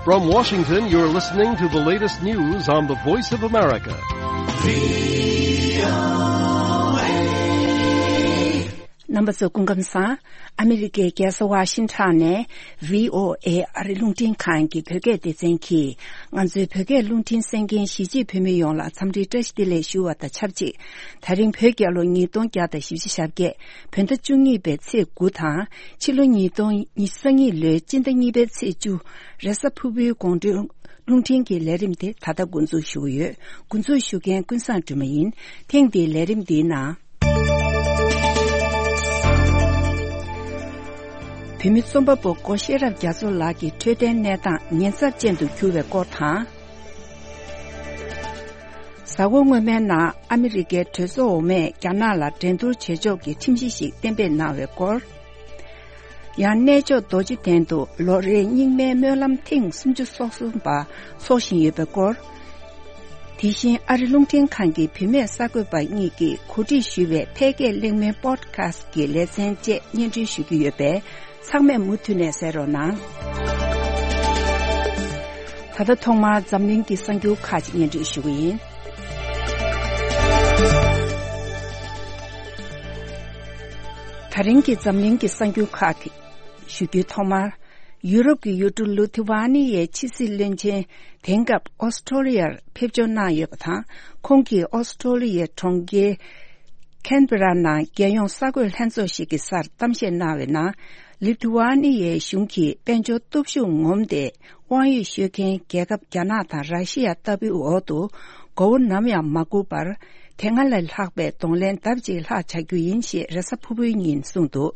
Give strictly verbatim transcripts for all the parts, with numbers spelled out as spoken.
From Washington, you're listening to the latest news on the Voice of America. རྣམ་པ་ཚོ་སྐུ་ཁམས་བཟང་། ཨ་མི་རི་ཀའི་རྒྱལ་ས་ཝ་ཤིང་ཊོན་ནས་བྷི་ཨོ་ཨེ་ཨ་རི་རླུང་འཕྲིན་ཁང་གི་བོད་སྐད་སྡེ་ཚན་གྱིས་ང་ཚོའི་བོད་སྐད་རླུང་འཕྲིན་གསན་མཁན་གཞིས་བྱེས་བོད་མི་ཡོངས་ལ་འཚམས་འདྲི་བཀྲ་ཤིས་བདེ་ལེགས་ཞུ་བ་དང་ཆབས་ཅིག་ད་རིང་བོད་རྒྱལ་ལོ་ཉིས་སྟོང་བརྒྱ་དང་བཞི་བཅུ་ཞེ་བརྒྱད། བོད་ཟླ་བཅུ་གཉིས་པའི་ཚེས་དགུ་དང་། ཕྱི་ལོ་ཉིས་སྟོང་ཉི་ཤུ་རྩ་གཉིས་ལོའི་སྤྱི་ཟླ་གཉིས་པའི་ཚེས་བཅུ། རེས་གཟའ་ཕུར་བུའི་དགོང་དྲོའི་རླུང་འཕྲིན་གྱི་ལས་རིམ་དེ་ད་ལྟ་འགོ་འཛུགས་ཞུ་གི་ཡོད། འགོ་འཛུགས་ཞུ་མཁན་ཀུན་བཟང་སྒྲོལ་མ་ཡིན། ཐེངས་འདིའི་ལས་རིམ་འདིའི་ནང་། བོད་མི་རྩོམ་པ་པོ་སྒོ་ཤེས་རབ་རྒྱ་མཚོ་ལགས་ཀྱི་འཕྲོད་བསྟེན་གནས་སྟངས་ཉེན་ཚབས་ཅན་དུ་གྱུར་བའི་སྐོར་དང་། གཟའ་འཁོར་སྔོན་མའི་ནང་ཨ་མི་རི་ཀའི་གྲོས་ཚོགས་འོག་མས་རྒྱ་ནག་ལ་འགྲན་བསྡུར་བྱེད་ཕྱོགས་ཀྱི་ཁྲིམས་གཞི་ཞིག་གཏན་འབེབས་གནང་བའི་སྐོར། ཡང་གནས་མཆོག་རྡོ་རྗེ་གདན་དུ་ལོ་རེའི་རྙིང་མའི་སྨོན་ལམ་ཐེངས་སུམ་ཅུ་སོ་གསུམ་པ་འཚོགས་བཞིན་ཡོད་པའི་སྐོར། དེ་བཞིན་ཨ་རི་རླུང་འཕྲིན་ཁང་གི་བུད་མེད་གསར་འགོད་པ་གཉིས་ཀྱིས་གོ་སྒྲིག་ཞུས་པའི་ཕལ་སྐད་གླེང་མོལ་པོ་ཌི་ཁ་སི་ཊི་གི་ལེ་ཚན་བཅས་སྙན་སྒྲོན་ཞུ་རྒྱུ་ཡོད་པས། ཚང་མས་མུ་མཐུད་ནས་གསན་རོགས་གནང་། ད་ལྟ་ཐོག་མར་འཛམ་གླིང་གི་གསར་འགྱུར་ཁག་ཅིག་སྙན་སྒྲོན་ཞུ་གི་ཡིན། ད་རིང་གི་འཛམ་གླིང་གི་གསར་འགྱུར་ཁག་གི་ཞུ་རྒྱུའི་ཐོག་མར། ཡུ་རོབ་ཀྱི་ཡུལ་གྲུ་ལི་ཐུ་ཝ་ནི་ཡའི་ཕྱི་སྲིད་བློན་ཆེན་དེང་སྐབས་ཨོ་སི་ཀྲོ་ལི་ཡར་ཕེབས་འབྱོར་གནང་ཡོད་པ་དང་། ཁོང་གིས་ཨོ་སི་ཀྲོ་ལི་ཡའི་གྲོང་ཁྱེར་ཁན་བྷེ་ར་ནང་རྒྱལ་ཡོངས་གསར་འགོད་ལྷན་ཚོགས་ཤིག་གི་སར་གཏམ་བཤད་གནང་བའི་ནང་། ལི་ཐུ་ཝ་ནི་ཡའི་གཞུང་གིས་དཔལ་འབྱོར་སྟོབས་ཤུགས་ངོམ་སྟེ། དབང་ཡོད་ཤོད་མཁན་རྒྱལ་ཁབ་རྒྱ་ནག་དང་ར་ཤི་ཡ་ལྟ་བུའི་འོག་ཏུ་མགོ་བོ་ནམ་ཡང་མ་སྒུར་བར། དེ་སྔ་ལས་ལྷག་པའི་གདོང་ལེན་ལྡབ་གཅིག་ལྷག་བྱ་རྒྱུ་ཡིན་ཞེས་རེས་གཟའ་ཕུར་བུའི་ཉིན་གསུངས་འདུག་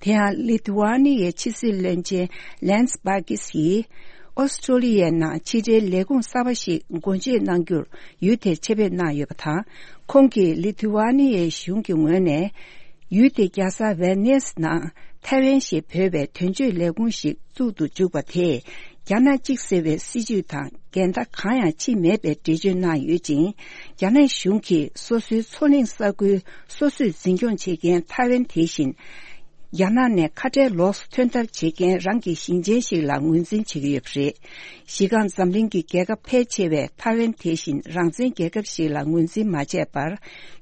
དེ་ཡང་ལི་ཐུ་ཝ་ནི་ཡའི་ཕྱི་སྲིད་བློན་ཆེན་ལན་སི་པ་ཀིས་ཡིས། ཨོ་སི་ཀྲོ་ལི་ཡའི་ནང་ཕྱི་འབྲེལ་ལས་ཁུངས་གསར་པ་ཞིག་སྒོ་འབྱེད་གནང་རྒྱུར་ཡུལ་དེར་ཆེད་ཕེབས་གནང་ཡོད་པ་དང་། ཁོང་གིས་ལི་ཐུ་ཝ་ནི་ཡའི་གཞུང་གི་ངོས་ནས། ཡུལ་དེ་རྒྱལ་ས་ཝེ་ནེས་ནང་ཐའེ་ཝན་ཞེས་འབོད་པའི་དོན་གཅོད་ལས་ཁུངས་ཤིག་བཙུགས་ཏུ་འཇུག་པ་དེས། རྒྱ་ནག་གཅིག་ཟེར་བའི་སྲིད་བྱུས་དང་འགལ་ཟླ་གང་ཡང་ཕྱིན་མེད་པའི་འགྲེལ་བརྗོད་གནང་ཡོད་ཅིང་། རྒྱ་ནག་གཞུང་གིས་སོ་སོའི་མཚོ་གླིང་ས་ཁུལ་སོ་སོས་འཛིན་སྐྱོང་བྱེད་མཁན་ཐའེ་ཝན་དེ་བཞིན། རྒྱ་ནག་ནས་ཁ་བྲལ་ལོགས་སུ་ཐོན་ཐབས་བྱེད་མཁན་རང་གི་ཞིང་ཆེན་ཞིག་ལ་ངོས་འཛིན་བྱེད་ཀྱི་ཡོད་པ་རེད། གཞི་རྐང་འཛམ་གླིང་གི་རྒྱལ་ཁབ་ཕལ་ཆེ་བས་ཐའེ་ཝན་དེ་བཞིན་རང་བཙན་རྒྱལ་ཁབ་ཞིག་ལ་ངོས་འཛིན་མ་བྱས་པར།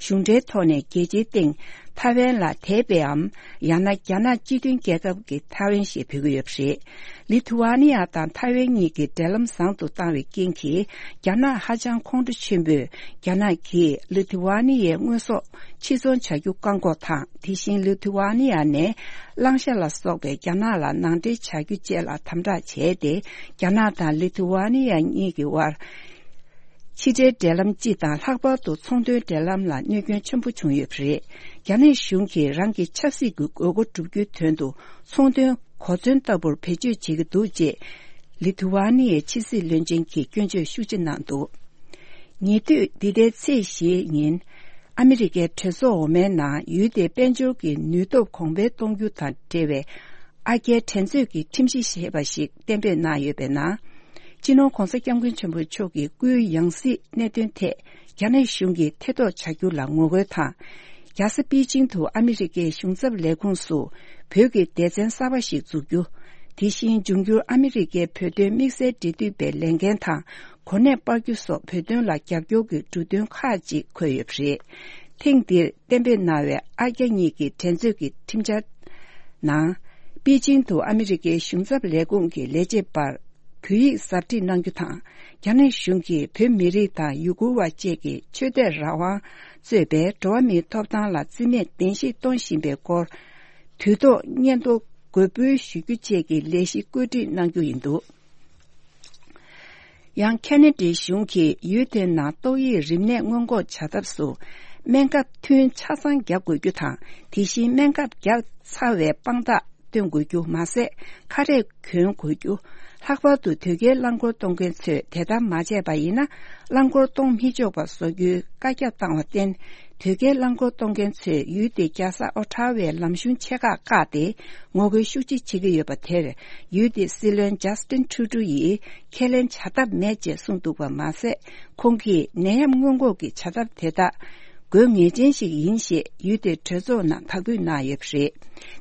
གཞུང་འབྲེལ་ཐོག་ནས་རྒྱལ་སྤྱིའི་སྟེང་ཐའེ་ཝན་ལ་དད་པའམ། ཡང་ན་རྒྱ་ནག་སྤྱི་མཐུན་རྒྱལ་ཁབ་ཀྱི་ཐའེ་ཝན་ཞེས་འབོད་ཀྱི་ཡོད་པ་རེད། ལི་ཐུ་ཝ་ནི་ཡ་དང་ཐའེ་ཝན་གཉིས་ཀྱི་འབྲེལ་ལམ་བཟང་དུ་བཏང་བའི་རྐྱེན་གྱིས། རྒྱ་ནག་ཧ་ཅང་ཁོང་ཁྲོ་ཆེན་པོས། རྒྱ་ནག་གིས་ལི་ཐུ་ཝ་ནི་ཡའི་དངོས་ཟོག་ཕྱིར་ཚོང་བྱ་རྒྱུ་བཀག་འགོག་དང་། དེ་བཞིན་ལི་ཐུ་ཝ་ནི་ཡ་ནས་གླང་ཤ་ལ་སོགས་པའི་རྒྱ་ནག་ལ་ནང་འདྲེན་བྱ་རྒྱུ་བཅས་ལ་དམ་དྲག་བྱས་ཏེ། རྒྱ་ནག་དང་ལི་ཐུ་ཝ་ནི་ཡ་གཉིས་ཀྱི་དབར། ཕྱི་འབྲེལ་འབྲེལ་ལམ་སྤྱི་དང་། ལྷག་པར་དུ་ཚོང་དོན་འབྲེལ་ལམ་ལ་གནོད་སྐྱོན་ཆེན་པོ་བྱུང་ཡོད་པ་རེད། རྒྱ་ནག་གཞུང་གིས་རང་གི་ཆབ་སྲིད་ཀྱི་དགོས་མཁོ་བསྒྲུབ་རྒྱུའི་དོན་དུ། ཚོང་དོན་གོ་མཚོན་ལྟ་བུར་བེད་སྤྱོད་བྱེད་ཀྱི་འདུག་ཅེས། ལི་ཐུ་ཝ་ནི་ཡའི་ཕྱི་སྲིད་བློན་ཆེན་གྱིས་སྐྱོན་བརྗོད་ཤུགས་ཆེ་གནང་འདུག་ཉེ་དུས་འདི་ཟླའི་ཚེས་བཞིའི་ཉིན། ཨ་མི་རི་ཀའི་གྲོས་ཚོགས་འོག་མའི་ནང་ཡུལ་དེའི་དཔལ་འབྱོར་གྱི་ནུས་སྟོབས་གོང་འཕེལ་གཏོང་རྒྱུ་དང་འབྲེལ་བའི། ཨ་རྒྱའི་འགྲན་རྩོད་ཀྱི་ཁྲིམས་གཞི་ཞེས་པ་ཞིག་གཏན་འབེབས་གནང་ཡོད་པའི་ནང་། སྤྱི་ནོར་༧གོང་ས་༧སྐྱབས་མགོན་ཆེན་པོ་མཆོག་གི་སྐུའི་ཡང་སྲིད་གནད་དོན་ཐད་རྒྱ་ནག་གཞུང་གིས་ཐེ་གཏོགས་བྱ་རྒྱུ་ལ་ངོ་རྒོལ་དང་། རྒྱལ་ས་པེ་ཅིང་དུ་ཨ་མི་རི་ཀའི་གཞུང་ཚབ་ལས་ཁུངས་སུ་བོད་ཀྱི་སྡེ་ཚན་གསར་པ་ཞིག་འཛུགས་རྒྱུ། དེ་བཞིན་འབྱུང་འགྱུར་ཨ་མི་རི་ཀའི་བོད་དོན་དམིགས་བསལ་འབྲེལ་མཐུད་པའི་ལས་འགན་དང་། གོ་གནས་སྤར་རྒྱུ་སོགས་བོད་དོན་ལ་རྒྱབ་སྐྱོར་གྱི་འབྲུ་དོན་ཁག་ཅིག་འཁོད་ཡོད་པ་རེད། ཐེངས་འདིར་གཏན་འབེབས་གནང་བའི་ཨ་རྒྱ་གཉིས་ཀྱི་འགྲན་རྩོད་ཀྱི་ཁྲིམས་འཆར་ནང་། པེ་ཅིང་དུ་ཨ་མི་རི་ཀའི་གཞུང་ཚབ་ལས་ཁུངས་ཀྱི་ལས་བྱེད་པར་བོད་ཡིག་ཟབ་ཁྲིད་གནང་རྒྱུ་དང་། རྒྱ་ནག་གཞུང་གིས་བོད་མི་རིགས་དང་ཡུ་གུར་བ་བཅས་ཀྱི་ཆོས་དད་རང་དབང་གཙོས་པའི་འགྲོ་བ་མིའི་ཐོབ་ཐང་ལ་བརྩི་མེད་གདན་ཞུ་གཏོང་བཞིན་པའི་སྐོར། དུས་ཐོག་སྙན་ཐོ་འགོད་འབུལ་ཞུ་རྒྱུ་བཅས་ཀྱི་ལས་གཞི་བཀོད་སྒྲིག་གནང་རྒྱུ་ཡིན་འདུག་ཡང་ཁེ་ན་ཌའི་གཞུང་གིས་ཡུལ་དེའི་ནང་ཏོག་དབྱིབས་རིམས་ནད་སྔོན་འགོག་བྱ་ཐབས་སུ། སྨན་ཁབ་ཐུན་ཆ་ཚང་རྒྱག་དགོས་རྒྱུ་དང་། དེ་བཞིན་སྨན་ཁབ་བརྒྱབ་ཚར་བའི་དཔང་རྟགས་སྟོན་དགོས་རྒྱུ་མ་ཟད། ཁ་རས་གྱོན་དགོས་རྒྱུ། ལྷག་པར་དུ་དོལ་རྒྱལ་རླངས་འཁོར་གཏོང་མཁན་ཚོས་དེ་ལྟར་མ་བྱས་པ་ཡིན་ན། རླངས་འཁོར་གཏོང་མི་ཆོག་པ་བཟོ་རྒྱུའི་བཀའ་རྒྱ་བཏང་བར་བརྟེན། དོལ་རྒྱལ་རླངས་འཁོར་གཏོང་མཁན་ཚོས་ཡུལ་དེའི་རྒྱལ་ས་ཨོ་ཊ་ཝའི་ལམ་གཞུང་ཆེ་ཁག་བཀག་སྟེ། ངོ་རྒོལ་ཤུགས་ཆེ་བྱེད་ཀྱི་ཡོད་པ་དེར། ཡུལ་དེའི་སྲིད་བློན་ཇཱ་སི་ཏིན་ཁྲུ་ཌོ་ཡིས་ཁས་ལེན་བྱ་ཐབས་མེད་ཅེས་གསུངས་འདུག་པ་མ་ཟད། ཁོང་གིས་ནད་ཡམས་སྔོན་འགོག་གི་བྱ་ཐབས་དེ་དག་ དགོས་ངེས་ཅན་ཞིག་ཡིན་ཞེས་ཡུལ་དེའི་གྲོས་ཚོགས་ནང་དག་འབུལ་གནང་ཡོད་པ་རེད།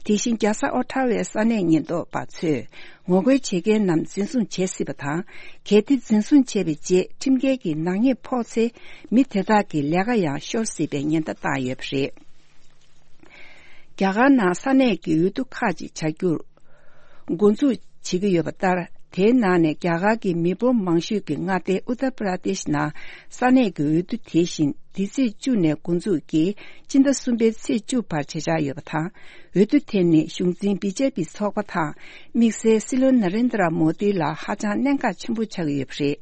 དེ་བཞིན་རྒྱལ་ས་ཨོ་ཊ་ཝའི་ས་གནས་ཉེན་རྟོག་པ་ཚོས་ངོ་རྒོལ་བྱེད་མཁན་རྣམས་འཛིན་བཟུང་བྱེད་སྲིད་པ་དང་། གལ་ཏེ་འཛིན་བཟུང་བྱས་པའི་རྗེས་ཁྲིམས་འགལ་གྱི་ནག་ཉེས་ཕོག་ཚེ་མི་དེ་དག་གི་ལས་ཀ་ཡང་ཤོར་སྲིད་པའི་ཉེན་བརྡ་བཏང་ཡོད་པ་རེད། རྒྱ་གར་ནང་ས་གནས་ཀྱི་འོས་བསྡུ་ཁག་ཅིག་བྱ་རྒྱུར་འགོ་འཛུགས་བྱེད་ཀྱི་ཡོད་པ་ལྟར། དེའི་ནང་ནས་རྒྱ་གར་གྱི་མི་འབོར་མང་ཤོས་ཀྱི་མངའ་སྡེ་ཨུ་ཏར་པྲ་དེཤ་ནང་ས་གནས་ཀྱི་འོས་བསྡུ་དེ་བཞིན་འདི་ཚེས་བཅུ་ནས་འགོ་འཛུགས་ཀྱིས་སྤྱི་ཟླ་གསུམ་པའི་ཚེས་བཅུ་བར་བྱེད་འཆར་ཡོད་པ་དང་། འོས་བསྡུ་དེ་ནི་གཞུང་འཛིན་བི་ཇེ་པི་ཚོགས་པ་དང་དམིགས་བསལ་སྲིད་བློན་ན་རེན་དྲ་མོ་དི་ལ་ཧ་ཅང་གནད་འགག་ཆེན་པོ་ཆགས་ཀྱི་ཡོད་པ་རེད།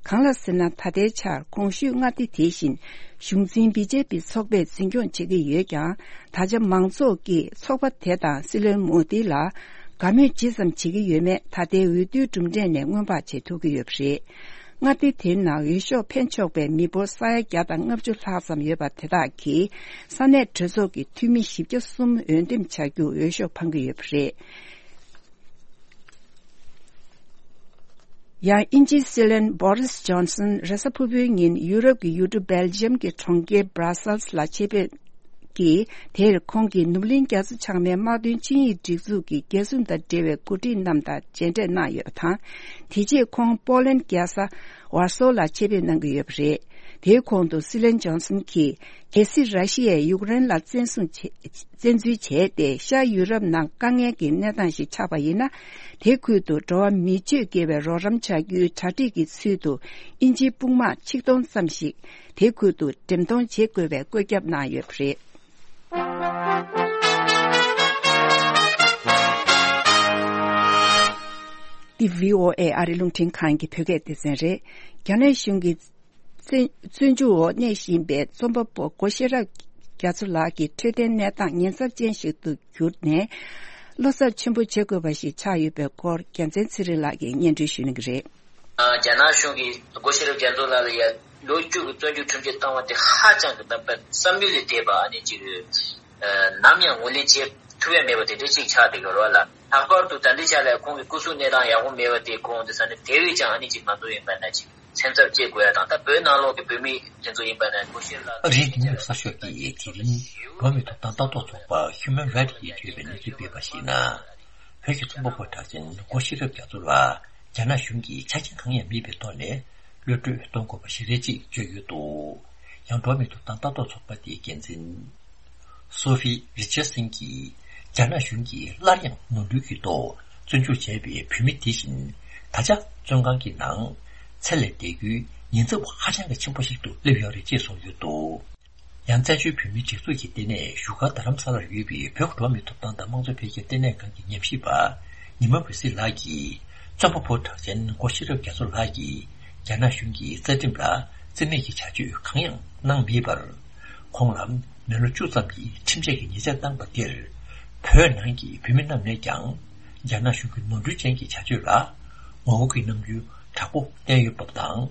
གང་ལ་ཟེར་ན། ད་ལྟའི་ཆར་གོང་ཞུས་མངའ་སྡེ་དེ་བཞིན་གཞུང་འཛིན་བི་ཇེ་པི་ཚོགས་པས་འཛིན་སྐྱོང་བྱེད་ཀྱི་ཡོད་ཀྱང་། ད་ཆ་མང་ཚོགས་ཀྱིས་ཚོགས་པ་དེ་དང་སྲིད་བློན་མོ་དི་ལ་དགའ་མོས་ཇི་ཙམ་བྱེད་ཀྱི་ཡོད་མེད་ད་ལྟའི་འོས་བསྡུའི་གྲུབ་འབྲས་ནས་མངོན་པར་བྱེད་ཐུབ་ཀྱི་ཡོད་པ་རེད། མངའ་སྡེ་དེའི་ནང་འོས་ཤོག་འཕེན་ཆོག་པའི་མི་འབོར་ས་ཡ་བརྒྱ་དང་ལྔ་བཅུ་ལྷག་ཙམ་ཡོད་པ་དེ་དག་གིས་ས་གནས་གྲོས་ཚོགས་ཀྱི་འཐུས་མི་བཞི་བརྒྱ་གསུམ་འོས་འདེམས་བྱ་རྒྱུར་འོས་ཤོག་འཕང་གི་ཡོད་པ་རེད། ཡང་དབྱིན་ཇིའི་སྲིད་བློན་བྷོ་རིས་ཇོན་སན་རེས་གཟའ་ཕུར་བུའི་ཉིན་ཡུ་རོབ་ཀྱི་ཡུལ་གྲུ་སྦེལ་ཇམ་གྱི་གྲོང་ཁྱེར་Brussels་ལ་ཆེད་ཕེབས་ཀྱིས། དེར་ཁོང་གིས་ནུབ་གླིང་རྒྱ་མཚོ་བྱང་མའི་དམག་དོན་ཆིངས་ཡིག་སྒྲིག་འཛུགས་ཀྱི་རྒྱལ་སྲུང་དང་འབྲེལ་བའི་འགོ་ཁྲིད་རྣམས་དང་མཇལ་འཕྲད་གནང་ཡོད་པ་དང་། དེ་རྗེས་ཁོང་པོ་ལན་རྒྱལ་ས་ཝར་སོ་ལ་ཆེད་ཕེབས་གནང་གི་ཡོད་པ་རེད། དེའི་གོང་དུ་སྲིད་བློན་ཇོན་སན་གྱིས། གལ་སྲིད་ར་ཤི་ཡས་ཡུཀ་རེན་ལ་བཙན་བཟུང་བྱེད། བཙན་འཛུལ་བྱས་ཏེ་ཤར་ཡུ་རོབ་ནང་དཀའ་ངལ་གྱི་གནས་སྟངས་ཤིག་ཆགས་པ་ཡིན་ན། དེ་ཁུལ་དུ་འགྲོ་བ་མི་སྤྱོད་དགེ་བའི་རོགས་རམ་བྱ་རྒྱུའི་གྲ་སྒྲིག་གི་ཚུལ་དུ་དབྱིན་ཇིའི་དཔུང་དམག་ཆིག་སྟོང་ཙམ་ཞིག་དེ་ཁུལ་དུ་འགྲེམས་གཏོང་བྱེད་དགོས་པའི་བཀོད་ཁྱབ་གནང་ཡོད་པ་རེད། འདི་བྷི་ཨོ་ཨེ་ཨ་རི་རླུང་འཕྲིན་ཁང་གི་བོད་སྐད་སྡེ་ཚན་རེད། རྒྱ་ནག་གཞུང་གིས། བཙོན་བཙོན་འཇུག་འོག་གནས་བཞིན་པའི་རྩོམ་པ་པོ་སྒོ་ཤེས་རབ་རྒྱ་མཚོ་ལགས་ཀྱི་འཕྲོད་བསྟེན་གནས་སྟངས་ཉེན་ཚབས་ཅན་ཞིག་ཏུ་གྱུར་ནས། བློ་འཚབ་ཆེན་པོ་བྱེད་དགོས་པ་ཞིག་ཆགས་ཡོད་པའི་སྐོར་རྒྱལ་མཚན་ཚེ་རིང་ལགས་ཀྱིས་སྙན་སྒྲོན་ཞུ་གནང་གི་རེད། རྒྱ་ནག་གཞུང་གིས་སྒོ་ཤེས་རབ་རྒྱ་མཚོ་ལགས་ལ་ཡ་ལོ་བཅུ་གི་བཙོན་འཇུག་ཁྲིམས་ཆད་བཏང་བ་དེ་ཧ་ཅང་གི་ད་བསམ་ཡུལ་ལས་འདས་པ་ཨ་ནི་ཅིག་ནམ་ཡང་ངོས་ལེན་བྱེད་ཐུབ་ཡ་མེད་པ་དེ་འདྲ་ཅིག་ཆགས་བསྡད་ཡོད་རེད་བ་ལ། ལྷག་པར་དུ་ད་ལྟའི་ཆ་ལ་ཁོང་གི་སྐུ་གཟུགས་གནས་སྟངས་ཡག་པོ་མེད་པ་དེ་ཁོང་དེ་ས་ནས་དེ་བས་ཀྱང་ཨ་ནི་ཅིག་ང་ཚོ་ཡིན་པ་ན་ཅིག་སེམས་འཚབ་སྐྱེ་དགོས་ཡ་དང་། ད་བོད་ནང་ལོགས་ཀྱི་བོད་མི་དེ་ཚོ་ཡིན་པ་ན་སྒོ་ཤེས་ལགས་རིག་འཛིན་གསར་ཤོག་གིས་དེ་རིང་འགྲོ་བ་མིའི་ཐོབ་ཐང་ལྟ་རྟོག་ཚོགས་པ་Human Rights་ཡིས་བརྗོད་པའི་གནས་ཚུལ་སྤེལ་བར་གཞིགས་ན། བོད་ཀྱི་རྩོམ་པ་པོ་གྲགས་ཅན་སྒོ་ཤེས་རབ་རྒྱ་མཚོ་ལགས་རྒྱ་ནག་གཞུང་གིས་ཆ་རྐྱེན་གང་ཡང་མེད་པའི་ཐོག་ནས་གློད་གྲོལ་གཏོང་དགོས་པ་ཞེ་རེ་ཅིག་བརྗོད་ཡོད་འདུག་ཡང་འགྲོ་བ་མིའི་ཐོབ་ཐང་ལྟ་རྟོག་ཚོགས་པ་དེའི་འགན་འཛིན་སོ་ཧྥི་རི་ཆར་སན་གྱིས། རྒྱ་ནག་གཞུང་གིས་སླར་ཡང་ནོར་འཁྲུལ་གྱི་ཐོག་བཙོན་འཇུག་བྱས་པའི་བོད་མི་དེ་བཞིན་ད་ཆ་བཙོན་ཁང་གི་ནང་ཚེ་ལས་འདས་རྒྱུའི་ཉེན་ཚབས་ཧ་ཅང་གི་ཆེན་པོ་ཞིག་ཏུ་སླེབས་ཡོད་རེད་ཅེས་གསུངས་ཡོད་འདུག་ཡང་བཙན་བྱོལ་བོད་མིའི་སྒྲིག་འཛུགས་ཀྱི་ལྟེ་གནས་བཞུགས་སྒར་རྡ་རམ་ས་ལར་ཡོད་པའི་བོད་ཀྱི་འགྲོ་བ་མིའི་ཐོབ་ཐང་དང་དམངས་གཙོ་འཕེལ་རྒྱས་ལྟེ་གནས་ཁང་གི་ཉམས་ཞིབ་པ་ཉི་མ་འོད་ཟེར་ལགས་ཀྱིས། རྩོམ་པ་པོ་གྲགས་ཅན་སྒོ་ཤེས་རབ་རྒྱ་མཚོ་ལགས་ཀྱིས་རྒྱ་ནག་གཞུང་གི་རྩ་ཁྲིམས་ལ་བརྩི་མེད་ཀྱི་བྱ་སྤྱོད་གང་ཡང་གནང་མེད་པར། ཁོང་ལ་མི་ལོ་བཅུ་ཙམ་གྱི་ཁྲིམས་ཆད་ཀྱི་ཉེས་ཆད་བཏང་བ་དེར། བོད་ནང་གི་བོད་མི་རྣམས་ནས་ཀྱང་རྒྱ་ནག་གཞུང་གི་ནོར་འཁྲུལ་ཅན་གྱི་བྱ་སྤྱོད་ལ་ངོ་རྒོལ་གྱི་རྣམ་འགྱུར་དྲག་པོ་བསྟན་ཡོད་པ་དང་།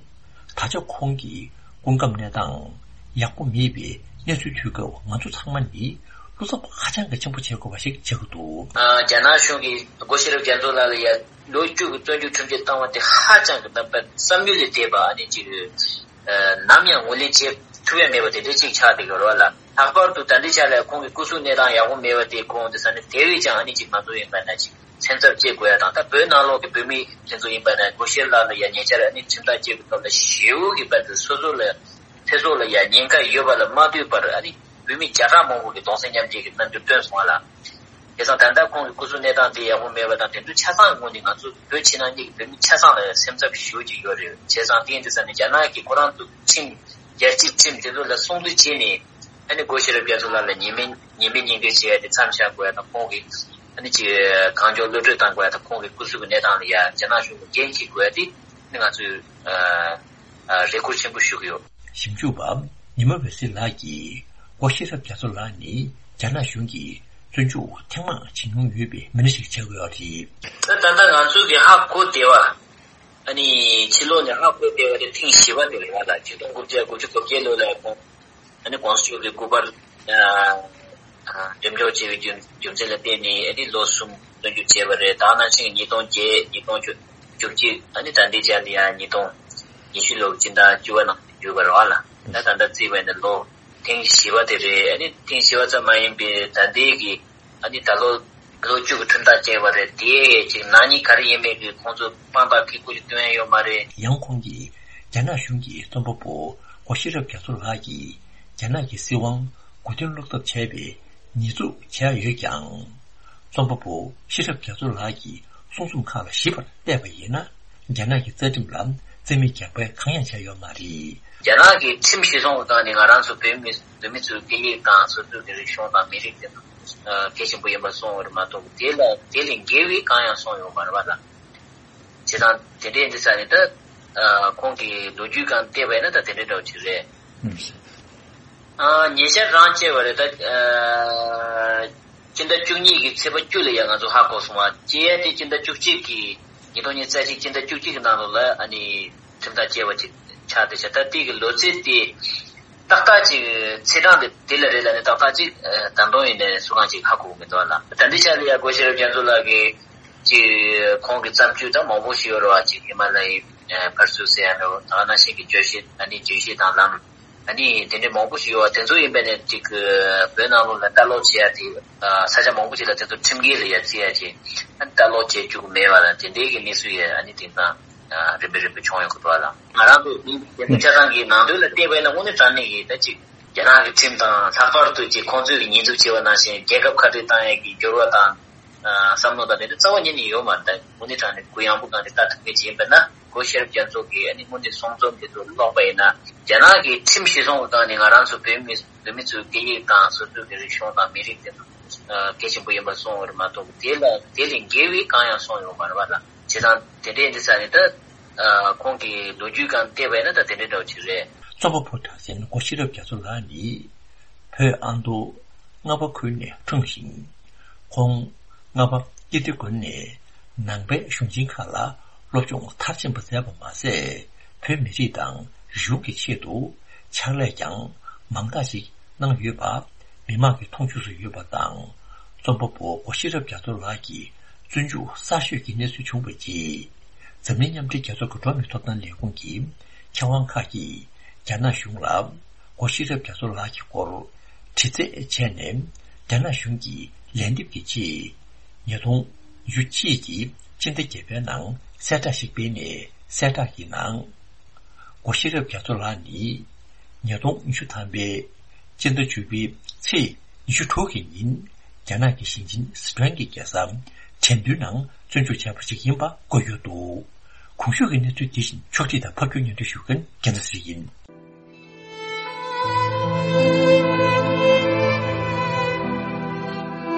ད་ཆ་ཁོང་གི་སྐུ་ཁམས་གནས་སྟངས་ཡག་པོ་མེད་པའི་གནས་ཚུལ་ཐོས་སྐབས། ང་ཚོ་ཚང་མ་ནི་བློ་འཚབ་ཧ་ཅང་གི་ཆེན་པོ་བྱེད་དགོས་པ་ཞིག་ཆགས་ཀྱི་འདུག་ཨ། རྒྱ་ནག་གཞུང་གིས་སྒོ་ཤེས་རབ་རྒྱ་མཚོ་ལགས་ལ་ཡ་ལོ་བཅུ་གི་བཙོན་འཇུག་ཁྲིམས་ཆད་བཏང་བ་དེ་ཧ་ཅང་གི་ད་བསམ་ཡུལ་ལས་འདས་པ་ཨ་ནི་ཅིག་ཨ། ནམ་ཡང་ངོས་ལེན་བྱེད་ཐུབ་ཡ་མེད་པ་དེ་འདྲ་ཅིག་ཆགས་བསྡད་ཡོད་རེད་བ་ལ། ལྷག་པར་དུ་ད་ལྟའི་ཆ་ལ་ཁོང་གི་སྐུ་གཟུགས་གནས་སྟངས་ཡག་པོ་མེད་པ་དེ་ཁོང་དེ་ས་ནས་དེ་བས་ཀྱང་ཨ་ནི་ཅིག་ང་ཚོ་ཡིན་པ་ན་ཅིག་སེམས་འཚབ་སྐྱེ་དགོས་ཡ་དང་། ད་བོད་ནང་ལོགས་ཀྱི་བོད་མི་དེ་ཚོ་ཡིན་པ་ན་སྒོ་ཤེས་ལགས་ལ་ཡ་ཉེ་ཆར་ཨ་ནི་ཁྲིམས་ཐག་བཅད་པའི་སྐབས་ལ་ཞེ་པོ་གི་བར་དུ་སོ་སོ་ལ་ཚེ་སྲོག་ལ་ཡ་ཉེན་ཁ་ཡོད་པ་ལ་མ་ལྟོས་པར་ཨ་ནི་བོད་མི་བརྒྱ་ཕྲག་མང་པོ་གི་གདུང་སེམས་མཉམ་སྐྱེད་ཀྱི་རྣམ་འགྱུར་སྟོན་སོང་བ་ལ། དེ་དང་ད་ལྟ་ཁོང་གི་སྐུ་གཟུགས་གནས་སྟངས་དེ་ཡག་པོ་མེད་པ་དང་། དེ་ཚོ་ཆ་ཚང་ངོས་ནས་ང་ཚོ་བོད་ཕྱི་ནང་གཉིས་ཀྱི་བོད་མི་ཆ་ཚང་ལ་ཡང་སེམས་འཚབ་ཞེ་པོ་ཅིག་ཡོད་རེད། བྱས་ཙང་དེ་ཡིན་དུས་ཙང་ནས་རྒྱ་ནག་གི་ཁོ་རང་ཚོ་ཁྲིམས། རྒྱལ་སྤྱིའི་ཁྲིམས་དེ་ཚོ་ལ་སྲུང་བརྩི་བྱས་ནས། ཨ་ནི་སྒོ་ཤེས་རབ་རྒྱ་མཚོ་ལགས་ལ་ཉེས་མེད་ཉེས་མེད་ཉེས་འགེལ་བྱེད་ཡ་དེ་མཚམས་བཞག་དགོས་ཡ་དང་། ཁོང་གི་ཨ་ནི་ཅིག་གང་མགྱོགས་གློད་གྲོལ་བཏང་དགོས་ཡ་དང་། ཁོང་གི་སྐུ་གཟུགས་ཀྱི་གནས་སྟངས་ལ་ཡ་རྒྱ་ནག་གཞུང་གིས་འགན་འཁྱེར་དགོས་ཡ་དེ་ནི་ང་ཚོས་ཨ་ཨ་རེ་སྐུལ་ཆེན་པོ་ཞུ་གི་ཡོད། ཞིབ་འཇུག་པ་ཉི་མ་འོད་ཟེར་ལགས་ཀྱིས། སྒོ་ཤེས་རབ་རྒྱ་མཚོ་ལགས་ནི་རྒྱ་ནག་གཞུང་གིས་བཙོན་འཇུག་ཐེངས་མང་བྱེད་མྱོང་ཡོད་པའི་མི་སྣ་ཞིག་ཆགས་ཀྱི་ཡོད་རེད། ད་ད་ལྟ་ང་ཚོ་གི་ཧ་གོ་བདེ་བ། ཨ་ནི་ཕྱི་ལོགས་ནས་ཧ་གོ་བདེ་བ་དེ་ཐེངས་བཞི་པ་དེ་རེད་བ་ལ། ཆིག་སྟོང་དགུ་བརྒྱ་དགུ་བཅུ་གོ་བརྒྱད་ལོ་ལ་ཁོང་ཨ་ནི་ྋགོང་ས་མཆོག་གི་སྐུ་པར་ཨ་ཨ་འགྲེམས་འཇོག་བྱས་པའི་རྒྱུ་རྒྱུ་མཚན་ལ་བརྟེན་ནས། ཨ་ནི་ལོ་གསུམ་བཙོན་འཇུག་བྱས་པ་རེད། ད་ནང་བཞིན་ཉིས་སྟོང་བརྒྱད། ཉིས་སྟོང་བཅུ་གཅིག་ཨ་ནི་ད་ལྟའི་ཆར་དུ་ཡང་ཉིས་སྟོང་ཉི་ཤུ་ལོའི་སྤྱི་ཟླ་བཅུ་པ་ནང་གྱུར་པ་རེད་བ་ལ། ད་ད་ལྟ་བརྩིས་པ་ཡིན་ན་ལོ་ ཐེངས་བཞི་པ་དེ་རེད། ཨ་ནི་ཐེངས་བཞི་པ་ཙམ་མ་ཡིན་པའི་ད་ལྟའི་གི་ཨ་ནི་ད་ལོ་ལོ་བཅུ་གི་ཁྲིམས་ཐག་བཅད་པ་རེད། དེ་ཅིག་ནག་ཉེས་ག་རེ་ཡིན་མིན་གི་ཁོང་ཚོ་དཔང་རྟགས་གི་སྐུ་ལས་སྟོན་ཡོད་མ་རེད། ཡང་ཁོང་གིས་རྒྱ་ནག་གཞུང་གིས་རྩོམ་པ་པོ་སྒོ་ཤེས་རབ་རྒྱ་མཚོ་ལགས་ཀྱིས་རྒྱ་ནག་གི་སྲིད་དབང་མགོ་རྟིང་སློག་ཐབས་བྱས་པའི་ཉེས་འཛུགས་བྱས་ཡོད་ཀྱང་། རྩོམ་པ་པོ་ཤེས་རབ་རྒྱ་མཚོ་ལགས་ཀྱི་གསུང་རྩོམ་ཁག་ལ་ཞིབ་པར་བལྟས་པ་ཡིན་ན། རྒྱ་ནག་གི་རྩ་ཁྲིམས་ལ་རྩིས་མེད་རྒྱག་འབད་གང་ཡང་བྱས་ཡོད་མ་རེད། རྒྱ་ནག་གི་ཁྲིམས་གཞིར་བཟུང་གི་སྒང་ནས་ང་རང་ཚོ་བོད་མི་བོད་མི་ཚོའི་སྐད་ཡིག་དང་སོ་སོའི་གི་རིག་གཞུང་དང་མི་རིགས་དེ་ཚོ་གལ་ཆེན་པོ་ཡིན་པ་གསུངས་པ་རེད་མ་གཏོགས། དེ་ལ་དེ་ལས་འགལ་བའི་གང་ཡང་གསུངས་ཡོད་མ་རེད་པ་ལ། བྱས་ཙང་དེ་འདྲའི་འདི་ས་ནས་ད་ཁོང་གི་ལོ་རྒྱུས་སྒང་བལྟས་པ་ཡིན་ན་ད་དེ་འདྲའི་འདྲ་བོ་ཅིག་རེད། ཨ། ཉེ་ཆར་རང་བཅད་པ་རེད་ད། ཨ། སྤྱི་ཟླ་བཅུ་གཉིས་ཀྱི་ཚེས་པ་བཅུ་ལ་ཡང་ང་ཚོ་ཧ་གོ་སོང་བ། བཅད་ཡ་དེ་སྤྱི་ཟླ་བཅུ་གཅིག་གི་ཉིས་སྟོང་ཉི་ཤུ་རྩ་གཅིག་སྤྱི་ཟླ་བཅུ་གཅིག་གི་ནང་ལོགས་ལ་ཨ་ནི་ཁྲིམས་ཐག་བཅད་པ་ཅིག་ཆགས་བསྡད་ཤག་ད་དེ་གི་ལོ་ཚིགས་དེ་ཏག་ཏག་ཅིག་ཚེས་གྲངས་དེ་དེ་ལ་རེད་ལ་ནི་ཏག་ཏག་ཅིག་ད་དུང་ཡིན་ནའི་སུ་གང་ཅིག་ཧ་གོ་གི་མི་འདུག་ལ། ད་འདི་ཆ་ལ་ཡ་སྒོ་ཤེས་རབ་རྒྱ་མཚོ་ལགས་ཀྱི་ཅིག་ཁོང་གི་བརྩམས་ཆོས་ད་མང་པོ་ཞིག་ཡོད་རེད་བ། ཅིག་ཧི་མ་ལ་ཡའི་ཕར་ཚུར་ཟེར་ཡ་འདྲ་བོ། ད་ག་ནང་བཞིན་གྱི་བརྗོད་གཞི་ཨ་ནི་བརྗོད་གཞི་དང་ལམ། ཨ་ནི་དེ་འདྲའི་མང་པོ་ཞིག་ཡོད་པ་དེ་ཚོ་ཡིན་པ་ནས་ཅིག་བོད་ནང་ལོགས་ལ་ལྟ་ཀློག་བྱེད་ཡ་དེ་ས་ཆ་མང་པོ་ཅིག་ལ་དེ་ཚོ་ཁྲིམས་འགལ་ལ་ཡ་བརྩི་ཡ་ཅིག་ལྟ་ཀློག་བྱེད་བཅུག་གི་མེད་པ་དང་། དེ་འདྲའི་གི་གནས་ཚུལ་ཡ་ཨ་ནི་དེང་སང་རིམ་པས་རིམ་པས་བྱུང་ཡོང་གི་འདུག་ལ། ང་རང་ཚོ་མི་རྒྱལ་ཁབ་ཆ་ཚང་གི་ནང་དོན་ལ་བལྟས་པ་ཡིན་ན་དངོས་གནས་དྲང་གནས་ཀྱི་ད་ཅིག་རྒྱ་ནག་གི་ཁྲིམས་དང་ལྷག་པར་དུ་ཅིག་ཁོང་ཚོས་ཀྱི་ཉེས་འཛུགས་བྱས་པ་ནང་བཞིན་རྒྱལ་ཁབ་ཁ་བྲལ་བཏང་ཡ་གི་འགྱུར་བ་དང་བསམ་བློ་དང་དེ་འདྲ་རྩ་བ་ཉིད་ནས་ཡོད་མ་རེད། ད་དངོས་གནས་དྲང་གནས་གུ་ཡངས་པོ་སྒང་ནས་ལྟ་ཐུབ་མཁན་ཅིག་ཡིན་པ་ན། སྒོ་ཤེས་རབ་རྒྱ་མཚོ་གིས་ཨ་ནི་དངོས་གནས་གསུང་རྩོམ་དེ་ཚོ་ཀློག་པ་ཡིན་ན། རྒྱ་ནག་གི་ཁྲིམས་གཞིར་བཟུང་གི་སྒང་ནས་ང་རང་ཚོ་བོད་མི་བོད་མི་ཚོའི་སྐད་ཡིག་དང་སོ་སོའི་གི་རིག་གཞུང་དང་མི་རིགས་དེ་ཚོ་གལ་ཆེན་པོ་ཡིན་པ་གསུངས་པ་རེད་མ་གཏོགས། དེ་ལ་དེ་ལས་འགལ་བའི་གང་ཡང་གསུངས་ཡོད་མ་རེད་པ་ལ། བྱས་ཙང་དེ་འདྲའི་འདི་ས་ནས་ད་ཁོང་གི་ལོ་རྒྱུས་སྒང་བལྟས་པ་ཡིན་ན་ད་དེ་འདྲའི་འདྲ་བོ་ཅིག་རེད། རྩོམ་པ་པོ་གྲགས་ཅན་སྒོ་ཤེས་རབ་རྒྱ་མཚོ་ལགས་ནི་བོད་ཨ་མདོ་རྔ་པ་ཁུལ་ནས་འཁྲུངས་ཤིང་། ཁོང་རྔ་པ་ཀིརྟི་དགོན་ནས་ནང་པའི་གཞུང་ཆེན་ཁག་ལ་སློབ་སྦྱོང་མཐར་ཕྱིན་པ་མཛད་པ་མ་ཟད། བོད་མི་རིགས་དང་རིག་གཞུང་གི་ཆེད་དུ་ཕྱག་ལས་ཀྱང་མང་དག་ཅིག་གནང་ཡོད་པ་མི་མང་གི་མཐོང་ཆོས་སུ་ཡོད་པ་དང་། རྩོམ་པ་པོ་སྒོ་ཤེས་རབ་རྒྱ་མཚོ་ལགས་ཀྱི་བཙོན་འཇུག་གསར་ཤོས་ཀྱི་གནས་ཚུལ་བྱུང་བའི་རྗེས། འཛམ་གླིང་མཉམ་འབྲེལ་རྒྱལ་ཚོགས་ཀྱི་འགྲོ་བ་མིའི་ཐོབ་ཐང་ལས་ཁུངས་ཀྱི་མཁས་དབང་ཁག་གིས་རྒྱ་ནག་གཞུང་ལ་སྒོ་ཤེས་རབ་རྒྱ་མཚོ་ལགས་ཀྱི་སྐོར་དྲི་རྩད་བྱས་ནས། རྒྱ་ནག་གཞུང་གིས་ལན་འདེབས་ཀྱི་ཆེད། ཉིས་སྟོང་ཉི་ཤུ་གཅིག་གི་སྤྱི་ཟླ་བརྒྱད་པའི་ནང་གསལ་བསྒྲགས་ཤིག་སྤེལ་ནས། གསལ་བསྒྲགས་ཀྱི་ནང་། སྒོ་ཤེས་རབ་རྒྱ་མཚོ་ལགས་ནི། ཉིས་སྟོང་ཉི་ཤུ་ཐམ་པའི་སྤྱི་ཟླ་བཅུ་པའི་ཚེས་ཉི་ཤུ་དྲུག་གི་ཉིན། རྒྱ་ནག་གི་ཞིང་ཆེན་སི་ཁྲོན་གྱི་རྒྱལ་ས་ཁྲེང་ཏུའུ་ནང་བཙོན་འཇུག་བྱས་པ་ཞིག་ཡིན་པ་བཀོད་ཡོད་འདུག་གོང་ཞུས་ཀྱི་གནས་ཚུལ་འདི་བཞིན་ཕྱོགས་སྒྲིག་དང་ཕབ་སྒྱུར་སྙན་སྒྲོན་ཞུ་མཁན་རྒྱལ་མཚན་ཚེ་རིང་ཡིན།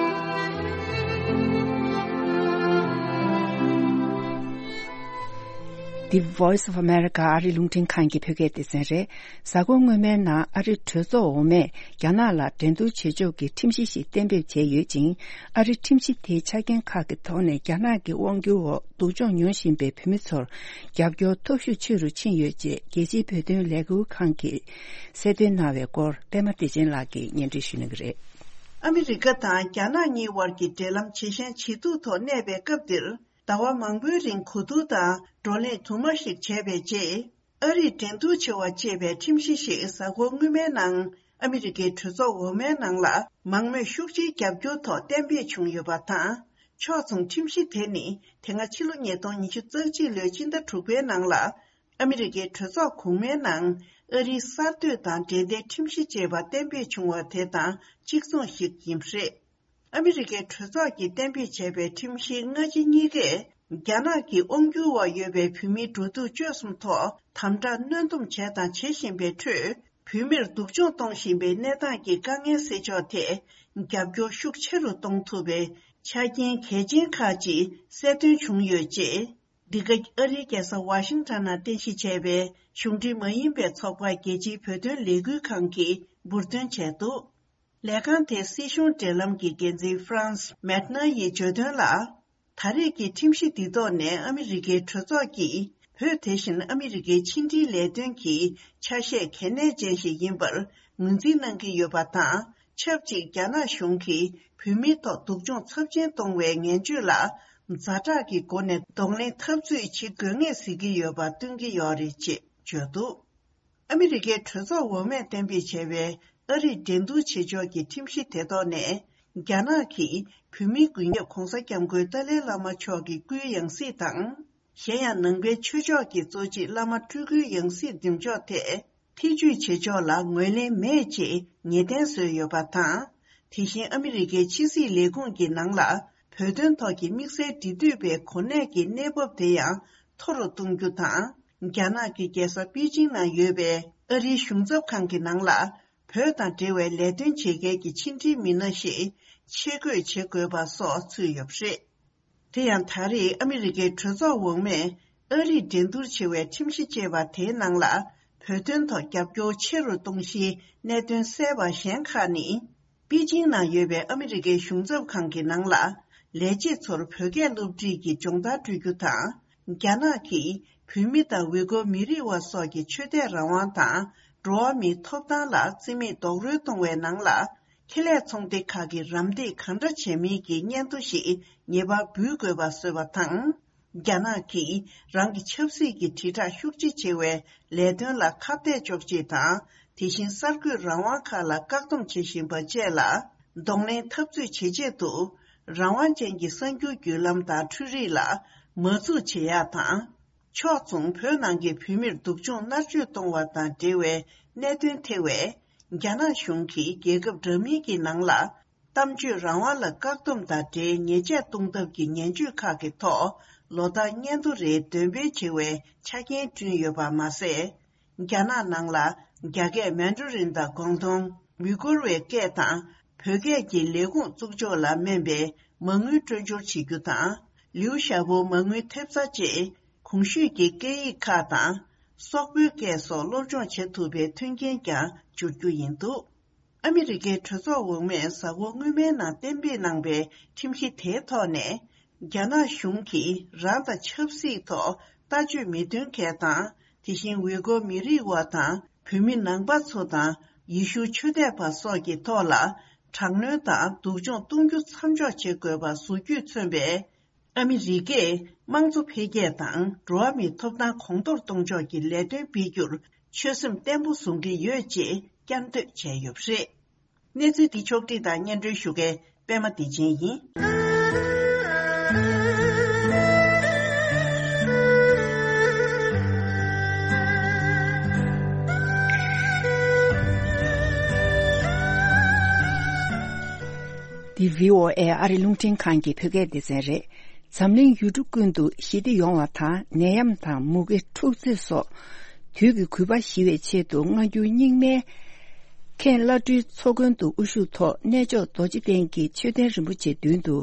The Voice of America ཨ་རི་རླུང་འཕྲིན་ཁང་གི་བོད་སྐད་སྡེ་ཚན་རེད། གཟའ་འཁོར་སྔོན་མའི་ནང་ཨ་རི་གྲོས་ཚོགས་འོག་མས་རྒྱ་ནག་ལ་འགྲན་བསྡུར་བྱེད་ཕྱོགས་ཀྱི་ཁྲིམས་གཞི་ཞིག་གཏན་འབེབས་བྱས་ཡོད་ཅིང་། ཨ་རི་ཁྲིམས་གཞི་དེའི་ཆ་རྐྱེན་ཁག་གི་ཐོག་ནས་རྒྱ་ནག་གི་དབང་སྒྱུར་འོག་སྡུག་སྦྱོང་མྱོང་བཞིན་པའི་བོད་མི་ཚོར་རྒྱབ་སྐྱོར་སྟོབས་ཤུགས་ཆེ་རུ་ཕྱིན་ཡོད་ཅེས་རྒྱལ་སྤྱིའི་བོད་དོན་ལས་འགུལ་ཁང་གིས་གསལ་སྟོན་གནང་བའི་སྐོར་པད་མ་བདེ་ཆེན་ལགས་ཀྱིས་སྙན་སྒྲོན་ཞུ་གནང་གི་རེད། ཨ་མི་རི་ཀ་དང་རྒྱ་ནག་གཉིས་དབར་གྱི་འབྲེལ་ལམ་ཇེ་ཞན་ཇེ་སྡུག་ཐོག་གནས་པའི་སྐབས་འདིར། ཟླ་བ་མང་པོའི་རིང་གོ་བསྡུར་དང་བགྲོ་གླེང་དུ་མ་ཞིག་བྱས་པའི་རྗེས། ཨ་རིས་འགྲན་བསྡུར་བྱེད་པ་ཅེས་པའི་ཁྲིམས་གཞི་ཞིག་གཟའ་འཁོར་སྔོན་མའི་ནང་ཨ་མི་རི་ཀའི་གྲོས་ཚོགས་འོག་མའི་ནང་ལ་མང་མོས་ཤུགས་ཆེའི་རྒྱབ་སྐྱོར་ཐོག་གཏན་འབེབས་བྱུང་ཡོད་པ་དང་། ཕྱོགས་མཚུངས་ཁྲིམས་གཞི་དེ་ནི་དེ་སྔ་ཕྱི་ལོ་ཉིས་སྟོང་ཉི་ཤུ་རྩ་གཅིག་ལོའི་སྤྱི་ཟླ་དྲུག་པའི་ནང་ལ་ཨ་མི་རི་ཀའི་གྲོས་ཚོགས་གོང་མའི་ནང་ཨ་རིའི་གསར་གཏོད་དང་འབྲེལ་ལྡན་ཁྲིམས་གཞི་ཅེས་པ་གཏན་འབེབས་བྱུང་བ་དེ་དང་གཅིག་མཚུངས་ཤིག་ཡིན་པ་རེད། ཨ་མི་རི་ཀའི་གྲོས་ཚོགས་ཀྱིས་གཏན་འབེབས་བྱས་པའི་ཁྲིམས་གཞིའི་སྔ་ཕྱི་གཉིས་ཀས་རྒྱ་ནག་གི་དབང་སྒྱུར་འོག་ཡོད་པའི་བོད་མིའི་འགྲོ་འདུག་སྤྱོད་གསུམ་ཐོག་དམ་དྲག་གནོན་སྡོམ་བྱས་དང་བྱེད་བཞིན་པའི་ཁྲོད། བོད་མིར་སྡུག་སྦྱོང་གཏོང་བཞིན་པའི་གནས་སྟངས་ཀྱི་དཀའ་ངལ་སེལ་ཕྱོགས་ཐད་རྒྱབ་སྐྱོར་ཤུགས་ཆེ་རུ་གཏོང་ཐུབ་པའི་ཆ་རྐྱེན་གལ་ཆེན་ཁག་ཅིག་གསལ་སྟོན་བྱུང་ཡོད་ཅེས། འདི་ག་ཨ་རིའི་རྒྱལ་ས་ཝ་ཤིང་ཊོན་ནང་རྟེན་གཞི་བྱས་པའི་གཞུང་འབྲེལ་མ་ཡིན་པའི་ཚོགས་པ་རྒྱལ་སྤྱིའི་བོད་དོན་ལས་འགུལ་ཁང་གིས་འབུར་འདོན་བྱས་འདུག་ལས་ཁང་དེའི་སྲིད་གཞུང་འབྲེལ་ལམ་གྱི་འགན་འཛིན་Franz Mettner ཡིས་བརྗོད་དོན་ལ། ད་རེས་ཀྱི་ཁྲིམས་གཞི་འདི་ཐོག་ནས་ཨ་མི་རི་ཀའི་གྲོས་ཚོགས་ཀྱིས་བོད་དེ་བཞིན་ཨ་མི་རི་ཀའི་ཕྱི་འབྲེལ་ལས་དོན་གྱི་ཆ་ཤས་གལ་གནད་ཅན་ཞིག་ཡིན་པར་ངོས་འཛིན་གནང་གི་ཡོད་པ་དང་། ཆབས་ཅིག་རྒྱ་ནག་གཞུང་གིས་བོད་མིའི་ཐོག་སྡུག་སྦྱོང་ཚབས་ཆེན་གཏོང་བའི་ངན་སྤྱོད་ལ་ཛ་དྲག་གི་སྒོ་ནས་གདོང་ལེན་འཐབ་རྩོད་བྱེད་དགོས་ངེས་གཟིགས་ཀྱི་ཡོད་པ་སྟོན་གྱི་ཡོད་རེད་ཅེས་བརྗོད་འདུག་ཨ་མི་རི་ཀའི་གྲོས་ཚོགས་འོག་མས་གཏན་འབེབས་བྱས་པའི་ ཨ་རིས་འགྲན་བསྡུར་བྱེད་ཕྱོགས་ཀྱི་ཁྲིམས་གཞི་དེ་ཐོག་ནས། རྒྱ་ནག་གིས་བོད་མིའི་མགོན་སྐྱབས་༧གོང་ས་༧སྐྱབས་མགོན་ཏཱ་ལའི་བླ་མ་མཆོག་གི་སྐུའི་ཡང་སྲིད་དང་། གཞན་ཡང་ནང་པའི་ཆོས་ཕྱོགས་ཀྱི་གཙོ་ཆེ་བླ་མ་སྤྲུལ་སྐུའི་ཡང་སྲིད་འདེམས་ཕྱོགས་ཐད། ཐེ་ཇུས་བྱེད་ཕྱོགས་ལ་ངོས་ལེན་མེད་ཅེས་ངེས་གཏན་བཟོས་ཡོད་པ་དང་། དེ་བཞིན་ཨ་མི་རི་ཀའི་ཕྱི་སྲིད་ལས་ཁུངས་ཀྱི་ནང་ལ། བོད་དོན་ཐོག་གི་དམིགས་བསལ་འབྲེལ་མཐུད་པའི་གོ་གནས་ཀྱི་གནས་བབ་དེ་ཡང་མཐོ་རུ་གཏོང་རྒྱུ་དང་། རྒྱ་ནག་གི་རྒྱལ་ས་པེ་ཅིང་ནང་ཡོད་པའི་ཨ་རིའི་གཞུང་ཚབ་ཁང་གི་ནང་ལ། བོད་དང་འབྲེལ་བའི་ལས་དོན་བྱེད་མཁན་གྱི་ཕྱི་འབྲེལ་མི་སྣ་ཞིག་ཆེད་བསྐོས་བྱེད་དགོས་པ་སོགས་ཚུད་ཡོད་པ་རེད། དེ་ཡང་ད་རེས་ཨ་མི་རི་ཀའི་གྲོས་ཚོགས་འོག་མས་ཨ་རིས་འགྲན་བསྡུར་ཆེ་བའི་ཁྲིམས་གཞི་ཅེས་པ་དེའི་ནང་ལ། བོད་དོན་ཐོག་རྒྱབ་སྐྱོར་ཆེ་རུ་གཏོང་གཞིའི་གནད་དོན་གསལ་བ་གཞན་ཁག་ནི། པེ་ཅིང་ནང་ཡོད་པའི་ཨ་མི་རི་ཀའི་གཞུང་ཚབ་ཁང་གི་ནང་ལ། ལས་བྱེད་ཚོར་བོད་སྐད་སློབ་ཁྲིད་ཀྱི་སྦྱོང་བརྡར་སྤྲོད་རྒྱུ་དང་། རྒྱ་ནག་གིས་བོད་མི་དང་ཝི་གོ་མི་རིགས་བ་སོགས་ཀྱི་ཆོས་དད་རང་དབང་དང་། འགྲོ་བ་མིའི་ཐོབ་ཐང་ལ་བརྩི་མེད་རྡོག་རོལ་གཏོང་བའི་ནང་ལ། ཁེ་ལས་ཚོང་སྡེ་ཁག་གིས་རམ་འདེགས་གང་འདྲ་བྱས་མིན་གྱི་སྙན་ཐོ་ཞིག་ངེས་པར་འབུལ་དགོས་པ་བཟོས་པ་དང་། རྒྱ་ནག་གིས་རང་གི་ཆབ་སྲིད་ཀྱི་དྲིལ་བསྒྲགས་ཤུགས་ཆེ་བྱེད་པའི་ལས་དོན་ལ་ཁ་གཏད་གཅོག་ཆེད་དང་། དེ་བཞིན་གསར་འགོད་རང་དབང་ཁག་ལ་བཀག་སྡོམ་བྱེད་བཞིན་པ་བཅས་ལ་གདོང་ལེན་འཐབ་རྩོད་བྱེད་ཆེད་དུ། རང་དབང་ཅན་གྱི་གསར་འགྱུར་བརྒྱུད་ལམ་དང་འཕྲུལ་རིག་ལ་མ་འཛུགས་བྱེད་ཡག་དང་། ཕྱོགས་མཚུངས་བོད་ནང་གི་བོད་མིར་སྡུག་སྦྱོང་མནར་གཅོད་གཏོང་བ་དང་འབྲེལ་བའི་གནད་དོན་ཐེ་བའི་རྒྱ་ནག་གཞུང་གིས་རྒྱལ་ཁབ་འདྲ་མིན་གྱི་ནང་ལ། གཏམ་བརྗོད་རང་དབང་ལ་བཀག་སྡོམ་དང་འབྲེལ་ཉེས་ཆད་གཏོང་ཐབས་ཀྱི་ངན་བྱུས་ཁག་གི་ཐོག་ལོ་ལྟར་སྙན་ཐོ་རེ་འདོན་སྤེལ་བྱེད་པའི་ཆ་རྐྱེན་བསྐྲུན་ཡོད་པ་མ་ཟད། རྒྱ་ནག་ནང་ལ་རྒྱ་སྐད་མན་ཌོ་རིན་དང་ཀོང་ཏུང་། ཝི་གོར་བའི་སྐད་དང་བོད་སྐད་ཀྱི་ལས་ཁུངས་བཙུགས་ཕྱོགས་ལ་སྨན་པའི་མ་དངུལ་སྤྲོད་སྦྱོར་བྱེད་རྒྱུ་དང་། ལིའུ་ཞའོ་པོ་མ་དངུལ་ཐེབས་རྩ་བཅས་གོང་ཞུས་ཀྱི་སྐད་ཡིག་ཁག་དང་། སོག་པོའི་སྐད་སོགས་སློབ་སྦྱོང་བྱེད་ཐུབ་པའི་མཐུན་རྐྱེན་ཀྱང་སྦྱོར་རྒྱུ་ཡིན་འདུག་ཨ་མི་རི་ཀའི་གྲོས་ཚོགས་འོག་མས་གཟའ་འཁོར་སྔོན་མའི་ནང་གཏན་འབེབས་གནང་པའི་ཁྲིམས་གཞི་དེའི་ཐོག་ནས། རྒྱ་ནག་གཞུང་གིས་རང་དང་ཆབ་སྲིད་ཐོག་ལྟ་སྤྱོད་མི་མཐུན་མཁན་དང་། དེ་བཞིན་ཝི་གོ་མི་རིགས་བ་དང་བོད་མི་ནང་པ་ཚོ་དང་ཡེ་ཤུ་ཆོས་དད་པ་སོགས་ཀྱི་ཐོག་ལ་དྲག་གནོན་དང་སྡུག་སྦྱོང་གཏོང་རྒྱུ་མཚམས་འཇོག་བྱེད་དགོས་པ་བཟོ་རྒྱུས་མཚོན་པའི། ཨ་མི་རི་ཀས་དམངས་གཙོ་འཕེལ་རྒྱས་དང་འགྲོ་བ་མིའི་ཐོབ་ཐང་གོང་མཐོར་གཏོང་ཕྱོགས་ཀྱི་ལས་དོན་སྤེལ་རྒྱུར་ཆོད་སེམས་བརྟན་པོ་བཟུང་གི་ཡོད་ཅེས་བསྐྱར་ཟློས་བྱས་ཡོད་པ་རེད། གནས་ཚུལ་འདི་ཕྱོགས་བསྒྲིགས་དང་སྙན་སྒྲོན་ཞུ་མཁན་པད་མ་བདེ་ཆེན་ཡིན། འདི་བྷི་ཨོ་ཨེ་ཨ་རི་རླུང་འཕྲིན་ཁང་གི་བོད་སྐད་སྡེ་ཚན་རེད། འཛམ་གླིང་ཡུལ་གྲུ་ཀུན་ཏུ་ཞི་བདེ་ཡོང་བ་དང་ནད་ཡམས་དང་མུ་གེ་འཁྲུག་རྩོད་སོགས་དུས་ཀྱི་རྒུད་པ་ཞི་བའི་ཆེད་དུ་སྔ་འགྱུར་རྙིང་མའི་མཁན་བླ་སྤྲུལ་ཚོགས་མགོན་དུ་དབུ་བཞུགས་ཐོག་གནས་མཆོག་རྡོ་རྗེ་གདན་གྱི་མཆོད་རྟེན་རིན་པོ་ཆེ་མདུན་དུ་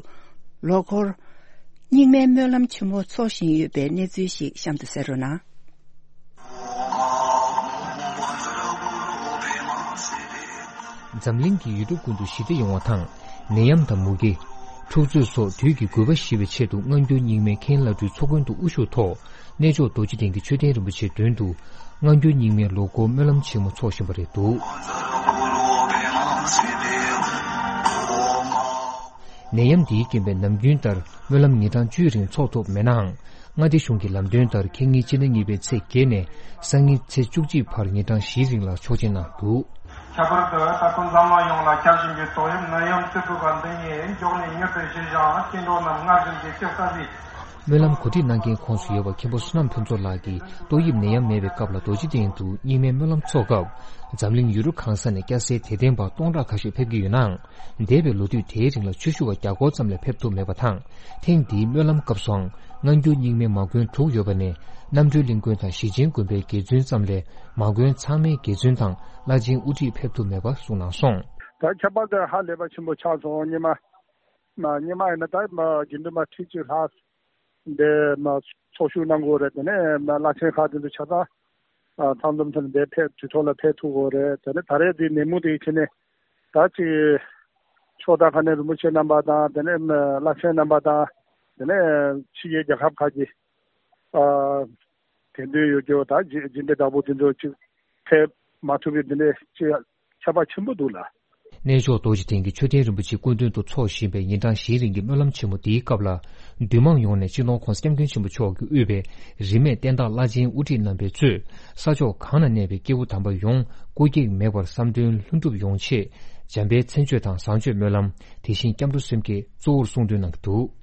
ལོ་འཁོར་རྙིང་མའི་སྨོན་ལམ་ཆེན་མོ་འཚོགས་བཞིན་ཡོད་པའི་གནས་ཚུལ་ཞིག་གཤམ་དུ་གསན་རོགས་གནང་། འཛམ་གླིང་གི་ཡུལ་གྲུ་ཀུན་ཏུ་ཞི་བདེ་ཡོང་བ་དང་། ནད་ཡམས་དང་མུ་གེ། འཁྲུག་རྩོད་སོགས་དུས་ཀྱི་རྒུད་པ་ཞི་བའི་ཆེད་དུ་སྔ་འགྱུར་རྙིང་མའི་མཁན་བླ་སྤྲུལ་ཚོགས་མགོན་དུ་དབུ་བཞུགས་ཐོག་གནས་མཆོག་རྡོ་རྗེ་གདན་གྱི་མཆོད་རྟེན་རིན་པོ་ཆེའི་མདུན་དུ། སྔ་འགྱུར་རྙིང་མའི་ལོ་འཁོར་སྨོན་ལམ་ཆེན་མོ་འཚོགས་བཞིན་པ་རེད་འདུག་ནད་ཡམས་འདིའི་རྐྱེན་པས་ནམ་རྒྱུན་ལྟར་སྨོན་ལམ་ཉིན་གྲངས་བཅུའི་རིང་འཚོགས་ཐུབ་མེད་ནའང་། མངའ་སྡེ་གཞུང་གི་ལམ་སྟོན་ལྟར་ཁ་ཉིན་སྤྱི་ཟླ་གཉིས་པའི་ཚེས་བརྒྱད་ནས་སང་ཉིན་ཚེས་བཅུ་གཅིག་བར་ཉིན་གྲངས་བཞིའི་རིང་ལ་ཆོག་མཆན་གནང་འདུག་ཁྱད་པར་དུ་ད་དུང་འཛམ་གླིང་ཡོངས་ལ་ཁྱབ་བཞིན་པའི་ཏོག་དབྱིབས་ནད་ཡམས་རྩུབ་པོ་འདི་ཉིད་མགྱོགས་ནས་མྱུར་དུ་ཞི་ཞིང་སྐྱེ་འགྲོ་རྣམས་སྔར་བཞིན་གྱི་སྐྱོབ་ས་སྲིད། སྨོན་ལམ་གོ་སྒྲིག་གནང་མཁན་ཁོངས་སུ་ཡོད་པ་མཁན་པོ་བསོད་ནམས་ཕུན་ཚོགས་ལགས་ཀྱིས་ཏོག་དབྱིབས་ནད་ཡམས་མེད་པའི་སྐབས་ལ་རྡོ་རྗེ་གདན་དུ་རྙིང་མའི་སྨོན་ལམ་འཚོགས་སྐབས། འཛམ་གླིང་ཡུལ་གྲུ་གང་ས་ནས་སྐྱ་སེར་དད་ལྡན་པ་སྟོང་ཕྲག་ཁ་ཤས་ཕེབས་ཀྱི་ཡོད་ནའང་། འདས་པའི་ལོ་དུས་དེའི་རིང་ལ་ཆོས་ཞུ་བ་བརྒྱ་སྐོར་ཙམ་ལས་ཕེབས་ཐུབ་མེད་པ་དང་། ཐེངས་འདིའི་སྨོན་ལམ་སྐབས་སུའང་སྔ་འགྱུར་རྙིང་མའི་མ་དགོན་དྲུག་ཡོད་པ་ནས་རྣམ་གྲོལ་གླིང་དགོན་དང་ཞེ་ཆེན་དགོན་པའི་དགེ་བཙུན་ཙམ་ལས་མ་དགོན་ཚང་མའི་དགེ་བཙུན་དང་བླ་ཆེན་དབུ་ཁྲིད་ཕེབས་ཐུབ་མེད་པ་གསུངས་གནང་སོང་། ད་ཁྱད་པར་དུ་ཧ་ལས་པ་ཆེན་པོ་ཆགས་སོང་། སྔོན་མ་སྔོན་མ་ཡིན་ན་ད་དགེ་འདུན་པ་ཁྲི་གཅིག་ལྷག་འདི་མ་ཚོགས་ཞུགས་གནང་དགོས་རེད། དེ་ནས་མ་བླ་ཆེན་ཁག་དེ་ཚོ་ཆ་ཚང་ཚང་འཛོམས་ཐོག་ནས་འདིར་ཕེབས་དུས་ཐོག་ལ་ཕེབས་ཐུབ་དགོས་རེད། དེ་ནས་ད་རེས་འདི་ནད་མུག་དེའི་ཆེད་ནས་ད་ཅིག་ཕྱོགས་མཐའ་ཁག་ནས་རིན་པོ་ཆེ་རྣམ་པ་དང་དེ་ནས་བླ་ཆེན་རྣམ་པ་དང་དེ་ནས་ཕྱི་རྒྱལ་རྒྱལ་ཁབ་ཁག་གི་ཨ་དད་འདུན་ཡོད་རྒྱུ་ད་སྦྱིན་སྦྱིན་འབྲས་བདག་པོ་དེ་ཚོ་ཅིག་ཕེབས་མ་ཐུབ་པའི་འདི་འདྲའི་ཅིག་ཁྱད་པར་ཆེན་པོ་འདུག་ལ། གནས་མཆོག་རྡོ་རྗེ་གདན་གྱི་མཆོད་རྟེན་རིན་པོ་ཆེ་སྐུ་མདུན་དུ་འཚོགས་བཞིན་པའི་ཉིན་གྲངས་བཞིའི་རིང་གི་སྨོན་ལམ་ཆེན་མོ་འདིའི་སྐབས་ལ། འདུས་མང་ཡོངས་ནས་སྤྱི་ནོར་༧གོང་ས་༧སྐྱབས་མགོན་ཆེན་པོ་མཆོག་གིས་དབུས་པའི་རིས་མེད་བསྟན་བདག་བླ་ཆེན་དབུ་ཁྲིད་རྣམ་པས་གཙོས་ས་ཕྱོགས་གང་ན་གནས་པའི་སྐྱེས་བུ་དམ་པ་ཡོངས་སྐུ་གེགས་མེད་པར་བསམ་དོན་ལྷུན་གྲུབ་ཡོང་ཆེད་འཇམ་དཔལ་མཚན་བརྗོད་དང་བཟང་སྤྱོད་སྨོན་ལམ། དེ་བཞིན་སྐྱབས་འགྲོ་སེམས་བསྐྱེད་གཙོ་བོར་གསུང་འདོན་གནང་གི་འདུག་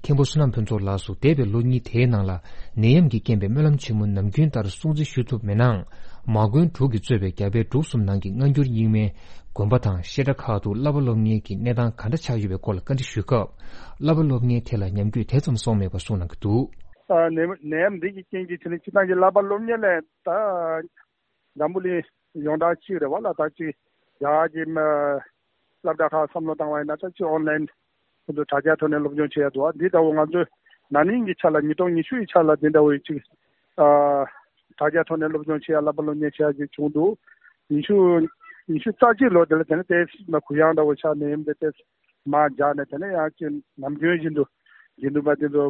མཁན་པོ་བསོད་ནམས་ཕུན་ཚོགས་ལགས་སུ་འདས་པའི་ལོ་གཉིས་དེའི་ནང་ལ་ནད་ཡམས་ཀྱི་རྐྱེན་པས་སྨོན་ལམ་ཆེན་མོ་ནམ་རྒྱུན་ལྟར་སྲུང་བརྩི་ཞུ་ཐུབ་མེད་ནའང་། མ་དགོན་དྲུག་གིས་གཙོས་པའི་རྒྱ་བལ་འབྲུག་གསུམ་ནང་གི་སྔ་འགྱུར་རྙིང་མའི་དགོན་པ་དང་བཤད་གྲྭ་ཁག་ཏུ་བསླབ་པ་སློབ་གཉེར་གྱི་གནས་སྟངས་ག་འདྲ་ཆགས་ཡོད་པའི་སྐོར་ལ་བཀའ་འདྲི་ཞུས་སྐབས། བསླབ་པ་སློབ་གཉེར་ཐད་ལ་ཉམས་རྒུད་དེ་ཙམ་སོང་མེད་པ་གསུངས་གནང་གི་འདུག་ཨ་ནད་ནད་ཡམས་འདི་གི་རྐྱེན་གྱིས་དེ་ནི་སྤྱིར་བཏང་གི་བསླབ་པ་སློབ་གཉེར་ལས་ད། འཛམ་བུ་གླིང་ཡོངས་གྲགས་གཅིག་རེད་བ་ལ། ད་གཅིག་རྒྱ་གར་གྱི་མ་སློབ་གྲྭ་ཁག་བསམ་བློ་བཏང་བ་ཡིན་ན་ད་གཅིག་ཨོན་ལན་ཁོ་ཚོ་དྲ་རྒྱའི་ཐོག་ནས་སློབ་སྦྱོང་བྱེད་ཡ་འདུག་འདི་ལྟ་བུ་ང་ཚོས་ན་ནིང་གི་ཆ་ལ་ཉིས་སྟོང་ཉི་ཤུ་ཡི་ཆ་ལ་འདི་འདྲ་བའི་གཅིག་ཨ་དྲ་རྒྱའི་ཐོག་ནས་སློབ་སྦྱོང་བྱེད་ཡ་བསླབ་པ་སློབ་གཉེར་བྱེད་ཡ་གཅིག་བྱུང་འདུག་ཉི་ཤུ་ཉི་ཤུ་རྩ་གཅིག་ལོ་དེ་ལ་དེ་ནས་ཏེ་མ་གུ་ཡངས་འདྲ་བོ་ཆགས་ནས་ཡིན་པས་ཏེ། མར་འཇགས་ནས་དེ་ནས་ཡང་ཅིག་ནམ་རྒྱུན་བཞིན་དུ་དགེ་འདུན་པ་དེ་ཚོ་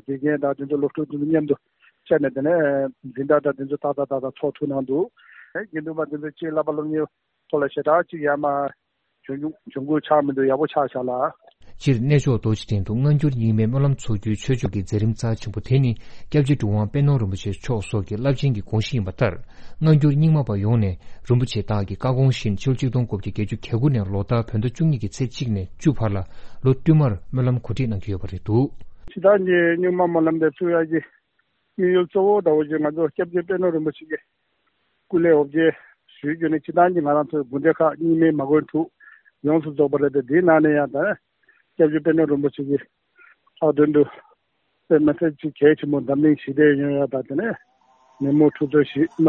དགེ་རྒན་དང་དེ་ཚོ་སློབ་ཕྲུག་དེ་ཚོ་མཉམ་དུ་བཅར་ནས་དེ་ནས་འཛིན་གྲྭ་དང་དེ་ཚོ་ཏག་ཏག་ཏག་ཏག་ཚོགས་ཐུབ་གནང་འདུག་དགེ་འདུན་པ་དེ་ཚོ་ཅིག་བསླབ་པ་སློབ་གཉེར་ཐོག་ལ་ཞེ་དྲག་ཅིག་ཡར་མར་བྱུང་བྱུང་ཁུངས་ཆགས་མི་འདུག་ཡག་པོ་ཆགས་བཞག་ལ། སྤྱིར་གནས་མཆོག་རྡོ་རྗེ་གདན་དུ་སྔ་འགྱུར་རྙིང་མའི་སྨོན་ལམ་འཚོགས་རྒྱུའི་ཆོས་ཕྱོགས་ཀྱི་མཛད་རིམ་རྩ་ཆེན་པོ་དེ་ནི་སྐྱབས་རྗེ་གྲུབ་དབང་པད་ནོར་རིན་པོ་ཆེ་མཆོག་སོགས་ཀྱི་རླབས་ཆེན་གྱི་དགོངས་གཞི་ཡིན་པ་ལྟར། སྔ་འགྱུར་རྙིང་མ་པ་ཡོངས་ནས་རིན་པོ་ཆེ་བདག་གི་བཀའ་དགོངས་བཞིན་ཕྱི་ལོ་ཆིག་སྟོང་དགུ་བརྒྱ་བརྒྱད་ཅུ་གྱ་དགུ་ནས་ལོ་ལྟར་བོད་ཟླ་བཅུ་གཉིས་ཀྱི་ཚེས་གཅིག་ནས་བཅུ་བར་ལ་ལོ་བསྟུད་མར་སྨོན་ལམ་གོ་སྒྲིག་གནང་གི་ཡོད་པ་རེད་འདུག་སྤྱིར་བཏང་གི་རྙིང་མ་སྨོན་ལམ་དེ་ཚུགས་ཡག་གི་དམིགས་ཡུལ་གཙོ་བོ་འདྲ་བོ་ཞིག་ང་ཚོ་སྐྱབས་རྗེ་པད་ནོར་རིན་པོ་ཆེ་གི་སྐུ་ལས་འོ་བརྒྱལ་ཞུས་རྒྱུ་ནི་སྤྱིར་བཏང་གི་ང་རང་ཚོའི་དགོན་སྡེ་ཁག་རྙིང་མའི་མ་དགོན་དྲུག་ཡོངས་སུ་རྫོགས་པ་རེད་དེ། དེའི་ནང་ནས་ཡང་ད་སྐྱབས་རྗེ་པད་ནོར་རིན་པོ་ཆེ་གི་ལྷག་དོན་དུ་དཔེ་མི་སྲིད་ཅིག་གལ་ཆེན་པོ་འཛམ་གླིང་ཞི་བདེ་ཡོང་ཡ་དང་དེ་ནས་ནད་མུག་འཁྲུག་རྩོད་ཞིག་མ་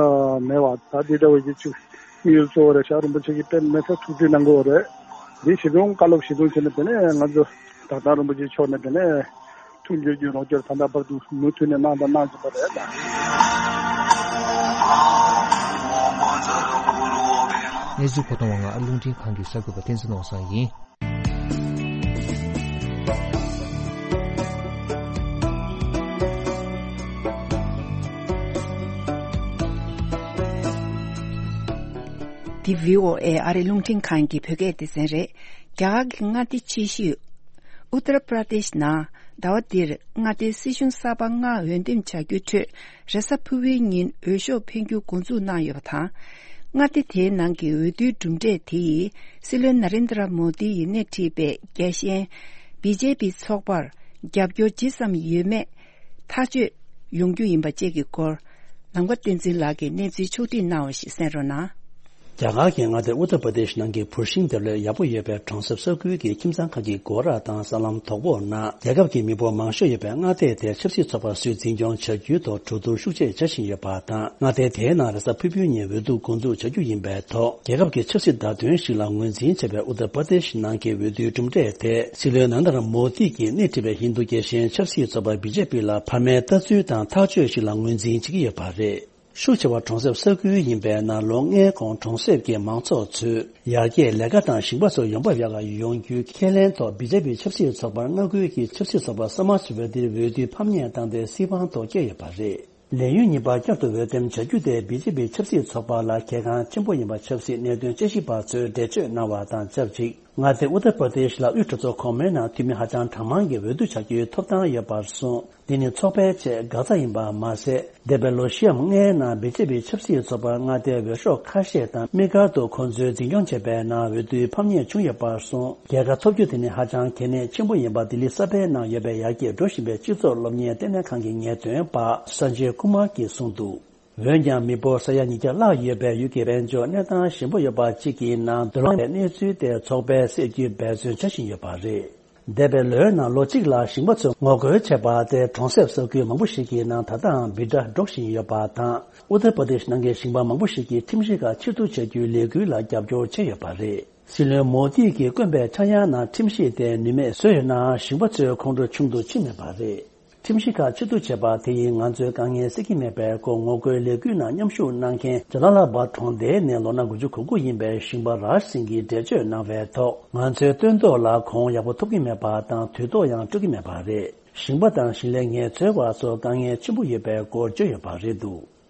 མེད་པ་ད་འདི་འདྲ་བའི་གི་ཅིག་དམིགས་ཡུལ་གཙོ་བོ་རེད་ཤག་རིན་པོ་ཆེ་གི་དཔེ་མི་སྲིད་ཐུགས་རྗེ་གནང་གི་ཡོད་རེད། འདི་ཞིག་དང་བཀའ་སློབ་ཞིག་དང་བྱས་ནས་དེ་ནས་ང་ཚོ་དག་ཐང་རིན་པོ་ཆེ་མཆོག་ནས་དེ་ནས་མཐུན་འགྱུར་གྱི་རོགས་སྐྱོར་ད་ལྟ་བར་དུ་མུ་མཐུད་ནས་གནང་དང་གནང་བཞིན་པ་རེད་ལ། གནས་ཚུལ་མཁོ་གཏོང་བ་ང་ཨ་རླུང་འཕྲིན་ཁང་གི་གསར་འགོད་པ་བསྟན་འཛིན་ནོར་བཟང་ཡིན། འདི་བྷི་ཨོ་ཨེ་ཨ་རི་རླུང་འཕྲིན་ཁང་གི་བོད་སྐད་སྡེ་ཚན་རེད། རྒྱ་གར་གྱི་མངའ་སྡེ་ཆེ་ཤོས་ཨུ་ཏར་པྲ་དེཤ་ནང་ཟླ་བ་འདིར་མངའ་སྡེའི་སྲིད་གཞུང་གསར་པ་སྔར་འོས་འདེམས་བྱ་རྒྱུའི་ཁྲོད། རེས་གཟའ་ཕུར་བུའི་ཉིན་འོས་ཤོག་འཕེན་རྒྱུ་འགོ་འཛུགས་གནང་ཡོད་པ་དང་། མངའ་སྡེ་དེའི་ནང་གི་འོས་བསྡུའི་གྲུབ་འབྲས་དེ་ཡིས་སྲིད་བློན་ན་རེན་དྲ་མོ་དི་ཡིས་སྣེ་ཁྲིད་པའི་རྒྱལ་ཞེན་བི་ཇེ་པི་ཚོགས་པར་རྒྱབ་སྐྱོར་ཇི་ཙམ་ཡོད་མེད་ཐག་གཅོད་ཡོང་རྒྱུ་ཡིན་པ་བཅས་ཀྱི་སྐོར། ནམ་མཁའ་བསྟན་འཛིན་ལགས་ཀྱིས་གནས་ཚུལ་ཕྱོགས་བསྒྲིགས་གནང་བ་ཞིག་གསན་རོགས་གནང་། རྒྱ་གར་གྱི་མངའ་སྡེ་ཨུ་ཏར་པར་དེཤ་ནང་གི་བུད་ཤིང་འདེབས་ལས་ཡག་པོ་ཡོད་པའི་གྲོང་གསེབ་ས་ཁུལ་གྱི་ཁྱིམ་ཚང་ཁག་གི་སྒོ་ར་དང་ས་ལམ་དོག་པོའི་ནང་རྒྱལ་ཁབ་ཀྱི་མི་འབོར་མང་ཤོས་ཡོད་པའི་མངའ་སྡེ་དེར་ཆབ་སྲིད་ཚོགས་པ་སུས་འཛིན་སྐྱོང་བྱ་རྒྱུའི་ཐོག་གྲོས་བསྡུར་ཤུགས་ཆེ་བྱ་བཞིན་ཡོད་པ་དང་། མངའ་སྡེ་དེའི་ནང་རེས་གཟའ་ཕུར་བུའི་ཉིན་འོས་བསྡུ་འགོ་འཛུགས་བྱ་རྒྱུ་ཡིན་པའི་ཐོག་རྒྱལ་ཁབ་ཀྱི་ཆབ་སྲིད་བརྡ་དོན་ཞིག་ལ་ངོས་འཛིན་བྱས་པའི་ཨུ་ཏར་པར་དེཤ་ནང་གི་འོས་བསྡུའི་གྲུབ་འབྲས་དེ་སྲིད་བློན་ནན་དར་མོ་དི་གིས་སྣེ་ཁྲིད་པའི་ཧིན་རྡུ་རྒྱལ་ཞེན་ཆབ་སྲིད་ཚོགས་པ་བི་ཇེ་པི་ལ་ཕ་མའི་ལྟ་ཚུལ་དང་ཐག་གཅོད་ཞིག་ལ་ངོས་འཛིན་བྱེད་ཀྱི་ཡོད་པ་རེད། ཤུགས་ཆེ་བ་གྲོང་གསེབ་ས་ཁུལ་ཡིན་པའི་ནང་ལོ་ལྔའི་གོང་གྲོང་གསེབ་ཀྱི་མང་ཚོགས་ཚོས་ཡར་རྒྱས་ལས་ཀ་དང་ཞིང་པ་ཚོ་ཡོང་འབབ་ཡག་ག་ཡོང་རྒྱུའི་ཁས་ལེན་ཐོག་བི་ཇེ་པི་ཆབ་སྲིད་ཚོགས་པར་མངའ་ཁུལ་གྱི་ཆབ་སྲིད་ཚོགས་པ་སམ་མཱཇ་ཝཱ་དིར་འོས་བསྡུའི་ཕམ་ཉེས་བཏང་སྟེ་སྲིད་དབང་ཐོག་བསྐྱལ་ཡོད་པ་རེད། ལས་ཡུན་གཉིས་པ་བསྐྱར་དུ་འོས་འདེམས་བྱ་རྒྱུ་དེ་བི་ཇེ་པི་ཆབ་སྲིད་ཚོགས་པ་ལ་གལ་འགངས་ཆེན་པོ་ཡིན་པ་ཆབ་སྲིད་གནད་དོན་དཔྱད་ཞིབ་པ་ཚོས་འགྲེལ་བརྗོད་གནང་བ་དང་ཆབས་ཅིག་མངའ་སྡེ་ཨུ་ཏར་པར་དེཤ་ལ་དབུས་གྲོས་ཚོགས་གོང་མའི་ནང་འཐུས་མི་ཧ་ཅང་གྲངས་མང་གིས་འོས་བསྡུ་བྱ་རྒྱུའི་ཐོབ་ཐང་ཡོད་པར་གསུངས། འདི་ནི་ཚོགས་པའི་ཆེས་འགག་རྩ་ཡིན་པ་མ་ཟད། འདས་པའི་ལོ་བཞི་འམ་ལྔའི་ནང་བི་ཇེ་པི་ཆབ་སྲིད་ཚོགས་པར་མངའ་སྡེའི་འོས་ཤོག་ཁ་ཤས་དང་དམིགས་བཀར་དུ་ཁོང་ཚོའི་འཛིན་སྐྱོང་བྱས་པའི་ནང་འོས་བསྡུའི་ཕམ་ཉེས་བྱུང་ཡོད་པར་གསུངས། རྒྱལ་ཁ་ཐོབ་རྒྱུ་དེ་ནི་ཧ་ཅང་གལ་གནད་ཆེན་པོ་ཡིན་པ་ལྡི་ལི་གསར་པའི་ནང་ཡོད་པའི་ཡར་རྒྱས་འགྲོ་བཞིན་པའི་སྤྱི་ཚོགས་སློབ་གཉེར་ལྟེ་གནས་ཁང་གི་ངེས་སྟོན་པ་སན་ཇེ་ཀུ་མར་གྱིས་གསུངས་འདུག་འོན་ཀྱང་མི་འབོར་ས་ཡ་ཉིས་བརྒྱ་ལྷག་ཡོད་པའི་ཡུལ་གྱི་དཔལ་འབྱོར་གནས་སྟངས་ཞན་པོ་ཡོད་པ་གཅིག་གི་ནང་འདུ་ལངས་པའི་གནས་ཚུལ་དེ་ཚོགས་པས་སེལ་རྒྱུའི་འབད་བརྩོན་བྱ་བཞིན་ཡོད་པ་རེད། འདས་པའི་ལོའི་ནང་ལོ་གཅིག་ལ་ཞིང་པ་ཚོས་ངོ་རྒོལ་བྱས་པ་དེ་གྲོང་གསེབ་ས་ཁུལ་མང་པོ་ཞིག་གི་ནང་ད་ལྟའང་འབོད་སྒྲ་སྒྲོག་བཞིན་ཡོད་པ་དང་། ཨུ་ཏར་པར་དེཤ་ནང་གི་ཞིང་པ་མང་པོ་ཞིག་གིས་ཁྲིམས་ཞིབ་ཁག་ཕྱིར་བསྡུ་བྱ་རྒྱུའི་ལས་འགུལ་ལ་རྒྱབ་སྐྱོར་བྱས་ཡོད་པ་རེད། སྲིད་བློན་མོ་དྷི་གིས་བསྐོན་པའི་ཆག་ཡང་ནང་ཁྲིམས་ཞིབ་དེ་ནུས་མེད་བཟོས་ཡོད་ནའང་ཞིང་པ་ཚོའི་ཁོང་ཁྲོ་ཆུང་དུ་ཕྱིན་མེད་པ་རེད། ཁྲིམས་ཞིབ་ཁག་ཕྱིར་བསྡུ་བྱས་པ་དེ་ཡིས་ང་ཚོའི་དཀའ་ངལ་སེལ་གྱི་མེད་པའི་སྐོར་ངོ་རྒོལ་ལས་འགུལ་ནང་མཉམ་ཞུགས་གནང་མཁན་ཇ་ལ་ལ་བ་གྲོང་སྡེའི་ནས་ལོ་ན་དགུ་བཅུ་གོ་དགུ་ཡིན་པའི་ཞིང་པ་རཱཇ་སིང་གིས་འགྲེལ་བརྗོད་གནང་བའི་ཐོག་ང་ཚོའི་སྟོན་ཐོག་ལ་གོང་ཡག་པོ་ཐོབ་ཀྱི་མེད་པ་དང་དུས་ཐོག་ཡང་སྤྲོད་ཀྱི་མེད་པ་རེད། ཞིང་པ་དང་ཞིང་ལས་ངལ་རྩོལ་བ་ཚོ་དཀའ་ངལ་ཆེན་པོ་ཡོད་པའི་སྐོར་བརྗོད་ཡོད་པ་རེད་འདུག་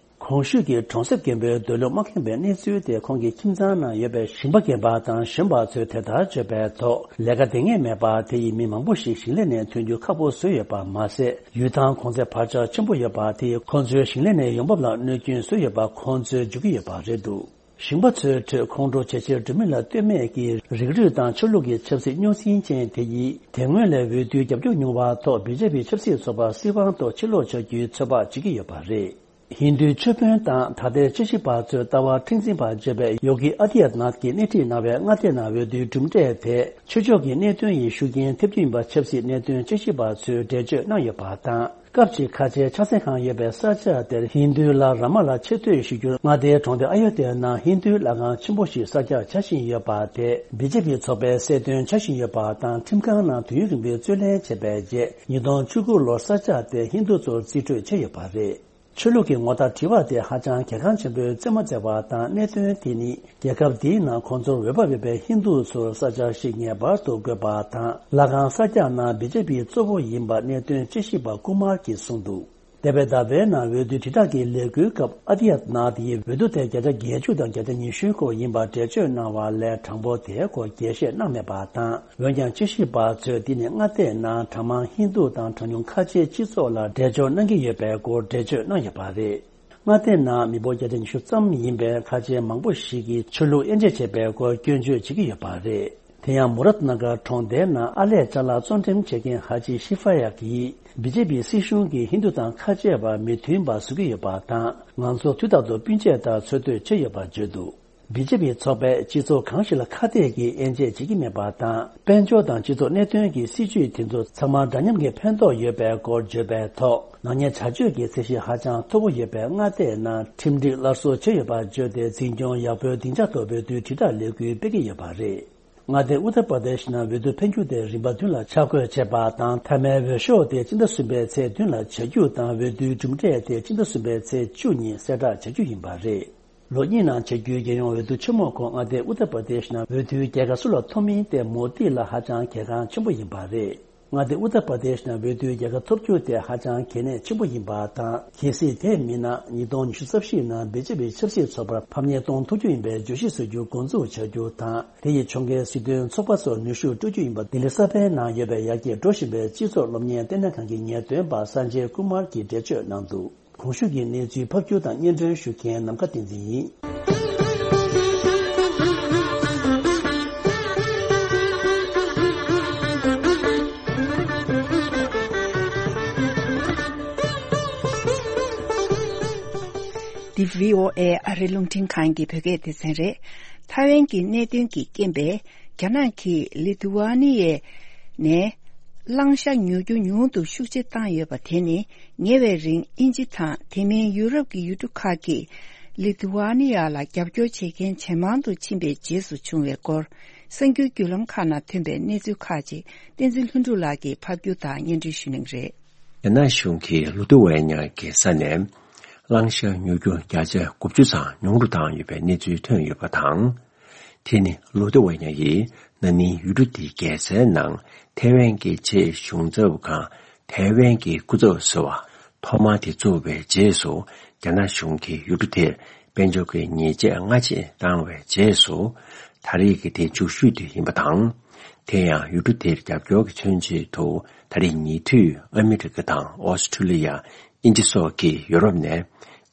གོང་ཞུས་ཀྱི་གྲོང་གསེབ་རྒན་པོའི་སྡོད་ལུགས་མ་ཁེངས་པའི་གནས་ཚུལ་དེ་ཁོང་གི་ཁྱིམ་ཚང་ནང་ཡོད་པའི་ཞིང་པ་རྒན་པ་དང་གཞོན་པ་ཚོས་དེ་ལྟར་བརྗོད་པའི་ཐོག་ལས་ཀ་འདེང་ངེས་མེད་པར་དེ་ཡི་མི་མང་པོ་ཞིག་ཞིང་ལས་ནས་ཐོན་རྒྱུ་ཁག་པོ་བཟོས་ཡོད་པ་མ་ཟད། ཡུལ་ཐང་གོང་ཚད་བར་ཆད་ཆེན་པོ་ཡོད་པ་དེ་ཡིས་ཁོང་ཚོའི་ཞིང་ལས་ནས་ཡོང་འབབ་ལ་གནོད་སྐྱོན་བཟོས་ཡོད་པ་ཁོང་ཚོས་བརྗོད་ཀྱི་ཡོད་པ་རེད་འདུག་ཞིང་པ་ཚོའི་ཁྲོད་ཁོང་ཁྲོ་ཇེ་ཆེར་འགྲོ་མིན་ལ་ལྟོས་མེད་ཀྱིས་རིགས་རུས་དང་ཆོས་ལུགས་ཀྱི་ཆབ་སྲིད་རྙོག་ཟིང་ཅན་དེ་ཡིས་དེ་སྔོན་ལས་འོས་བསྡུའི་རྒྱབ་སྐྱོར་ཉུང་བ་ཐོག་བི་ཇེ་པི་ཆབ་སྲིད་ཚོགས་པ་སྲིད་དབང་ཐོག་ཕྱིར་ལོག་བྱ་རྒྱུའི་ཚོད་དཔག་བྱེད་ཀྱི་ཡོད་པ་རེད། ཧིན་རྡུའི་ཆོས་དཔོན་དང་ད་ལྟའི་དཔྱད་ཞིབ་པ་ཚོའི་ལྟ་བ་མཁྲེགས་འཛིན་པར་བརྗོད་པའི་ཡོ་གི་ཨ་དི་ཡ་ནཱཐ་ཀྱིས་སྣེ་ཁྲིད་གནང་བའི་མངའ་སྡེ་ནང་འོས་བསྡུའི་གྲུབ་འབྲས་དེ་ཆོས་ཕྱོགས་ཀྱི་གནད་དོན་ཡི་ཤུགས་རྐྱེན་ཐེབས་རྒྱུ་ཡིན་པ་ཆབ་སྲིད་གནད་དོན་དཔྱད་ཞིབ་པ་ཚོས་འགྲེལ་བརྗོད་གནང་ཡོད་པ་དང་། སྐབས་ཅིག་ཁ་ཆེའི་ཕྱག་འཚལ་ཁང་ཡོད་པའི་ས་ཆ་དེར་ཧིན་རྡུའི་ལྷ་རཱ་མ་ལ་ཆེ་བསྟོད་ཞུ་རྒྱུར་མངའ་སྡེའི་གྲོང་སྡེ་ཨ་ཡོ་དྷྱའི་ནང་ཧིན་རྡུའི་ལྷ་ཁང་ཆེན་པོ་ཞིག་གསར་རྒྱག་བྱ་བཞིན་ཡོད་པ་དེ་བི་ཇེ་པི་ཚོགས་པས་གསལ་སྟོན་བྱ་བཞིན་ཡོད་པ་དང་། ཁྲིམས་ཁང་ནང་དུས་ཡུན་རིང་པོའི་རྩོད་ལེན་བྱས་པའི་རྗེས་ཉིས་སྟོང་བཅུ་དགུ་ལོར་ས་ཆ་དེ་ཧིན་རྡུ་ཚོར་རྩིས་སྤྲོད་བྱས་ཡོད་པ་རེད། ཆོས་ལུགས་ཀྱི་ངོ་རྟགས་བྲི་བ་དེ་ཧ་ཅང་གལ་འགངས་ཆེན་པོའི་རྩེད་མོ་རྩེ་བ་དང་། གནད་དོན་དེ་ནི་རྒྱལ་ཁབ་འདིའི་ནང་ཁོང་ཚོར་འོས་འབབ་ཡོད་པའི་ཧིན་རྡུ་ཚོར་ས་ཆ་ཞིག་ངེས་པར་དུ་དགོས་པ་དང་། ལྷ་ཁང་གསར་རྒྱག་ནང་བི་ཇེ་པི་གཙོ་བོ་ཡིན་པ་གནད་དོན་དཔྱད་ཞིབ་པ་ཀུ་མར་གྱིས་གསུངས་འདུག་འདས་པའི་ཟླ་བའི་ནང་འོས་བསྡུ་དྲིལ་བསྒྲགས་ཀྱི་ལས་འགུལ་སྐབས་ཨ་དི་ཡ་ནཱཐ་ཡིས་འོས་བསྡུ་དེ་བརྒྱ་ཆ་བརྒྱད་ཅུ་དང་བརྒྱ་ཆ་ཉི་ཤུའི་སྐོར་ཡིན་པ་འགྲེལ་བརྗོད་གནང་བ་ལས་གྲངས་འབོར་དེའི་སྐོར་རྒྱས་བཤད་གནང་མེད་པ་དང་། འོན་ཀྱང་དཔྱད་ཞིབ་པ་ཚོས་འདི་ནི་མངའ་སྡེའི་ནང་གྲངས་མང་ཧིན་རྡུ་དང་གྲངས་ཉུང་ཁ་ཆེའི་སྤྱི་ཚོགས་ལ་འགྲེལ་བརྗོད་གནང་གི་ཡོད་པའི་སྐོར་འགྲེལ་བརྗོད་གནང་ཡོད་པ་རེད། མངའ་སྡེའི་ནང་མི་འབོར་བརྒྱ་ཆ་ཉི་ཤུ་ཙམ་ཡིན་པའི་ཁ་ཆེ་མང་པོ་ཞིག་གིས་ཆོས་ལུགས་དབྱེ་འབྱེད་བྱེད་པའི་སྐོར་སྐྱོན་བརྗོད་བྱེད་ཀྱི་ཡོད་པ་རེད། དེ་ཡང་མུ་རཱཏ་ན་གར་གྲོང་སྡེའི་ནང་ཨར་ལས་ཅ་ལག་བཙོང་འགྲེམས་བྱེད་མཁན་ཧ་ཅི་ཤི་ཧྥ་ཡ་གིས་བི་ཇེ་པི་སྲིད་གཞུང་གིས་ཧིན་རྡུ་དང་ཁ་ཆེ་བར་མི་མཐུན་པ་བཟོ་གི་ཡོད་པ་དང་། ང་ཚོ་དུས་རྟག་ཏུ་སྤུན་མཆེད་ལྟར་འཚོ་སྡོད་བྱས་ཡོད་པར་བརྗོད་འདུག་བི་ཇེ་པི་ཚོགས་པས་སྤྱི་ཚོགས་གང་ཞིག་ལ་ཁ་གཏད་ཀྱིས་དབྱེ་འབྱེད་བྱེད་ཀྱི་མེད་པ་དང་། དཔལ་འབྱོར་དང་སྤྱི་ཚོགས་གནད་དོན་གྱི་སྲིད་ཇུས་དེ་ཚོ་ཚང་མ་འདྲ་མཉམ་གྱི་ཕན་ཐོགས་ཡོད་པའི་སྐོར་བརྗོད་པའི་ཐོག་ནག་ཉེས་བྱ་སྤྱོད་ཀྱི་ཚད་གཞི་ཧ་ཅང་མཐོ་པོ་ཡོད་པའི་མངའ་སྡེའི་ནང་ཁྲིམས་སྒྲིག་སླར་གསོ་བྱས་ཡོད་པར་བརྗོད་དེ། འཛིན་སྐྱོང་ཡག་པོའི་སྡིངས་ཆ་ཐོག་འོས་བསྡུའི་དྲིལ་བསྒྲགས་ལས་འགུལ་སྤེལ་གྱི་ཡོད་པ་རེད། མངའ་སྡེ་ཨུ་ཏར་པར་དེཤ་ནང་འོས་བསྡུ་འཕེན་རྒྱུ་དེ་རིམ་པ་བདུན་ལ་ཆ་བགོས་བྱས་པ་དང་། མཐའ་མའི་འོས་ཤོག་དེ་སྤྱི་ཟླ་གསུམ་པའི་ཚེས་བདུན་ལ་བྱ་རྒྱུ་དང་། འོས་བསྡུའི་གྲུབ་འབྲས་དེ་སྤྱི་ཟླ་གསུམ་པའི་ཚེས་བཅུ་ཉིན་གསལ་བསྒྲགས་བྱ་རྒྱུ་ཡིན་པ་རེད། ལོ་གཉིས་ནང་བྱ་རྒྱུའི་རྒྱལ་ཡོངས་འོས་བསྡུ་ཆེན་མོའི་སྐོར་མངའ་སྡེ་ཨུ་ཏར་པར་དེཤ་ནང་འོས་བསྡུའི་རྒྱལ་ཁ་སུ་ལ་ཐོབ་མིན་དེ་མོ་དི་ལ་ཧ་ཅང་གལ་འགངས་ཆེན་པོ་ཡིན་པ་རེད། མངའ་སྡེ་ཨུ་ཏར་པར་དེཤ་ནང་འོས་བསྡུའི་རྒྱལ་ཁ་ཐོབ་རྒྱུ་དེ་ཧ་ཅང་གལ་གནད་ཆེན་པོ་ཡིན་པ་དང་། གལ་སྲིད་དེ་མིན་ན་ཉིས་སྟོང་ཉི་ཤུ་རྩ་བཞི་ནང་བི་ཇེ་པི་ཆབ་སྲིད་ཚོགས་པར་ཕམ་ཉེས་གཏོང་ཐུབ་རྒྱུ་ཡིན་པའི་བརྗོད་གཞི་བཟོ་རྒྱུ་འགོ་འཛུགས་བྱ་རྒྱུ་དང་། དེ་ཡིས་ཕྱོགས་འགལ་སྲིད་དོན་ཚོགས་པ་ཚོར་ནུས་ཤུགས་སྤྲོད་རྒྱུ་ཡིན་པ། ལྡི་ལི་གསར་སྤེལ་ནང་ཡོད་པའི་ཡར་རྒྱས་འགྲོ་བཞིན་པའི་སྤྱི་ཚོགས་སློབ་གཉེར་ལྟེ་གནས་ཁང་གི་ངེས་སྟོན་པ་སན་ཇེ་ཀུ་མར་གྱིས་འགྲེལ་བརྗོད་གནང་འདུག་གོང་ཞུས་ཀྱི་གནས་ཚུལ་ཕབ་སྒྱུར་དང་སྙན་སྒྲོན་ཞུ་མཁན་ནམ་མཁའ་བསྟན་འཛིན་ཡིན། འདི་བྷི་ཨོ་ཨེ་ཨ་རིའི་རླུང་འཕྲིན་ཁང་གི་བོད་སྐད་སྡེ་ཚན་རེད། ཐའེ་ཝན་གྱི་གནད་དོན་གྱི་རྐྱེན་པས། རྒྱ་ནག་གིས་ལི་ཐུ་ཝ་ནི་ཡའི་ནས་གླང་ཤ་ཉོ་རྒྱུ་ཉུང་དུ་ཤུགས་ཆེ་བཏང་ཡོད་པ་དེ་ནི། ཉེ་བའི་རིང་དབྱིན་ཇི་དང་དེ་མིན་ཡུ་རོབ་ཀྱི་ཡུལ་གྲུ་ཁག་གིས་ལི་ཐུ་ཝ་ནི་ཡ་ལ་རྒྱབ་སྐྱོར་བྱེད་མཁན་ཇེ་མང་དུ་ཕྱིན་པའི་རྗེས་སུ་བྱུང་བའི་སྐོར། གསར་འགྱུར་བརྒྱུད་ལམ་ཁག་ནང་ཐོན་པའི་གནས་ཚུལ་ཁག་ཅིག་བསྟན་འཛིན་ལྷུན་གྲུབ་ལགས་ཀྱིས་ཕབ་སྒྱུར་དང་སྙན་སྒྲོན་ཞུ་གནང་གི་རེད། རྒྱ་ནག་གཞུང་གིས་ལུ་ཏུ་ཝེ་ཉ་གི་ས་ནས་གླང་ཤ་ཉོ་རྒྱུ་བརྒྱ་ཆ་དགུ་བཅུ་ཙམ་ཉུང་རུ་བཏང་ཡོད་པའི་གནས་ཚུལ་ཐོན་ཡོད་པ་དང་། དེ་ནི་ལུ་ཏུ་ཝེ་ཉ་ཡིས་ན་ནིང་ཡུལ་གྲུ་དེའི་རྒྱལ་སའི་ནང་ཐའེ་ཝན་གྱི་ཆེས་གཞུང་ཚབ་ཁང་ཐའེ་ཝན་གྱི་སྐུ་ཚབ་ཟུར་པ་ཐོག་མ་དེ་བཙུགས་པའི་རྗེས་སུ། རྒྱ་ནག་གཞུང་གིས་ཡུལ་གྲུ་དེར་དཔལ་འབྱོར་གྱི་ཉེས་ཆད་སྔ་རྗེས་བཏང་བའི་རྗེས་སུ། ད་རེས་ཀྱི་དེ་མཇུག་ཤོས་དེ་ཡིན་པ་དང་། དེ་ཡང་ཡུལ་གྲུ་དེར་རྒྱབ་སྐྱོར་གྱི་མཚོན་བྱེད་དུ་ད་རེས་ཉེ་དུས་ཨ་མི་རི་ཀ་དང་ཨོ་སི་ཁྲུ་ལི་ཡ། དབྱིན་ཇི་སོགས་ཀྱིས་ཡུ་རོབ་ནས་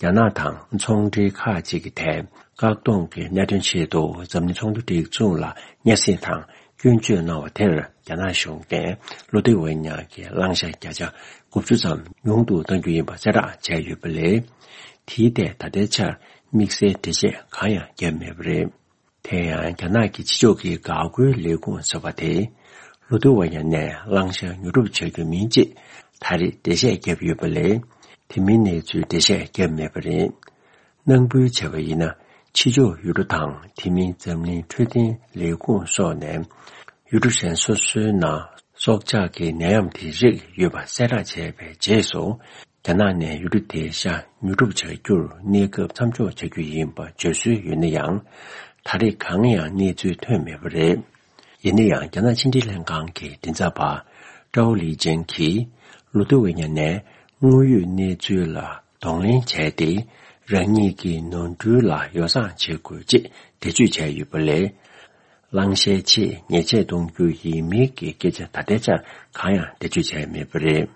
རྒྱ་ནག་དང་ཚོང་འབྲེལ་ཁག་ཅིག་གི་ཐད་བཀག་སྡོམ་གྱི་གནད་དོན་ཆེད་དུ་འཛམ་གླིང་ཚོགས་འདུ་སྒྲིག་འཛུགས་ལ་སྙན་སེང་དང་སྐྱོན་བརྗོད་གནང་བ་དེར། རྒྱ་ནག་གཞུང་གིས་ལུ་ཏུ་ཝེ་ཉ་གི་གླང་ཤ་བརྒྱ་ཆ་དགུ་བཅུ་ཙམ་ཉུང་དུ་གཏང་རྒྱུ་ཡིན་པ་གསལ་བསྒྲགས་བྱས་ཡོད་པ་ལས། དེའི་ཐད་ད་ལྟའི་ཆར་དམིགས་བསལ་འགྲེལ་བཤད་གང་ཡང་བརྒྱབ་མེད་པ་རེད། དེ་ཡང་རྒྱ་ནག་གི་ཕྱི་ཕྱོགས་ཀྱི་འགག་སྒོའི་ལས་ཁུངས་ཟེར་བ་དེས་ལུ་ཏུ་ཝེ་ཉ་ནས་གླང་ཤ་ཉོ་སྒྲུབ་བྱ་རྒྱུ་མིན་ཅེས་ད་རེས་འགྲེལ་བཤད་བརྒྱབ་ཡོད་པ་ལས། དེ་མིན་གནས་ཚུལ་འགྲེལ་བཤད་བརྒྱབ་མེད་པ་རེད། ནང་འབུལ་བྱས་པ་ཡིན་ན། ཕྱི་ཕྱོགས་ཡུལ་གྲུ་དང་དེ་མིན་འཛམ་གླིང་འཕྲོད་བསྟེན་ལས་ཁུངས་སོགས་ནས་ཡུལ་གྲུ་གཞན་སོ་སོའི་ནང་སྲོག་ཆགས་ཀྱི་ནད་ཡམས་དེ་རེག་ཡོད་པ་གསལ་བསྒྲགས་བྱས་པའི་རྗེས་སུ། རྒྱ་ནག་ནས་ཡུལ་གྲུ་དེའི་ཤ་ཉོ་སྒྲུབ་བྱ་རྒྱུར་གནས་སྐབས་མཚམས་འཇོག་བྱ་རྒྱུ་ཡིན་པ་བརྗོད་སྲོལ་ཡོད་ན་ཡང་། ད་རེས་གང་ཡང་གནས་ཚུལ་ཐོན་མེད་པ་རེད། ཡིན་ན་ཡང་། རྒྱ་ནག་ཕྱི་འབྲེལ་ལྷན་ཁང་གི་མགྲིན་ཚབ་པ་ཀྲའོ་ལི་ཅན་གྱིས་ལུ་ཏུ་ཝེ་ཉ་ནས་དངོས་ཡོད་གནས་ཚུལ་ལ་གདོང་ལེན་བྱས་ཏེ། རང་ཉིད་ཀྱི་ནོར་འཁྲུལ་ལ་ཡོ་བསྲང་བྱེད་དགོས་ཅེས་འགྲེལ་བརྗོད་བྱས་ཡོད་པ་ལས། བླངས་ཞན་ཆེད་ཉེས་ཆད་གཏོང་རྒྱུ་ཡིན་མིན་གྱི་སྐད་ཆ་ད་ལྟའི་ཆར་གང་ཡང་འགྲེལ་བརྗོད་བྱས་མེད་པ་རེད།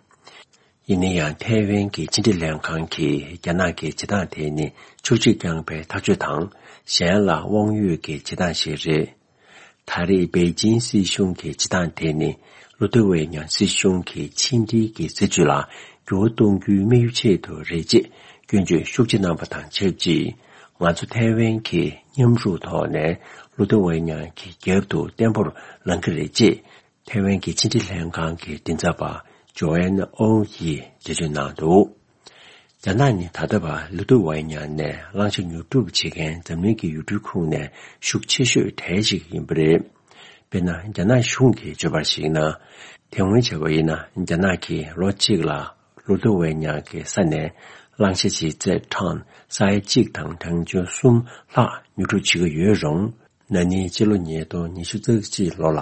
ཡིན་ན་ཡང་ཐའེ་ཝན་གྱི་ཕྱི་འབྲེལ་ལྷན་ཁང་གིས་རྒྱ་ནག་གི་བྱེད་སྟངས་དེ་ནི་ཕྱོགས་གཅིག་རྐྱང་པའི་ཐག་གཅོད་དང་གཞན་ལ་དབང་ཡོད་ཀྱི་བྱེད་སྟངས་ཤིག་རེད། ད་རེས་པེ་ཅིན་སྲིད་གཞུང་གི་བྱེད་སྟངས་དེ་ནི་ལུ་ཏེ་ཝེ་ཉང་སྲིད་གཞུང་གི་ཕྱི་འབྲེལ་གྱི་སྲིད་བྱུས་ལ་འགྱུར་བ་གཏོང་རྒྱུའི་དམིགས་ཡུལ་ཆེད་དུ་རེད་ཅེས་སྐྱོན་བརྗོད་ཤུགས་ཆེ་གནང་པ་དང་ཆབས་ཅིག་ང་ཚོ་ཐའེ་ཝན་གྱིས་མཉམ་རུབ་ཐོག་ནས་ལུ་ཏེ་ཝེ་ཉང་གི་རྒྱབ་ཏུ་བརྟན་པོར་ལངས་ཀྱི་རེད་ཅེས་ཐའེ་ཝན་གྱི་ཕྱི་འབྲེལ་ལྷན་ཁང་གི་མགྲིན་ཚབ་པ་ཇོ་ཨན་ཨོ་ཡིས་འགྲེལ་བརྗོད་གནང་འདུག་རྒྱ་ནག་ནི་ད་ལྟ་བར་ལུ་ཏུ་ཝེ་ཉང་ནས་བླང་བྱ་ཉོ་སྒྲུབ་བྱེད་མཁན་འཛམ་གླིང་གི་ཡུལ་གྲུའི་ཁོངས་ནས་ཤུགས་ཆེ་ཤོས་གྲས་ཤིག་ཡིན་པ་རེད། དཔེར་ན། རྒྱ་ནག་གཞུང་གིས་བརྗོད་པར་གཞིགས་ན། དེ་སྔོན་བྱས་པ་ཡིན་ན། རྒྱ་ནག་གིས་ལོ་གཅིག་ལ་ལུ་ཏུ་ཝེ་ཉང་གི་ས་ནས་བླང་བྱ་ལྗིད་ཚད་ཊོན་ས་ཡ་གཅིག་དང་གྲངས་ཆུང་གསུམ་ལྷག་ཉོ་སྒྲུབ་བྱེད་ཀྱི་ཡོད་རུང་། ན་ནིང་ཕྱི་ལོ་ཉིས་སྟོང་ཉི་ཤུ་རྩ་གཅིག་ལོ་ལ་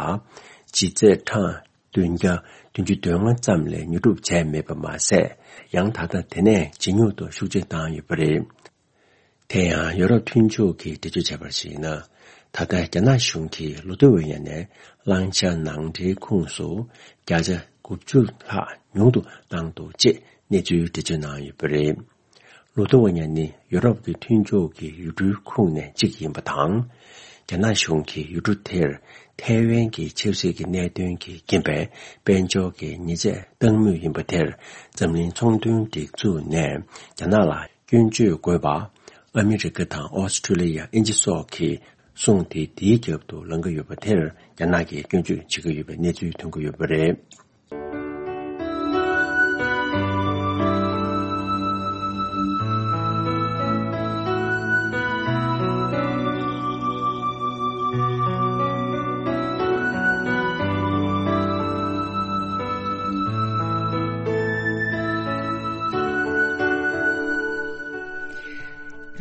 ལྗིད་ཚད་ཊོན་བདུན་བརྒྱ་བདུན་ཅུ་དོན་ལྔ་ཙམ་ལས་ཉོ་སྒྲུབ་བྱས་མེད་པ་མ་ཟད། ཡང་ད་ལྟ་དེ་ནས་ཇེ་ཉུང་དུ་ཤུགས་ཆེ་བཏང་ཡོད་པ་རེད། དེ་ཡང་ཡོ་རོབ་མཐུན་ཕྱོགས་ཀྱིས་འགྲེལ་བརྗོད་བྱས་པར་གཞིགས་ན། ད་ལྟ་རྒྱ་ནག་གཞུང་གིས་ལུ་ཏུ་ཝེ་ཉང་ནས་བླང་བྱ་ནང་འདྲེན་ཁོངས་སུ་བརྒྱ་ཆ་དགུ་བཅུ་ལྷག་ཉུང་དུ་བཏང་འདུག་ཅེས་གནས་ཚུལ་འགྲེལ་བརྗོད་གནང་ཡོད་པ་རེད། ལུ་ཏུ་ཝེ་ཉང་ནི་ཡོ་རོབ་ཀྱི་མཐུན་ཕྱོགས་ཀྱི་ཡུལ་གྲུའི་ཁོངས་ནས་གཅིག་ཡིན་པ་དང་། རྒྱ་ནག་གཞུང་གིས་ཡུལ་གྲུ་དེར་ཐའེ་ཝན་གྱི་ཆབ་སྲིད་ཀྱི་གནད་དོན་གྱི་རྐྱེན་པས་དཔལ་འབྱོར་གྱི་ཉེས་ཆད་གཏང་མུས་ཡིན་པ་དེར་འཛམ་གླིང་ཚོང་དོན་སྒྲིག་འཛུགས་ནས་རྒྱ་ནག་ལ་སྐྱོན་བརྗོད་དགོས་པ། ཨ་མི་རི་ཀ་དང་ཨོ་སི་ཁྲུ་ལི་ཡ། དབྱིན་ཇི་སོགས་ཀྱི་གསུང་དེ་དེའི་རྒྱབ་ཏུ་ལངས་ཀྱི་ཡོད་པ་དེར་རྒྱ་ནག་གིས་སྐྱོན་བརྗོད་བྱེད་ཀྱི་ཡོད་པའི་གནས་ཚུལ་ཐོན་གྱི་ཡོད་པ་རེད།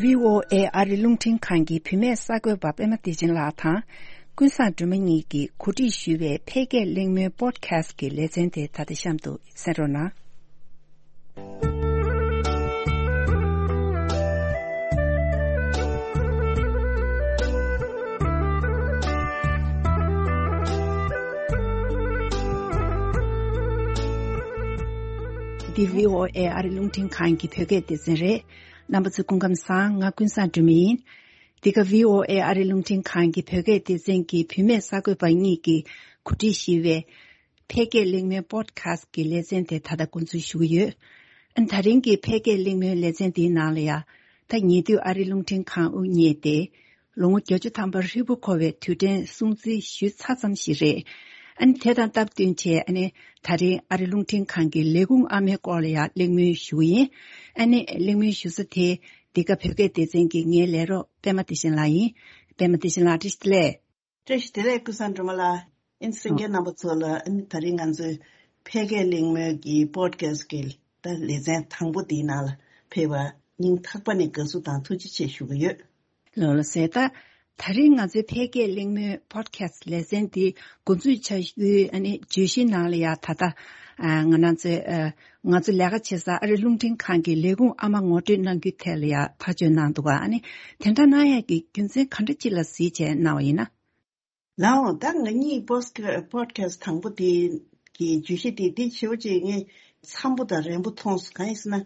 བྷི་ཨོ་ཨེ་ཨ་རི་རླུང་འཕྲིན་ཁང་གི་བུད་མེད་གསར་འགོད་པ་པད་མ་བདེ་ཆེན་ལགས་དང་། ཀུན་བཟང་སྒྲོལ་མ་གཉིས་ཀྱིས་གོ་སྒྲིག་ཞུས་པའི་འཕེལ་རྒྱས་གླེང་མོལ་པོ་ཌི་ཁ་སི་ཊི་ཀྱི་ལེ་ཚན་དེ་ད་ལྟ་གཤམ་དུ་གསན་རོགས་གནང་། འདི་བྷི་ཨོ་ཨེ་ཨ་རི་རླུང་འཕྲིན་ཁང་གི་བོད་སྐད་སྡེ་ཚན་རེད། རྣམ་པ་ཚོ་སྐུ་ཁམས་བཟང་། ང་ཀུན་བཟང་སྒྲོལ་མ་ཡིན། འདི་ག་བྷི་ཨོ་ཨེ་ཨ་རི་རླུང་འཕྲིན་ཁང་གི་བོད་སྐད་སྡེ་ཚན་གྱི་བུད་མེད་གསར་འགོད་པ་གཉིས་ཀྱིས་གོ་སྒྲིག་ཞུས་པའི་འཕེལ་རྒྱས་གླེང་མོལ་པོ་ཌི་ཁ་སི་ཊི་ཀྱི་ལེ་ཚན་དེ་ད་ལྟ་འགོ་འཛུགས་ཞུ་གི་ཡོད། ཨ་ནི་ད་རིང་གི་འཕེལ་རྒྱས་གླེང་མོལ་ལེ་ཚན་འདིའི་ནང་ལ་ཡ། ད་ཉེ་དུས་ཨ་རི་རླུང་འཕྲིན་ཁང་དབུ་བརྙེས་ཏེ། ལོ་ངོ་བརྒྱད་ཅུ་ཐམ་པ་ཧྲིལ་པོ་འཁོར་བའི་དུས་དྲན་སྲུང་བརྩི་ཞུས་ཚར་ཙམ་ཞིག་རེད། ཨ་ནི་དེ་དང་སྟབས་བསྟུན་བྱས། ཨ་ནི་ད་རིང་ཨ་རི་རླུང་འཕྲིན་ཁང་གི་ལས་ཁུངས་ཨ་མའི་སྐོར་ལ་ཡང་གླེང་མོལ་ཞུ་གི་ཡིན། ཨ་ནི་གླེང་མོལ་ཞུ་ས་དེ་འདི་ག་བོད་སྐད་སྡེ་ཚན་གྱི་ངའི་ལས་རོགས་པད་མ་བདེ་ཆེན་ལགས་ཡིན། པད་མ་བདེ་ཆེན་ལགས་བཀྲ་ཤིས་བདེ་ལེགས། བཀྲ་ཤིས་བདེ་ལེགས་ཀུན་བཟང་སྒྲོལ་མ་ལགས། ཨ་ནི་གསན་མཁན་རྣམ་པ་ཚོ་ལ། ཨ་ནི་ད་རིང་ང་ཚོའི་འཕེལ་རྒྱས་གླེང་མོལ་གྱི་པོ་ཌི་ཁ་སི་ཊི་ཀྱི་ད་ལེ་ཚན་དང་པོ་འདིའི་ནང་ལ་ཕེབས་པ་སྙིང་ཐག་པ་ནས་དགའ་བསུ་དང་ཐུགས་རྗེ་ཆེ་ཞུ་གི་ཡོད། ལགས་ལགས་སོ། ད་ད་རིང་ང་ཚོའི་འཕེལ་རྒྱས་གླེང་མོལ་པོ་ཌི་ཁ་སི་ཊི་ལེ་ཚན་འདི་འགོ་འཛུགས་བྱ་རྒྱུའི་ཨ་ནི་བརྗོད་གཞི་ནང་ལ་ཡ། ད་ལྟ་ཨ་ང་རང་ཚོའི་ཨ་ང་ཚོ་ལས་ཀ་བྱེད་ས་ཨ་རི་རླུང་འཕྲིན་ཁང་གི་ལས་ཁུངས་ཨ་མ་ངོ་སྤྲོད་གནང་རྒྱུའི་ཐད་ལ་ཡ་ཐག་གཅོད་གནང་འདུག་ག་ཨ་ནི་དེ་འདྲ་གནང་ཡག་གི་རྒྱུ་མཚན་ག་འདྲ་ཅིག་ལ་གཟིགས་བྱས་གནང་བ་ཡིན་ན། ལགས་འོང་། ད་ང་གཉིས་པོ་ཌི་ཁ་སི་ཊི་དང་པོ་དེ་གི་བརྗོད་གཞི་དེ་འདི་ཞེ་པོ་ཅིག་ངས་འཚམ་པོ་དང་རན་པོ་མཐོང་སོང་། གང་ཡིན་ཟེར་ན།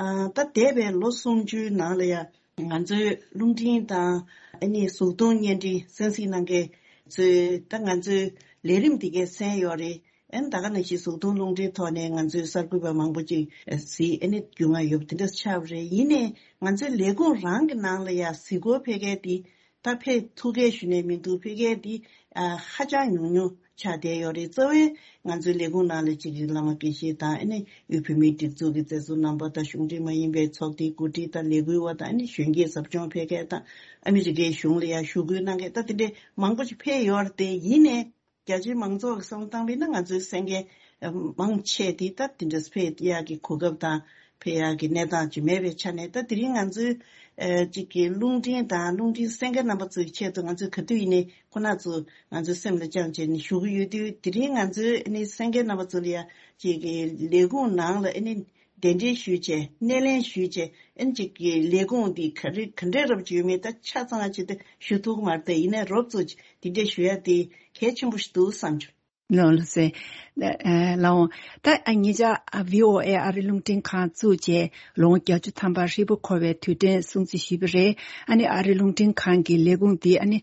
ཨ་ད་འདས་པའི་ལོ་སུམ་ཅུའི་ནང་ལ་ཡ། ང་ཚོའི་རླུང་འཕྲིན་དང་ཨ་ནི་གཟུགས་མཐོང་བརྙན་འཕྲིན་གསན་གཟིགས་གནང་མཁན་ཚོས་ད་ང་ཚོའི་ལས་རིམ་འདི་གས་གསན་ཡོད་རེད། ཨ་ནི་ད་ག་ནང་བཞིན་གཟུགས་མཐོང་རླུང་འཕྲིན་ཐོག་ནས་ང་ཚོའི་གསར་འགོད་པ་མང་པོ་ཅིག་གཟིགས། ཨ་ནི་རྒྱུས་མངའ་ཡོད་པ་དེ་འདྲ་ཆགས་པ་རེད། ཡིན་ནའི་ང་ཚོའི་ལས་ཁུངས་རང་གི་ནང་ལ་ཡ་གཟིགས་སྐོར་ཕེབས་མཁན་དེ། ད་ཕེབས་ཐུབ་མཁན་ཞུ་ནས་མི་འདུག་ཕེབས་མཁན་འདི་ཨ་ཧ་ཅང་ཉུང་ཉུང་ཆགས་བསྡད་ཡོད་རེད། གཙོ་བོའི་ང་ཚོའི་ལས་ཁུངས་ནང་ལ་གཅིག་གི་བླ་མ་དགེ་བཤེས་དང་། ཨ་ནི་དབུས་བོད་མིའི་སྒྲིག་འཛུགས་ཀྱི་མཛད་གཙོ་རྣམ་པ་དང་། གཞུང་འབྲེལ་མ་ཡིན་པའི་ཚོགས་སྡེའི་འགོ་ཁྲིད་དང་། ལས་འགུལ་བ་དང་། ཨ་ནི་གཞོན་སྐྱེས་ཟབ་སྦྱོང་ཕེབས་མཁན་དང་། ཨ་མི་རི་ཀའི་གཞུང་ལ་ཡང་ཞུ་སྐུལ་གནང་མཁན་ད་དེ་འདྲའི་མང་པོ་ཞིག་ཕེབས་ཡོད་རེད་དེ། ཡིན་ནའི་རྒྱ་ཆེའི་མང་ཚོགས་ཀྱི་བསམ་བློ་བཏང་བས་ན་ང་ཚོའི་གསན་མཁན་མང་ཆེ་དེ་ད་དེ་འདྲ་ཕེབས་ཡག་གི་གོ་སྐབས་དང་ཕེབས་ཡག་གི་གནས་སྟངས་ཅིག་མེད་པའི་ཆ་ནས། ད་དེ་རིང་ང་ཚོའི་ཨ་གཅིག་གི་རླུང་འཕྲིན་དང་རླུང་འཕྲིན་གསན་མཁན་རྣམ་པ་ཚོའི་ཆེད་དུ་ང་ཚོས་ག་དུས་ཡིན་ནའི་ཁོ་ན་ཚོ་ང་ཚོའི་སེམས་ལ་བཅངས་བྱས་ནས་ཞུ་གི་ཡོད་དུས། དེ་རིང་ང་ཚོའི་ཨ་ནི་གསན་མཁན་རྣམ་པ་ཚོ་ལ་ཡ་གཅིག་གི་ལས་ཁུངས་ནང་ལ་ཨ་ནི་ གདན་འདྲེན་ཞུས་བྱས་སྣེ་ལེན་ཞུས་བྱས་ཨ་ནི་ཅིག་གི་ལས་ཁུངས་འདི་ག་རེ་ག་འདྲས་རབ་ཅིག་ཡོད་མེད་ད་ཆ་ཚང་ཅིག་ད་ཞུ་ཐུབ་ཀྱི་མ་རེད། ད་ཡིན་ནའི་རོབ་ཙམ་ཅིག་འདི་འདྲས་ཞུ་ཡ་དེ་གལ་ཆེན་པོ་ཞིག་འདུག་བསམ་བྱུང་། ལགས་ལགས་སེ། ལགས་འོང་། ད་ཉེ་ཆར་བྷི་ཨོ་ཨེ་ཨ་རི་རླུང་འཕྲིན་ཁང་བཙུགས་རྗེས་ལོ་ངོ་བརྒྱད་ཅུ་ཐམ་པ་ཧྲིལ་པོ་འཁོར་བའི་དུས་དྲན་སྲུང་བརྩི་ཞུས་པ་རེད། ཨ་ནི་ཨ་རི་རླུང་འཕྲིན་ཁང་གི་ལས་ཁུངས་འདི་ཨ་ནི་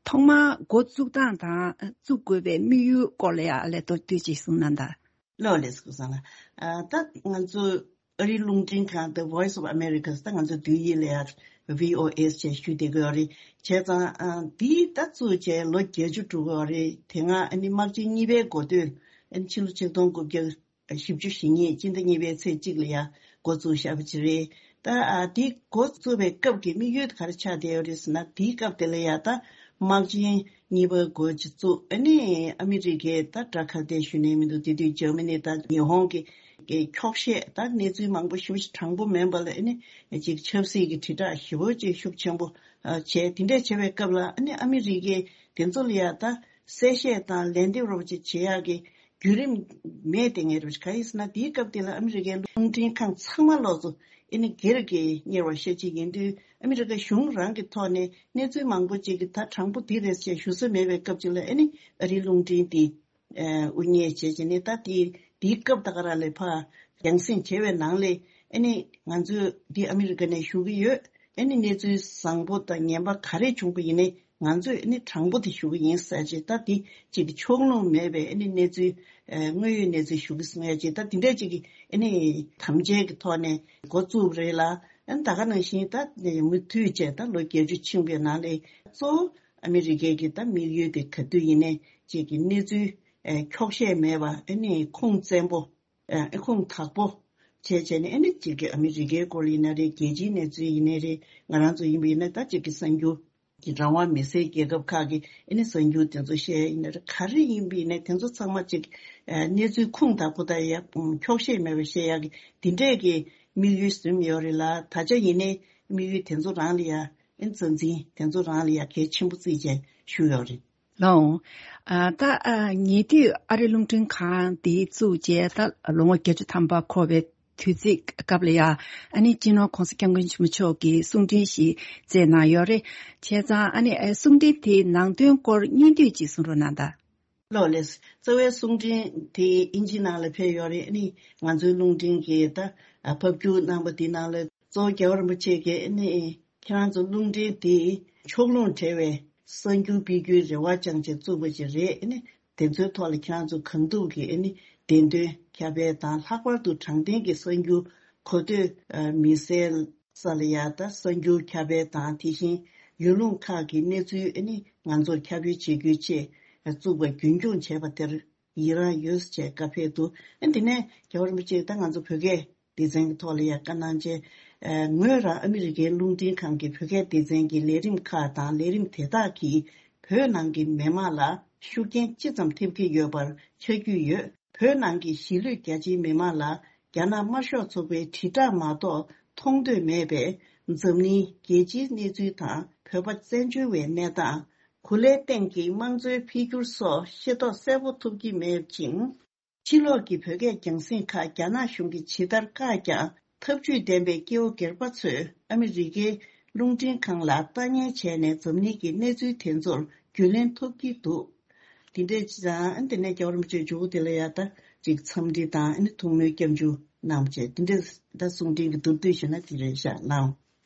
ཐོག་མར་འགོ་བཙུགས་སྟངས་དང་བཙུགས་དགོས་པའི་དམིགས་ཡུལ་སྐོར་ལ་ཡང་ལས་མདོར་བསྡུས་ཅིག་གསུངས་གནང་དང་། ལགས་ལགས་སེ། སྐུ་བཟང་ལགས། ད་ང་ཚོ་ཨ་རིའི་རླུང་འཕྲིན་ཁང་The Voice of America ད་ང་ཚོ་བསྡུས་ཡིག་ལ་ཡང་བྷི་ཨོ་ཨེ་ཞེས་ཞུ་བསྡད་ཀྱི་ཡོད་རེད། བྱས་ཙང་ཨ་འདི་ད་བཙུགས་བྱས་ལོ་བརྒྱད་ཅུ་འགྲོ་གི་ཡོད་རེད། དེ་སྔ་ཨ་ནི་དམག་ཆེན་གཉིས་པའི་འགོ་སྟོད་ཨ་ནི་ཕྱི་ལོ་ཆིག་སྟོང་དགུ་བརྒྱ་བཞི་བཅུ་ཞེ་གཉིས་སྤྱི་ཟླ་གཉིས་པའི་ཚེས་གཅིག་ལ་ཡང་འགོ་བཙུགས་བཞག་པ་ཅིག་རེད། ད་ཨ་འདི་འགོ་བཙུགས་པའི་སྐབས་ཀྱི་དམིགས་ཡུལ་དེ་ག་རེ་ཆགས་བསྡད་ཡོད་རེད་ཟེར་ན། དེའི་སྐབས་དེ་ལ་ཡང་ད་དམག་ཆེན་གཉིས་པ་འགོ་ཅིག་བཙུགས། ཨ་ནི་ཨ་མི་རི་ཀས་ད་དགྲ་ཁ་གཏད་ཞུ་ནས་མི་འདུག་དེ་དུས་འཇར་མ་ནི་དང་ཉི་ཧོང་གི་གི་འཁྱོག་བཤད་ད་གནས་ཚུལ་མང་པོ་ཞེ་པོ་ཅིག་དྲང་པོ་མིན་པ་ལ་ཨ་ནི་ཅིག་ཆབ་སྲིད་ཀྱི་དྲིལ་བསྒྲགས་ཞེ་པོ་ཅིག་ཤུགས་ཆེན་པོ་ཨ་བྱས། དེ་འདྲས་བྱས་པའི་སྐབས་ལ་ཨ་ནི་ཨ་མི་རི་ཀས་དེ་ཚོ་ལ་ཡང་ད་གསལ་བཤད་དང་ལན་འདེབས་རོབ་ཅིག་བྱེད་ཡག་གི་བརྒྱུད་རིམ་མེད་དེ་ངེས་རེད། ག་ཡིན་ཟེར་ན་དེའི་སྐབས་དེ་ལ་ཨ་མི་རི་ཀའི་རླུང་འཕྲིན་ཁང་ཚང་མ་ལོག་ཚོ་ཨ་ནི་སྒེར་གྱི་གཉེར་བ་ཤ་གཅིག་ཡིན་དུས་ཨ་མི་རི་ཀ་གཞུང་རང་གི་ཐོག་ནས་གནས་ཚུལ་མང་པོ་ཅིག་གི་ད་དྲང་པོ་འདི་རེད་ཅེས་ཞུ་ས་མེད་པའི་སྐབས་ཅིག་ལ་ཨ་ནི་ཨ་རིའི་རླུང་འཕྲིན་དེ་དབུ་བརྙེས་བྱས་བྱས་ནས་ད་དེ་དེའི་སྐབས་ད་ག་རང་ལ་ཕར་རྒྱང་སྲིང་བྱས་པའི་ནང་ལས་ཨ་ནི་ང་ཚོས་འདི་ཨ་མི་རི་ཀ་ནས་ཞུ་གི་ཡོད། ཨ་ནི་གནས་ཚུལ་བཟང་པོ་དང་ངན་པ་ག་རེ་བྱུང་པ་ཡིན་ནའི་ང་ཚོས་ཨ་ནི་དྲང་པོ་དེ་ཞུ་གི་ཡིན་ཟེར་བྱས། ད་དེ་གཅིག་གི་ཕྱོགས་ལྷུང་མེད་པའི་ཨ་ནི་གནས་ཚུལ་ཨ་དངོས་ཡོད་གནས་ཚུལ་ཞུ་གི་ཟེར་བྱས། ད་དེ་འདྲ་གཅིག་གི་ཨ་ནི་དམ་བཅའ་གི་ཐོག་ནས་འགོ་བཙུགས་པ་རེད་ལ། ཨ་ནི་ད་ག་ནང་བཞིན་ད་མུ་མཐུད་བྱས་ད་ལོ་བརྒྱད་ཅུ་ཕྱིན་པའི་ནང་ལས་གཙོ་བོ་ཨ་མི་རི་ཀའི་གི་ད་དམིགས་ཡུལ་དེ་ག་དུས་ཡིན་ནའི་གཅིག་གི་གནས་ཚུལ་ཨ་འཁྱོག་བཤད་མེད་པ་ཨ་ནི་ཁུངས་བཙན་པོ་ཨ་ཁུངས་དག་པོ་བྱས་བྱས་ནས་ཨ་ནི་གཅིག་གི་ཨ་མི་རི་ཀའི་སྐོར་ཡིན་ན་རེད། རྒྱལ་སྤྱིའི་གནས་ཚུལ་ཡིན་ནའི་རེད། ང་རང་ཚོ་ཡིན་པ་ཡིན་ན་ད་གཅིག་གི་གསར་འགྱུར་གྱི་རང་དབང་མི་སེར་རྒྱལ་ཁབ་ཁག་གི་ཨ་ནི་གསར་འགྱུར་དེ་ཚོ་བཤད་ཡིན་ན་རེད། ག་རེ་ཡིན་པ་ཡིན་ནའི་དེ་ཚོ་ཚང་མ་གཅིག་ཨ་གནས་ཚུལ་ཁུངས་དག་པོ་དང་ཡ་འཁྱོག་བཤད་མེད་པ་བཤད་ཡག་གི་དེ་འདྲས་ཀྱི་དམིགས་ཡུལ་ཟིན་ཡོད་རེད་ལ། ད་ཆ་ཡིན་ནའི་དམིགས་ཡུལ་དེ་ཚོ་རང་ལ་ཡ་ཨ་ནི་རྩ་འཛིན་དེ་ཚོ་རང་ལ་ཡ་གལ་ཆེན་པོ་བརྩིས་བྱས་ཞུས་ཡོད་རེད། ལགས་འོང་། ཨ་ད་ཨ་ཉེ་དུས་ཨ་རི་རླུང་འཕྲིན་ཁང་འདི་བཙུགས་རྗེས་ད་ལོ་ངོ་བརྒྱད་ཅུ་ཐམ་པ་འཁོར་བའི་དུས་ཚིགས་སྐབས་ལ་ཡང་ཨ་ནི་སྤྱི་ནོར་༸གོང་ས་༸སྐྱབས་མགོན་ཆེན་པོ་མཆོག་གིས་གསུང་འཕྲིན་ཞིག་བསྩལ་གནང་ཡོད་རེད། བྱས་ཙང་ཨ་ནི་ཨ་གསུང་འཕྲིན་དེའི་ནང་དོན་སྐོར་སྙིང་བསྡུས་ཅིག་གསུང་རོགས་གནང་དང་། ལགས་ལགས། རྩ་བའི་གསུང་འཕྲིན་དེ་ཨིན་ཇི་ནང་ལ་ཕེབས་ཡོད་རེད། ཨ་ནི་ང་ཚོའི་རླུང་འཕྲིན་གྱི་ད་ཨ་ཕབ་སྒྱུར་གནང་པ་དེ་ནང་ལ་གཙོ་བོ་རྒྱལ་བ་རིན་པོ་ཆེ་གིས་ཨ་ནི་ཁྱེད་རང་ཚོ་རླུང་འཕྲིན་དེ་ཕྱོགས་ལྷུང་བྲལ་བའི་གསར་འགྱུར་སྤེལ་རྒྱུའི་རེ་བ་བཅངས་བྱས་བཙུགས་པ་ཅིག་རེད། ཨ་ནི་དེ་ཚོའི་ཐོག་ལ་ཁྱེད་རང་ཚོ་གང་ཐུབ་ཀྱིས་ཨ་ནི་བདེན་དོན་ཁྱབ་སྤེལ་དང་། ལྷག་པར་དུ་དྲང་བདེན་གྱི་གསར་འགྱུར་གོ་ཐོས་ཨ་མི་གསལ་ས་ལ་ཡ་ད་གསར་འགྱུར་ཁྱབ་སྤེལ་དང་། དེ་བཞིན་ཡུལ་ལུང་ཁག་གི་གནས་ཚུལ་ཨ་ནི་ང་ཚོར་ཁྱབ་སྤེལ་བྱེད་རྒྱུའི་ཆེད་བཙུགས་པ་རྒྱུན་འཁྱོངས་བྱས་པ་དེར་ཡི་རང་ཡོད་ཟེར་བྱས་བཀའ་ཕེབས་འདུག་ཨ་དེ་ནས་རྒྱལ་བ་རིན་པོ་ཆེས་ད་ང་ཚོ་བོད་སྐད་སྡེ་ཚན་གྱི་ཐོག་ལ་ཡང་བཀའ་གནང་བྱས། ཨ་ངོས་རང་ཨ་མི་རི་ཀའི་རླུང་འཕྲིན་ཁང་གི་བོད་སྐད་སྡེ་ཚན་གྱི་ལས་རིམ་ཁག་དང་། ལས་རིམ་དེ་དག་གིས་བོད་ནང་གི་མི་དམངས་ལ་ཤུགས་རྐྱེན་ཅི་ཙམ་ཐེབས་ཀྱི་ཡོད་པར་ཆ་རྒྱུས་ཡོད། བོད་ནང་གི་གཞིས་ལུས་རྒྱ་ཆེའི་མི་དམངས་ལ་རྒྱ་ནག་དམར་ཤོག་ཚོགས་པའི་དྲིལ་བསྒྲགས་མ་གཏོགས་མཐོང་འདོད་མེད་པས། འཛམ་གླིང་རྒྱལ་སྤྱིའི་གནས་ཚུལ་དང་བོད་པ་བཙན་བྱོལ་བའི་གནས་སྟངས། གོ་ལའི་སྟེང་གི་དམངས་གཙོའི་འཕེལ་འགྱུར་སོགས་ཤེས་རྟོགས་གསལ་པོ་ཐུབ་ཀྱི་མེད་ཅིང་། ཕྱི་ལོགས་ཀྱི་བོད་སྐད་རྒྱང་སྲིང་ཁག་རྒྱ་ནག་གཞུང་གིས་ཇི་ལྟར་བཀག་ཀྱང་། ཐབས་ཇུས་ལྡན་པའི་སྐྱེ་བོ་སྒེར་པ་ཚོས་ཨ་མི་རི་ཀའི་རླུང་འཕྲིན་ཁང་ལ་ལྟ་ཉན་བྱས་ནས་འཛམ་གླིང་གི་གནས་ཚུལ་དེ་ཚོར་རྒྱུས་ལོན་ཐུབ་ཀྱི་འདུག་དེ་འདྲས་ཅིག་དང་། ཨ་དེ་ནས་རྒྱལ་བ་རིན་པོ་ཆེས་མཇུག་དེ་ལ་ཡ་ད་ཅིག་འཚམས་འདྲི་དང་། ཨ་ནི་ཐུགས་སྨོན་སྐྱབས་འཇུག་གནང་བྱས། དེ་འདྲས་ད་གསུང་འཕྲིན་གྱི་མདོར་བསྡུས་ཞུས་ན་དེ་རེད་ཤག་ལགས།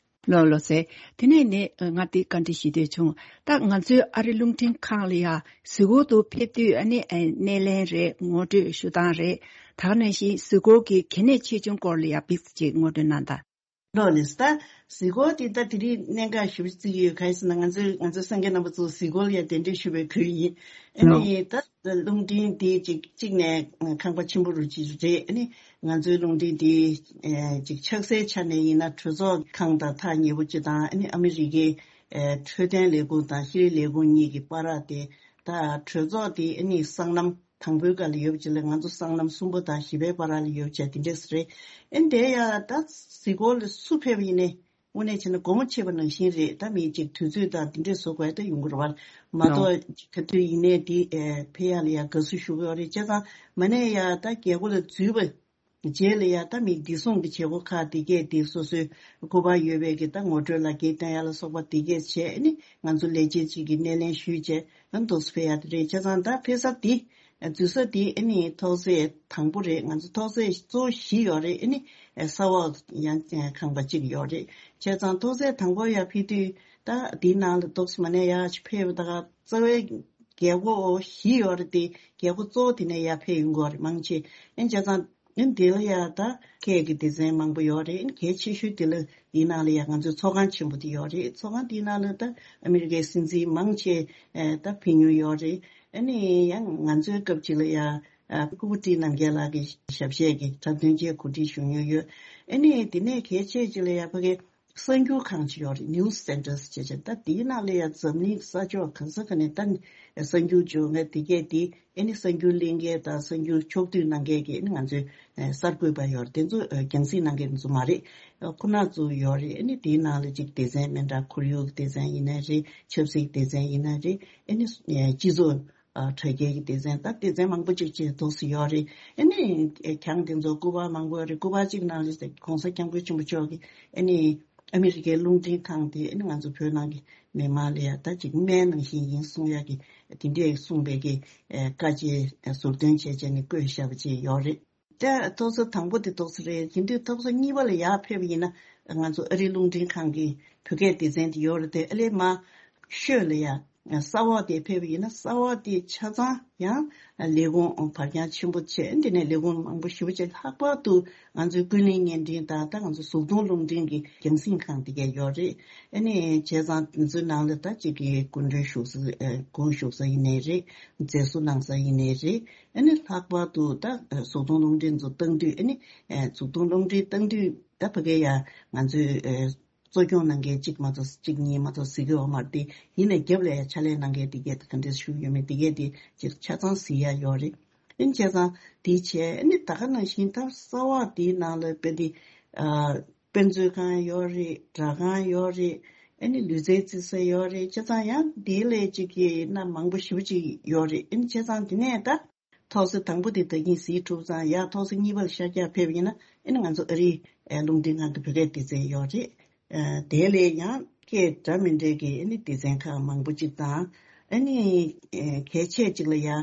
ལགས་ལགས་སེ། དེ་ནས་ནི་ང་དེ་བཀའ་འདྲི་ཞུ་འདོད་བྱུང་། ད་ང་ཚོའི་ཨ་རི་རླུང་འཕྲིན་ཁང་ལ་ཡ་གཟིགས་སྐོར་དུ་ཕེབས་དུས་ཨ་ནི་ཨ་སྣེ་ལེན་རེད། ངོ་སྤྲོད་ཞུ་སྟངས་རེད། ད་ག་ནང་བཞིན་གཟིགས་སྐོར་གྱི་གལ་གནད་ཆེ་ཆུང་སྐོར་ལ་ཡ་ཕིགས་ཅིག་ངོ་སྤྲོད་གནང་དང་། ལགས་ལགས་སེ། ད་གཟིགས་སྐོར་དེ་ད་དེ་རིང་གནད་འགག་ཞེ་པོ་བརྩི་གི་ཡོད། ག་རེ་ཟེར་ན་ང་ཚོའི་ང་ཚོའི་གསན་མཁན་རྣམ་པ་ཚོ་གཟིགས་སྐོར་ལ་ཡ་གདན་འདྲེན་ཞུ་བའི་ཁུལ་ཡིན། ཨ་ནི་ད་རླུང་འཕྲིན་དེ་གཅིག་གཅིག་ནས་ཁང་པ་ཆེན་པོ་རུ་གཅིག་རེད། ཨ་ནི་ང་ཚོའི་རླུང་འཕྲིན་དེ་ཨེ་གཅིག་ཆགས་སའི་ཆ་ནས་ཡིན་ན་གྲོས་ཚོགས་ཁང་དང་ཐག་ཉེ་པོ་གཅིག་དང་། ཨ་ནི་ཨ་མི་རི་ཀའི་ཨེ་འཕྲོད་བསྟེན་ལས་ཁུངས་དང་ཤེས་རིག་ལས་ཁུངས་གཉིས་ཀྱི་བར་ར་དེ། ད་གྲོས་ཚོགས་དེ་ཨ་ནི་སྲང་ལམ་དང་པོའི་སྒང་ལ་ཡོད་པ་ཅིག་ལ་ང་ཚོ་སྲང་ལམ་གསུམ་པ་དང་བཞི་པའི་བར་ར་ལ་ཡོད་པ་བྱས་དེ་འདྲས་རེད། ཨ་ནི་དེ་ཡ་ད་གཟིགས་སྐོར་ལ་སུ་ཕེབས་ཡིན་ནའི་དངོས་གནས་བྱས་ན་སྒོ་མོ་ཕྱེ་བ་ནང་བཞིན་རེད། ད་མི་གཅིག་དུས་ཚོད་དང་དེ་འདྲས་བཟོ་དགོས་ད་ཡོང་གི་རེད་བ། མ་གཏོགས་ག་དུས་ཡིན་ནའི་དེ་ཨེ་ཕེབས་ཡག་ལ་ཡ་དགའ་བསུ་ཞུ་གི་ཡོད་རེད། བྱས་ཙང་མ་ནས་ཡ་ད་རྒྱལ་སྒོ་ལ་འཛུལ་བ་ རྗེས་ལ་ཡ་ད་མི་བདེ་སྲུང་གི་བྱེད་སྒོ་ཁག་དེ་གས་དེ་སོ་སོའི་སྐུ་པར་ཡོད་པའི་གི་ད་ངོ་སྤྲོད་ལག་འཁྱེར་སྟོན་ཡ་ལ་སོགས་པ་དེ་གས་བྱས་ནི་ང་ཚོ་ལས་བྱེད་ཅིག་གི་སྣེ་ལེན་ཞུས་བྱས་ཨ་ནི་འདུག་སེ་ཕེབས་ཡ་དེ་རེད། བྱས་ཙང་ད་ཕེབས་ས་དེ་འཛུལ་ས་དེ་ཨ་ནི་ཐོག་ཚད་དང་པོ་རེད། ང་ཚོ་ཐོག་ཚད་གཙོ་བོ་བཞི་ཡོད་རེད། ཨ་ནི་ས་འོག་ཡང་ཁང་པ་གཅིག་ཡོད་རེད། བྱས་ཙང་ཐོག་ཚད་དང་པོ་ཡ་ཕེབས་དུས་ད་དེའི་ནང་ལ་འདུག་སེ་མ་ནས་ཡ་ཕེབས་ད་ག་རྩ་བའི་རྒྱལ་སྒོ་བཞི་ཡོད་རེད་དེ། རྒྱལ་སྒོ་གཙོ་བོ་དེ་ནས་ཡར་ཕེབས་ཡོང་གི་ཡོད་རེད་མང་ཆེ། ཨེ་བྱས་ཙང་ཨེ་འདི་ལ་ཡ་ད་ཁྱེད་ཀྱི་སྡེ་ཚན་མང་པོ་ཡོད་རེད། ཨེ་གལ་ཆེ་ཤོས་དེ་ལ་འདིའི་ནང་ལ་ཡ་ང་ཚོའི་ཚོགས་ཁང་ཆེན་པོ་དེ་ཡོད་རེད། ཚོགས་ཁང་དེའི་ནང་ལ་ད་ཨ་མི་རི་ཀའི་སྲིད་འཛིན་མང་ཆེ་ཨེ་ད་ཕེབས་མྱོང་ཡོད་རེད། ཨེ་ནི་ཡང་ང་ཚོའི་སྐབས་ཅིག་ལ་ཡ་ཨ་སྐུ་བགྲེས་རྣམ་རྒྱལ་ལགས་ཀྱི་ཞབས་གཞས་ཀྱི་འཁྲབ་སྟོན་ཆེད་གོ་སྒྲིག་ཞུ་མྱོང་ཡོད། ཨེ་ནི་དེ་ནས་གལ་ཆེ་ཅིག་ལ་ཡ་ཕ་གི་གསར་འགྱུར་ཁང་ཅིག་ཡོད་རེད། News Centers་ཅེས་བྱས། ད་དེའི་ནང་ལ་ཡང་འཛམ་གླིང་ས་ཕྱོགས་གང་ས་ག་ནས་ད་གསར་འགྱུར་བྱུང་ངས་དེ་གས་དེ་ཨེ་ནི་གསར་འགྱུར་གླེང་མཁན་དང་གསར་འགྱུར་ཕྱོགས་བསྡུས་གནང་མཁན་གྱི་ཨེ་ནི་ང་ཚོའི་གསར་འགོད་པ་ཡོད་རེད། དེ་ཚོ་རྒྱང་སྲིང་གནང་མཁན་ཚོ་མ་རེད། ཁོ་ན་ཚོ་ཡོད་རེད། ཨེ་ནི་དེའི་ནང་ལ་ཅིག་སྡེ་ཚན་མི་འདྲ་ཁོར་ཡུག་སྡེ་ཚན་ཡིན་ན་རེད། ཆབ་སྲིད་སྡེ་ཚན་ཡིན་ན་རེད། ཨེ་ནི་སྤྱི་ཚོགས་ཨ་དྲ་རྒྱའི་སྡེ་ཚན་ད་སྡེ་ཚན་མང་པོ་ཅིག་བཅས་འདུག་སེ་ཡོད་རེད། ཨ་ནི་ཨེ་གྱང་དེ་ཚོ་སྐུ་པར་མང་པོ་ཡོད་རེད། སྐུ་པར་གཅིག་ནང་ལ་ཟེར་༸གོང་ས་༸སྐྱབས་མགོན་ཆེན་པོ་མཆོག་གིས་ཨ་ནི་ཨ་མི་རི་ཀའི་རླུང་འཕྲིན་ཁང་དེ་ཨ་ནི་ང་ཚོ་བོད་ནང་གི་མི་མང་ལ་ཡ་ད་ཅིག་སྨན་ནང་བཞིན་ཡིན་གསུང་ཡ་གི་དེ་འདྲས་གསུངས་པའི་གི་ཨེ་བཀའ་ཆད་ཟུར་འདོན་བྱས་བྱས་ནས་བཀོད་བཞག་པ་ཅིག་ཡོད་རེད། ད་ཐོག་ས་དང་པོ་དེ་ཏོག་ཙམ་རེད། དེ་དུས་ཐོག་ས་གཉིས་པ་ལ་ཡར་ཕེབས་པ་ཡིན་ན་ང་ཚོ་ཨ་རིའི་རླུང་འཕྲིན་ཁང་གི་བོད་སྐད་སྡེ་ཚན་དེ་ཡོད་རེད་དེ། ཨ་ལས་མ་ཤོད་ལ་ཡ་ས་འོག་དེ་ཕེབས་པ་ཡིན་ན་ས་འོག་དེ་ཆ་ཚང་ཡང་ལས་ཁུངས་བར་རྐྱང་ཆེན་པོ་བྱས། འདི་ནས་ལས་ཁུངས་མང་པོ་ཞེ་པོ་ཅིག་ལྷག་པར་དུ་ང་ཚོའི་ཀུན་གླེང་བརྙན་འཕྲིན་དང་ད་ང་ཚོ་གཟུགས་མཐོང་རླུང་འཕྲིན་གྱི་རྒྱང་སྲིང་ཁང་དེ་གས་ཡོད་རེད། ཨ་ནི་བྱས་ཙང་དེ་ཚོའི་ནང་ལ་ད་ཅིག་གི་སྐུ་མགྲོན་བཞུགས་ས་ཨ་སྐུ་བཞུགས་ས་ཡིན་ནའི་རེད། མཛད་གཙོ་གནང་ས་ཡིན་ནའི་རེད། ཨ་ནི་ལྷག་པར་དུ་ད་གཟུགས་མཐོང་རླུང་འཕྲིན་ཚོ་བཏང་དུས་ཨ་ནི་གཟུགས་མཐོང་རླུང་འཕྲིན་བཏང་དུས་ད་ཕ་གི་ཡ་ང་ཚོའི་གཙོ་སྐྱོང་གནང་མཁན་གཅིག་མ་གཏོགས་གཅིག་གཉིས་མ་གཏོགས་ཟེར་གི་ཡོད་མ་རེད་དེ། ཡིན་ནའི་རྒྱབ་ལ་ཡ་ཕྱག་ལས་གནང་མཁན་དེ་གས་ད་ག་འདྲས་ཞུ་ཡོད་མེད་དེ་གས་དེ་ཅིག་ཆ་ཚང་གཟིགས་ཡ་ཡོད་རེད། ཨ་ནི་བྱས་ཙང་དེ་བྱས་ཨ་ནི་ད་ག་ནང་བཞིན་ད་ས་འོག་དེའི་ནང་ལ་དཔེ་དེ་ཨ་དཔེ་མཛོད་ཁང་ཡོད་རེད། སྦྲག་ཁང་ཡོད་རེད། ཨ་ནི་ལུས་རྩལ་རྩེད་ས་ཡོད་རེད། བྱས་ཙང་ཡང་དེའི་ལས་ཅིག་གི་རྣམ་མང་པོ་ཞེ་པོ་ཅིག་ཡོད་རེད། ཨ་ནི་བྱས་ཙང་དེ་ནས་ད་ཐོག་ས་དང་པོ་དེ་ད་གིན་གཟིགས་གྲུབ་ཙང་ཡར་ཐོག་ས་གཉིས་པ་ལ་ཤར་རྒྱག་ཕེབས་ཡིན་ན་ཨ་ནི་ང་ཚོ་ཨ་རིའི་ཨེ་རླུང་འཕྲིན་ཁང་གི་བོད་སྐད་སྡེ་ཚན་ཡོད་རེད། ཨེ་དེ་ལས་ཡང་སྐད་འདྲ་མི་འདྲའི་གི་ཨ་ནི་སྡེ་ཚན་ཁག་མང་པོ་ཅིག་དང་། ཨ་ནི་ཨེ་གལ་ཆེ་ཅིག་ལ་ཡང་ཨེ་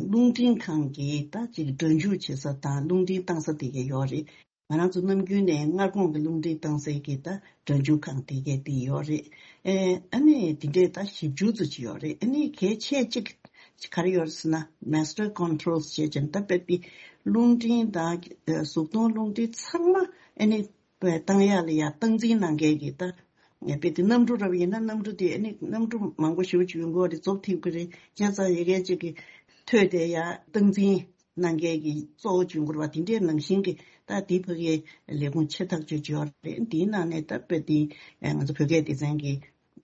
རླུང་འཕྲིན་ཁང་གི་ད་ཅིག་སྒྲ་འཇུག་བྱེད་ས་དང་རླུང་འཕྲིན་བཏང་ས་དེ་ག་ཡོད་རེད། ང་རང་ཚོ་ནམ་རྒྱུན་ནས་སྔ་དགོང་གི་རླུང་འཕྲིན་བཏང་སའི་གི་ད་སྒྲ་འཇུག་ཁང་དེ་གས་དེ་ཡོད་རེད། ཨེ་ཨ་ནི་དེ་འདྲས་ད་ཞིབ་འཇུག་ཚོ་ཅིག་ཡོད་རེད། ཨ་ནི་གལ་ཆེ་གཅིག་ག་རེ་ཡོད་རེད་ཟེར་ན་master controls་ཅེས་བྱས་ནས་ད་དཔེ་དེ་རླུང་འཕྲིན་དང་ཨེ་གཟུགས་མཐོང་རླུང་འཕྲིན་ཚང་མ་ཨ་ནི་བཏང་ཡག་ལ་ཡ་སྟངས་འཛིན་གནང་མཁན་གྱི་ད་དཔེ་དེ་གནམ་གྲུ་རབ་ཡིན་ན་གནམ་གྲུ་དེ་ཨ་ནི་གནམ་གྲུ་མང་པོ་ཞེ་པོ་ཅིག་ཡོང་གི་ཡོད་རེད། རྫོགས་ཐེབས་ཀྱི་རེད། བྱས་ཙང་ཡ་གལ་ཅིག་གི་ཐོས་དེ་ཡ་སྟངས་འཛིན་གནང་མཁན་གྱི་གཙོ་བོ་བྱུང་དགོས་པ་དེ་འདྲའི་ནང་བཞིན་གྱི་ད་དེ་ཕ་གིའི་ལས་ཁུངས་ཆེ་ཐག་ཆོད་ཅིག་ཡོད་རེད། དེའི་ནང་ནས་ད་དཔེ་དེ་ང་ཚོ་བོད་སྐད་སྡེ་ཚན་གྱི་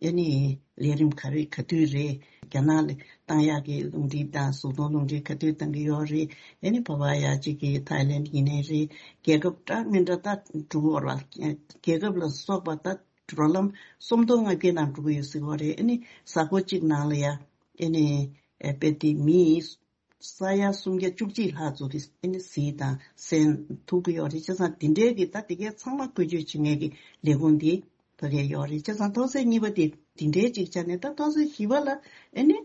ཨ་ནི་ལས་རིམ་ག་རེ་ག་དུས་རེད། རྒྱ་ནག་ལ་བཏང་ཡག་གི་རླུང་འཕྲིན་དང་གཟུགས་མཐོང་རླུང་འཕྲིན་ག་དུས་བཏང་གི་ཡོད་རེད། ཨ་ནི་བོད་པ་ཡ་གཅིག་གི་ཐའི་ལེན་ཡིན་ནའི་རེད། རྒྱལ་ཁབ་འདྲ་མི་འདྲ་ད་འགྲོ་གི་ཡོད་རེད་བ། རྒྱལ་ཁབ་ལ་སོགས་པ་ད་འགྲོ་ལམ་སུམ་སྟོང་ལྔ་བརྒྱའི་ནང་འགྲོ་གི་ཡོད་ཟེར་གི་ཡོད་རེད། ཨ་ནི་གཟའ་འཁོར་གཅིག་ནང་ལ་ཡ་ཨ་ནི་དཔེ་དེ་མི་ས་ཡ་སུམ་བརྒྱ་བཅུ་གཅིག་ལྷག་ཙམ་གྱིས་ཨ་ནི་གཟིགས་དང་གསན་ཐུབ་ཀྱི་ཡོད་རེད། བྱས་ཙང་དེ་འདྲའི་གི་ད་དེ་གའི་ཚང་མ་བཀོལ་སྤྱོད་བྱེད་མཁན་གྱི་ལས་ཁུངས་འདི་ཕ་གིར་ཡོད་རེད། བྱས་ཙང་ཐོག་ཚད་གཉིས་པ་དེ་དེ་འདྲའི་ཅིག་ཆ་ནས་ད་ཐོག་ཚད་བཞི་པ་ལ་ཨ་ནི་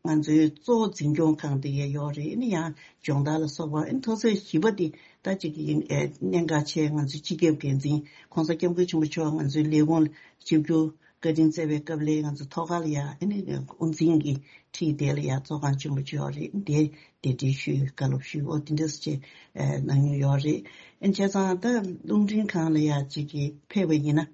ང་ཚོའི་གཙོ་བོ་འཛིན་སྐྱོང་ཁང་དེ་གའི་ཡོད་རེད། ཨ་ནི་ཡང་སྦྱོང་བརྡར་ལ་སོགས་པ་ཨ་ནི་ཐོག་ཚད་བཞི་པ་དེ་ད་ཅིག་ཡིན་ཨེ་གནད་འགག་ཆེ། ང་ཚོའི་སྤྱི་ཁྱབ་འགན་འཛིན་༸གོང་ས་༸སྐྱབས་མགོན་ཆེན་པོ་མཆོག་ང་ཚོའི་ལས་ཁུངས་ལ་ཆིབས་བསྒྱུར་བཀའ་དྲིན་སྩལ་བའི་སྐབས་ལ་ང་ཚོ་ཐོག་ཁ་ལ་ཡ་ཨ་ནི་དབུ་འཛིན་གྱི་ཁྲིད་དེ་ལ་ཡ་ཚོགས་ཁང་ཆེན་པོ་ཅིག་ཡོད་རེད། དེ་དེ་འདྲའི་ཞུས་བཀའ་སློབ་ཞུས་འོ་དེ་འདྲ་སེ་ཅིག་གནང་མྱོང་ཡོད་རེད། ཨ་བྱས་ཙང་ད་རླུང་འཕྲིན་ཁང་ལ་ཡ་ཅིག་གི་ཕེབས་པ་ཡིན་ན་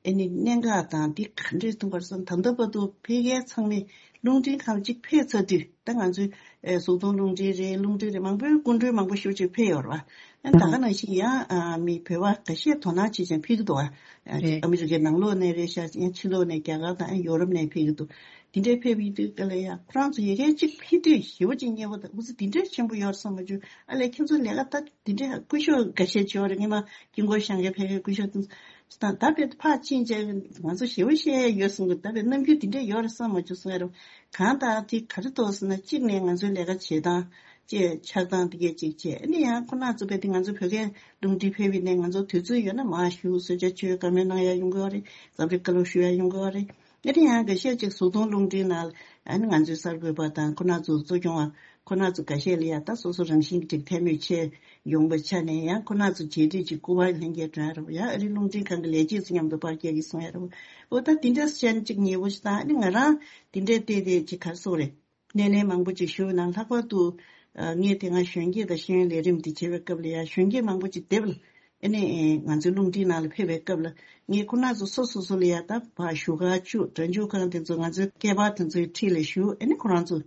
ཨ་ནི་གནད་འགག་དང་འདི་ག་འདྲས་ཐུག་པར་སོང་། ད་ལྟ་བར་དུ་ཕ་གིའི་ཚང་མས་རླུང་འཕྲིན་ཁང་ཅིག་ཕེབས་ཚར་དུས་ད་ང་ཚོའི་ཨེ་གཟུགས་མཐོང་རླུང་འཕྲིན་རེད། རླུང་འཕྲིན་རེད། མང་པོའི་སྐུ་མགྲོན་མང་པོ་ཞེ་པོ་ཅིག་ཕེབས་ཡོད་རེད་བ། ཨ་ད་ག་ནང་བཞིན་ཡང་ཨ་མི་བོད་པ་ཁ་ཤས་དོ་སྣང་བྱེད་ཅིང་ཕེབས་ཀྱི་འདུག་བ། ཨ་རེད། ཨ་མི་རི་ཀའི་ནང་ལོགས་ནས་རེད་ཤག་ཡང་ཕྱི་ལོགས་ནས་རྒྱ་གར་དང་ཨ་ཡོ་རོབ་ནས་ཕེབས་ཀྱི་འདུག་དེ་འདྲའི་ཕེབས་ཡོང་དུས་ག་ལ་ཡ་ཁོ་རང་ཚོ་ཡ་གལ་གཅིག་ཕེབས་དུས་ཞེ་པོ་ཅིག་མཉེས་པོ་དང་འུ་ཚོ་འདི་འདྲའི་ཆེན་པོ་ཡོད་བསམ་མ་བྱུང་། ཨ་ལས་ཁྱེད་ཚོ་ལས་ཀ་ད་འདི་འདྲའི་སྐུ་ཞབས་འགའ་ཤས་བྱས་པ་རེད། སྔོན་མ་དཀྱིལ་འཁོར་བཞེངས་མཁན་ཕ་གིའི་སྐུ་ཞབས་དེ་ ད་ད་བས་ཕར་ཕྱིན་བྱས་ང་ཚོ་ཞེ་པོ་བཤད་ཡ་ཡོད་གསུང་གི། ད་བས་རྣམ་འགྱུར་དེ་འདྲས་ཡོད་རེད་བསམ་མ་བྱུང་གསུང་ཡ་རེད། གང་ལྟར་དེ་ག་རེ་འདུག་ཟེར་ན། གཅིག་ནས་ང་ཚོའི་ལས་ཀ་བྱེད་སྟངས་བཅས་ཆགས་སྟངས་དེ་གས་གཅིག་བྱས། ཨ་ནི་ཡང་ཁོ་ན་ཚོ་བས་དེ་ང་ཚོ་བོད་སྐད་རླུང་འཕྲིན་ཕེབས་པའི་ནས་ང་ཚོ་དུས་ཚོད་ཡོད་ན་མར་ཞུ། གསོལ་ཇ་མཆོད་བཀའ་མོལ་གནང་ཡ་ཡོང་གི་ཡོད་རེད། འཛམ་གླིང་བཀའ་སློབ་ཞུ་ཡ་ཡོང་གི་ཡོད་རེད། ཨ་ནི་ཡང་འགའ་ཤས་ཅིག་གཟུགས་མཐོང་རླུང་འཕྲིན་ནང་ཨ་ནི་ང་ཚོའི་གསར་འགོད་པ་དང་ཁོ་ན་ཚོ་གཙོ་སྐྱོང་བ་ཁོ་ན་ཚོ་འགའ་ཤས་ལ་ཡ་ད་སོ་སོ་རང་བཞིན་གྱི་ཅིག་ཐལ་མོ་ཆེ་ཡོང་པའི་ཆ་ནས། ཡང་ཁོ་ན་ཚོ་བརྗེ་སྒྲིག་ཅིག་སྐུ་པར་ལྷན་རྒྱས་སྒྲོན་རོགས། ཡང་ཨ་རི་རླུང་འཕྲིན་ཁང་གི་ལས་བྱེད་ཚོ་མཉམ་དུ་པར་རྒྱག་གི་སོང་ཡ་རོགས། འོ་ད་དེ་འདྲ་བཤད་ན་ཅིག་ཉེ་པོ་ཞིག་དང་། ཨ་ནི་ང་རང་དེ་འདྲའི་བལྟས་བལྟས་ཅིག་ག་རེ་ཟེར་དགོས་རེད། སྣེ་ལེན་མང་པོ་ཅིག་ཞུས་ན། ལྷག་པར་དུ་ཨ་ངས་དེ་སྔ་གཞོན་སྐྱེས་དང་ཤེས་ཡོན་ལས་རིམ་དེ་བྱེད་པའི་སྐབས་ལ་ཡ་གཞོན་སྐྱེས་མང་པོ་ཅིག་དེབ་ལ་ཨ་ནི་ང་ཚོའི་རླུང་འཕྲིན་ནང་ལ་ཕེབས་པའི་སྐབས་ལ་ངས་ཁོ་ན་ཚོ་སོ་སོ་སོ་ལ་ཡ་ད་ཕར་བཞུགས་སྒར་བཅུག་སྒྲ་འཇུག་ཁང་དེ་ཚོ་ང་ཚོའི་སྐལ་པ་དེ་ཚོའི་འཁྲིས་ལ་བཞུགས། ཨ་ནི་ཁོ་རང་ཚོ་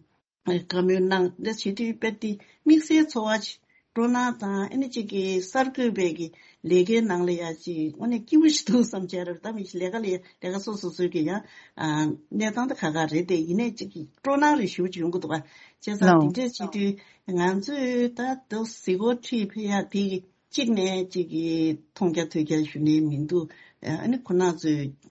བཀའ་མོལ་གནང་། འདི་བྱེད་དུས་དཔེ་དེ་དམིགས་བསལ་ཚོར་བ་ཅིག་སྤྲོ་སྣང་དང་། ཨ་ནི་གཅིག་གི་གསར་འགོད་པའི་གི་ལས་ཀའི་ནང་ལ་ཡ་ཅིག་དངོས་གནས་སྐྱིད་པོ་ཞིག་འདུག་བསམ་བྱས་རེད། ད་མི་ཞིག་ལས་ཀ་ལས་ལས་ཀ་སོ་སོ་སོའི་གི་ཡང་ཨ་གནས་སྟངས་དེ་ཁག་ཁག་རེད་དེ། ཡིན་ནའི་གཅིག་གི་སྤྲོ་སྣང་རེ་ཞེ་པོ་ཅིག་ཡོང་གི་འདུག་པ། བྱས་ཙང་ལའོ། དེ་འདྲས་བྱེད་དུས་ང་ཚོས་ད་དུ་གཟིགས་སྐོར་ཁྲིད་ཕེབས་ཡ་དེ་གི་གཅིག་ནས་གཅིག་གིས་མཐོང་རྒྱ་ཐོས་རྒྱ་ཞུ་ནས་མི་འདུག་ཨ་ནི་ཁོ་ན་ཚོས་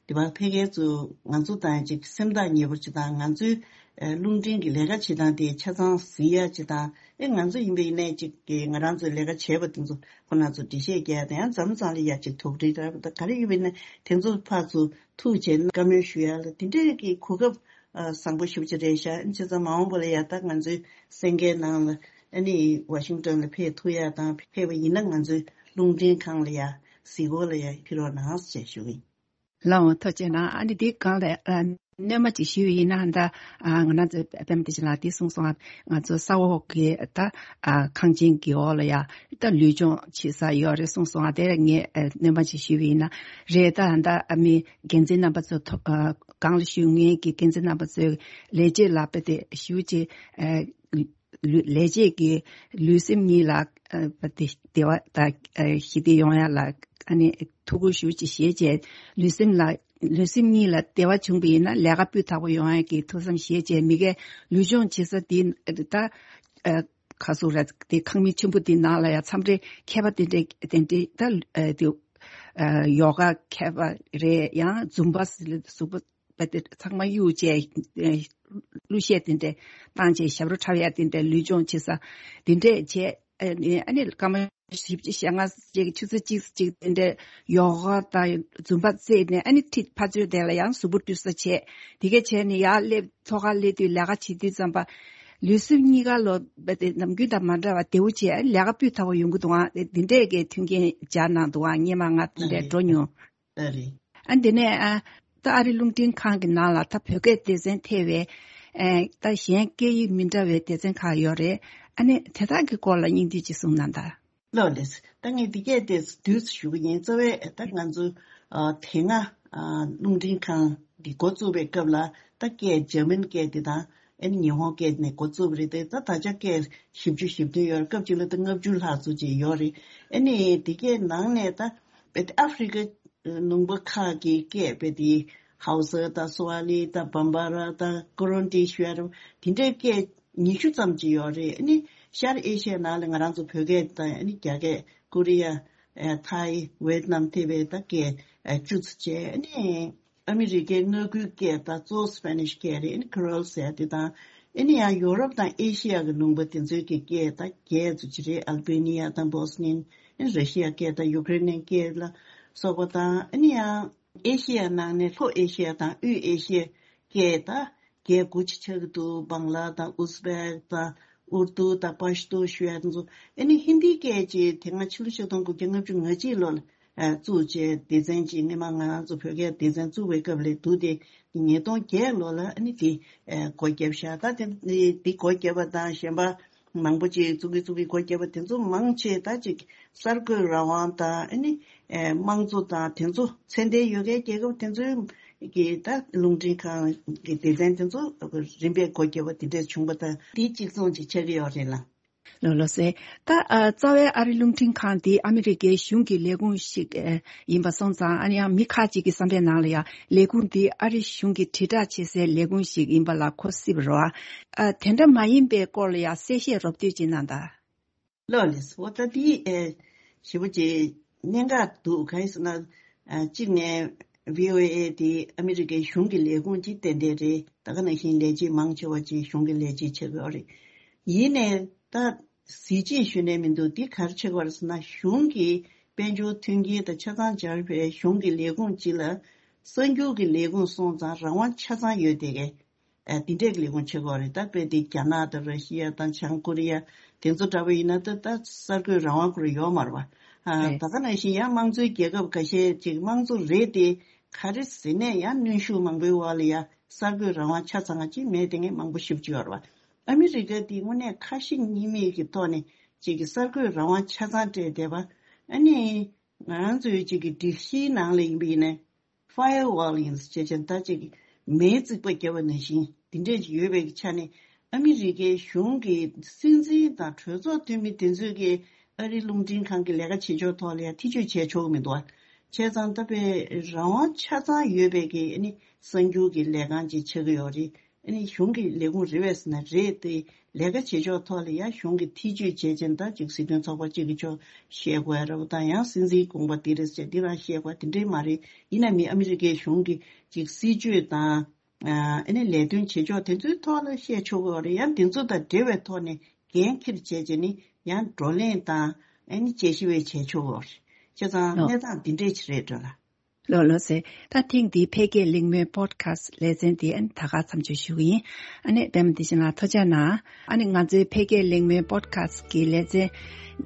དེ་བར་ཕལ་སྐད་ཚོ་ང་ཚོ་དང་ཅིག་སེམས་ཐག་ཉེ་པོ་ཅིག་དང་། ང་ཚོའི་རླུང་འཕྲིན་གྱི་ལས་ཀ་བྱེད་སྟངས་དེ་ཆ་ཚང་གཟིགས་ཡ་ཅིག་དང་། ཨེ་ང་ཚོ་ཡིན་པ་ཡིན་ནའི་ཅིག་གི་ང་རང་ཚོའི་ལས་ཀ་བྱས་པ་དེ་ཚོ་ཁོ་ན་ཚོ་འགྲེལ་བཤད་རྒྱག་ཡ་དང་། ཡང་མཚམས་མཚམས་ལ་ཡ་ཅིག་དོགས་འདྲི་ར་ད་ག་རེ་ཡོད་པ་ཡིན་ན་དེ་ཚོ་ཕར་ཚུར་ཐུག་བྱས་ན་བཀའ་མོལ་ཞུ་ཡ་ལ་དེ་འདྲའི་གི་གོ་སྐབས་ཨ་བཟང་པོ་ཞེ་པོ་ཅིག་རེད་ཤག་བྱས་ཙང་མ་འོངས་པ་ལ་ཡ་ད་ང་ཚོའི་གསན་མཁན་ནང་ལ་ཨ་ནི་ཝ་ཤིང་ཏོན་ལ་ཕེབས་ཐུབ་ཡ་དང་། ཕེབས་པ་ཡིན་ན་ང་ཚོའི་རླུང་འཕྲིན་ཁང་ལ་ཡ་གཟིགས་སྐོར་ལ་ཡ་ཕེབས་རོགས་གནང་ཞེས་ཞུ་གི་ཡིན། ལགས་འོང་། ཐུགས་རྗེ་གནང་། ཨ་ནི་འདི་སྒང་ལ་ཨ་སྣོན་མ་ཅིག་ཞུས་པ་ཡིན་ན། ད་ཨ་ང་རང་ཚོའི་པད་མ་བདེ་ཆེན་ལགས་འདི་གསུངས་སོང་། ང་ཚོ་ས་འོག་གི་ད་ཨ་ཁང་ཆེན་གྱི་འོག་ལ་ཡ་ད་ལུས་སྦྱོང་བྱེད་ས་ཡོད་རེད་གསུངས་སོང་། དེ་ངས་ཨ་སྣོན་མ་ཅིག་ཞུས་པ་ཡིན་ན་རེད། ད་ད་ཨ་མི་འགན་འཛིན་རྣམ་པ་ཚོ་ཐོ་ཨ་སྒང་ལ་བཞུགས་མཁན་གྱི་འགན་འཛིན་རྣམ་པ་ཚོའི་ལས་བྱེད་ལ་དཔེ་དེ་ཞུ་ཅེས་ཨ་ལུས་ལས་བྱེད་ཀྱི་ལུས་སེམས་གཉིས་ལ་ཨ་དེ་བདེ་བ་དང་ཨ་ཞི་བདེ་ཡོང་ཡ་ལ་ཨ་ནི་ཐུགས་ཁུར་ཞུ་ཅེས་བྱས་རྗེས། ལུས་སེམས་ལ་ལུས་སེམས་གཉིས་ལ་བདེ་བ་བྱུང་བ་ཡིན་ན་ལས་ཀ་སྤུས་དག་པོ་ཡོང་ཡ་གི་ཐུགས་བསམ་བཞེས་རྗེས། མི་གའི་ལུས་སྦྱོང་བྱེད་ས་དེ་ད་ཨ་ཁ་སུ་ར་དེ་ཁང་མིག་ཆེན་པོ་དེ་ནང་ལ་ཡ་མཚམས་རེ་མཁས་པ་དེ་འདྲས་དེ་འདྲས་ད་ཨ་དེ་ཨ་ཡོ་ག་མཁས་པ་རེད། ཡང་ཛུམ་པ་ཟུག་པ་པ་དེ་ཚང་མ་གཡུག་བྱས་ཨ་གླུ་གཞས་དེ་འདྲས་བཏང་བྱས་ཞབས་བྲོ་འཁྲབ་ཡ་དེ་འདྲས་ལུས་སྦྱོང་བྱེད་ས་དེ་འདྲས་བྱས། ཨ་ནི་ཨ་ནི་སྐར་མ་བཞི་བཅུ་ཞེ་ལྔ་ཅིག་ཆུ་ཚོད་གཅིག་ཅིག་དེ་འདྲས་ཡོ་ག་དང་ཛུམ་པ་རྩེས་ནས། ཨ་ནི་ཁྲིད་ཕར་ཚུར་དེ་ལ་ཡང་གཟུགས་པོ་བཀྲུས་ས་བྱས། དེ་གས་བྱས་ནས་ཡར་སླེབས། ཐོག་ཁར་སླེབས་དུས་ལས་ཀ་བྱེད་དུས་ཙམ་པ་ལུས་སེམས་གཉིས་ཀ་ལོ་དེ་ནམ་རྒྱུན་དང་མ་འདྲ་བ་བདེ་བོ་བྱས། ཨ་ནི་ལས་ཀ་སྤུས་དག་པོ་ཡོང་གི་འདུག་ཨང་། དེ་འདྲས་ཀྱི་མཐུན་རྐྱེན་སྦྱར་གནང་འདུག་ཨང་། སྔོན་མ་ང་དེ་འདྲས་འགྲོ་མྱོང་། ཨ་རེད། ཨ་འདི་ནས་ཨ་ད་ཨ་རི་རླུང་འཕྲིན་ཁང་གི་ནང་ལ་ད་བོད་སྐད་སྡེ་ཚན་ཐེ་བའི་ཨ་ད་གཞན་སྐད་ཡིག་མི་འདྲ་བའི་སྡེ་ཚན་ཁག་ཡོད་རེད། ཨ་ནི་དེ་དག་གི་སྐོར་ལ་སྙིང་བསྡུས་ཅིག་གསུངས་གནང་དང་། ལགས་ལགས། ད་ངས་འདི་སྐད་དེ་བསྡུས་སུ་ཞུ་གི་ཡིན། རྩ་བའི་ད་ང་ཚོ་ཨ་དེ་སྔ་ཨ་རླུང་འཕྲིན་ཁང་འདི་འགོ་བཙུགས་པའི་སྐབས་ལ་ད་སྐད་འཇར་མན་སྐད་དེ་དང་ཨ་ནི་ཉི་ཧོང་སྐད་ནས་འགོ་བཙུགས་པ་རེད་དེ། ད་ད་ཆ་སྐད་བཞི་བཅུ་ཞེ་བདུན་ཡོད་རེད། སྐབས་གཅིག་ལ་ད་ལྔ་བཅུ་ལྷག་ཙམ་ཅིག་ཡོད་རེད། ཨ་ནི་འདི་སྐད་ནང་ནས་ད་ཨ་ཧྥེ་རི་ཀ་ནུབ་ཁ་གི་སྐད་དཔེ་དེ་ཧའུ་ས་དང་སུ་ཝ་ལི་དང་བམ་བ་ར་དང་ཀུ་རོན་ཏི་ཞུ་ཡ་རུ་དེ་འདྲའི་སྐད་ཉི་ཤུ་ཙམ་ཅིག་ཡོད་རེད། ཨ་ནི་ཤར་ཨེ་ཤི་ཡ་ནང་ལ་ང་རང་ཚོ་བོད་སྐད་དང་ཨ་ནི་རྒྱ་སྐད། ཀོ་རི་ཡ། ཨ་ཐའི། ཝེད་ནམ་ཐེ་བའི་ད་སྐད་ཨ་བཅུ་ཙམ་བྱས། ཨ་ནི་ཨ་མི་རི་ཀའི་མངའ་ཁུལ་སྐད་ད་གཙོ་བོ་སི་པེ་ནིཤ་སྐད་རེད། ཨ་ནི་ཁི་རོལ་ཟེར་ཡ་དེ་དང་། ཨ་ནི་ཡང་ཡོ་རོབ་དང་ཨེ་ཤི་ཡ་གི་ལུང་པ་དེ་ཚོའི་གི་སྐད་ད་བརྒྱད་ཙམ་ཅིག་རེད། ཨལ་བེ་ནི་ཡ་དང་བོ་སི་ནི་ཡན། ཨ་ནི་ར་ཤི་ཡ་སྐད་དང་ཡུ་ཀེ་རེན་སྐད་ལ་སོགས་པ་དང་། ཨ་ནི་ཡང་ཨེ་ཤི་ཡ་ནང་ནས་ལྷོ་ཨེ་ཤི་ཡ་དང་དབུས་ཨེ་ཤི་ཡ་སྐད་ད་བརྒྱད་དགུ་ཅིག་ཆགས་ཀྱི་འདུག་བང་ལ་དང་ཨུ་ཛི་བེག་དང་ཨུར་དུ་དང་པ་ཤ་ཏོ་ཞུ་ཡ་དེ་ཚོ། ཨ་ནི་ཧིན་དིའི་སྐད་ཅིག་དེ་སྔ་ཕྱི་ལོ་ཆིག་སྟོང་དགུ་བརྒྱ་ལྔ་བཅུ་ང་གཅིག་ལོ་ལ་ཨ་བཙུགས་བྱས་སྡེ་ཚན་ཅིག་སྔོན་མ་ང་རང་ཚོ་བོད་སྐད་སྡེ་ཚན་བཙུགས་པའི་སྐབས་ལ་འདུག་སྟེ། ཉིས་སྟོང་བརྒྱད་ལོ་ལ་ཨ་ནི་དེ་ཨ་སྒོ་བརྒྱབ་ཤག་ད་དེ་དེ་སྒོ་བརྒྱབ་པ་དང་གཞན་པ་མང་པོ་ཅིག་བཙུགས་ཀྱི་བཙུགས་ཀྱི་སྒོ་བརྒྱབ་པ་དེ་ཚོ་མང་ཆེ་ད་ཅིག་གསར་འགོད་རང་དབང་དང་། ཨ་ནི་ཨ་དམངས་གཙོ་དང་དེ་ཚོ་ཚད་ལྡན་ཡོད་མཁན་རྒྱལ་ཁབ་དེ་ཚོའི་གི་ད་རླུང་འཕྲིན་ཁང་གི་སྡེ་ཚན་དེ་ཚོ་རིམ་པས་སྒོ་བརྒྱབ་པ་དེ་འདྲས་བྱུང་པ་དང་། དེ་གཅིག་མཚུངས་ཅིག་ཆགས་ཀྱི་ཡོད་རེད་ལ། ལགས་ལགས་སེ། ད་ཨ་རྩ་བའི་ཨ་རི་རླུང་འཕྲིན་ཁང་འདི་ཨ་མི་རི་ཀའི་གཞུང་གི་ལས་ཁུངས་ཤིག་ཨ་ཡིན་པ་སོང་ཙང་། ཨ་ནི་ཡང་མི་ཁག་ཅིག་གི་བསམ་པའི་ནང་ལ་ཡང་ལས་ཁུངས་འདི་ཨ་རི་གཞུང་གི་དྲིལ་བསྒྲགས་བྱེད་སའི་ལས་ཁུངས་ཤིག་ཡིན་པ་ལ་གོ་སྲིད་པ་རེད་བ། ཨ་དེ་འདྲ་མ་ཡིན་པའི་སྐོར་ལ་ཡང་གསལ་བཤད་རོབ་བསྡུས་ཅིག་གནང་དང་། ལགས་ལགས། འོ་ད་འདི་ཨེ་ཞེ་པོ་ཅིག་གནད་འགག་འདུག་གང་ཡིན་ཟེར་ན། ཨ་གཅིག་ནས་བྷི་ཨོ་ཨེ་དེ་ཨ་མི་རི་ཀའི་གཞུང་གི་ལས་ཁུངས་ཅིག་ཏན་ཏན་རེད། ད་ག་ནང་བཞིན་ལས་བྱེད་མང་ཆེ་བ་ཅིག་གཞུང་གི་ལས་བྱེད་བྱེད་ཀྱི་ཡོད་རེད། ཡིན་ནའི་ད་གཟི་བརྗིད་ཞུ་ནས་མི་འདུག་འདི་ག་རེ་བྱེད་ཀྱི་ཡོད་རེད་ཟེར་ན། གཞུང་གི་དཔལ་འབྱོར་མཐུན་རྐྱེན་དང་ཆ་ཚང་སྦྱར་བའི་གཞུང་གི་ལས་ཁུངས་སྤྱི་ལ་གསར་འགྱུར་གྱི་ལས་ཁུངས་སོང་ཙང་རང་དབང་ཆ་ཚང་ཡོད་བསྡད་མཁན། ཨ་འདི་འདྲས་ཀྱི་ལས་ཁུངས་བྱེད་ཀྱི་ཡོད་རེད། ད་དཔེ་དེ་རྒྱ་ནག་དང་ར་ཤི་ཡ་དང་བྱང་ཀོ་རི་ཡ་དེ་ཚོ་འདྲ་པོ་ཡིན་ན། ད་ད་གསར་འགོད་རང་དབང་ཁོ་རང་ཡོད་མ་རེད་པ། ཨ་རེད། ད་ག་ནང་བཞིན་ཡང་དམངས་གཙོའི་རྒྱལ་ཁབ་ཁ་ཤས་ཅིག་དམངས་གཙོ་རེད་དེ། ག་རེ་ཟེར་ནས་ཡང་གནོན་ཤུགས་མང་པོའི་འོག་ལ་ཡ་གསར་འགོད་རང་དབང་ཆ་ཚང་ཅིག་མེད་བསྡད་མཁན་མང་པོ་ཞེ་པོ་ཅིག་ཡོད་རེད་པ། ཨ་མི་རི་ཀ་འདི་དངོས་གནས་ཁ་ཞེ་གཉིས་མེད་ཀྱི་ཐོག་ནས་ཅིག་གི་གསར་འགོད་རང་དབང་ཆ་ཚང་སྤྲད་བསྡད་པ། ཨ་ནི་ང་རང་ཚོའི་ཅིག་གི་སྒྲིག་གཞིའི་ནང་ལ་ཡིན་པ་ཡིན་ནའི་ཕ་ཡར་ཝོལ་ཡིན་ཟེར་བྱས་ཙང་། ད་ཅིག་གི་མེའི་རྩིག་པ་བརྒྱབ་པ་ནང་བཞིན་འདི་འདྲས་ཅིག་ཡོད་པའི་ཆ་ནས། ཨ་མི་རི་ཀའི་གཞུང་གི་སྲིད་འཛིན་དང་གྲོས་ཚོགས་འཐུས་མི་དེ་ཚོས་ཀྱི་ཨ་རིའི་རླུང་འཕྲིན་ཁང་གི་ལས་ཀ་བྱེད་ཕྱོགས་ཐོག་ལ་ཡང་ཐེ་བྱུས་བྱས་ཆོག་གི་མི་འདུག་བ། བྱས་ཙང་ད་དཔེ་རང་དབང་ཆ་ཚང་ཡོད་པའི་གི་ཨ་ནི་གསར་འགྱུར་གྱི་ལས་ཁང་ཅིག་ཆགས་ཀྱི་ཡོད་རེད། ཨ་ནི་གཞུང་གི་ལས་ཁུངས་རེད་པས་ཟེར་ན་རེད་དེ། ལས་ཀ་བྱེད་ཕྱོགས་ཐོག་ལ་ཡང་གཞུང་གི་ཐེ་བྱུས་བྱས་ཙང་། ད་ཅིག་སྲིད་དོན་ཚོགས་པ་གཅིག་གི་ཕྱོགས་བཤད་དགོས་ཡ་རེད་པ་དང་། ཡང་སྲིད་འཛིན་དགོངས་པ་འདི་རེད་ཟེར་འདི་རང་བཤད་དགོས་ཡ་དེ་འདྲས་མ་རེད། ཡིན་ན་མི་ཨ་མི་རི་ཀའི་གཞུང་གི་ཅིག་སྲིད་བྱུས་དང་། ཨ་ནི་ལས་དོན་བྱེད་ཕྱོགས་དེ་ཚོའི་ཐོག་ལ་བཤད་ཆོག་གི་ཡོད་རེད། ཡང་དེ་ཚོ་དང་འབྲེལ་བའི་ཐོག་ནས་འགན་འཁྱེར་བྱས་བྱས་ནས་ཡང་བགྲོ་གླེང་དང་ཨ་ནི་དཔྱད་ཞིབ་བྱས་ཆོག་གི་ཡོད་རེད། བྱས་ཙང་ལགས། གནས་སྟངས་འདི་འདྲས་ཅིག་རེད་འགྲོ་ལ། ལགས་ལགས་སེ། ད་ཐེངས་འདིའི་འཕེལ་རྒྱས་གླེང་མོལ་པོ་ཌི་ཁ་སི་ལེ་ཚན་འདི་ཨ་ནི་ད་ག་མཚམས་འཇོག་ཞུ་གི་ཡིན། ཨ་ནི་པད་མ་བདེ་ཆེན་ལགས་ཐུགས་རྗེ་གནང་། ཨ་ནི་ང་ཚོའི་འཕེལ་རྒྱས་གླེང་མོལ་པོ་ཌི་ཁ་སི་གི་ལེ་ཚན་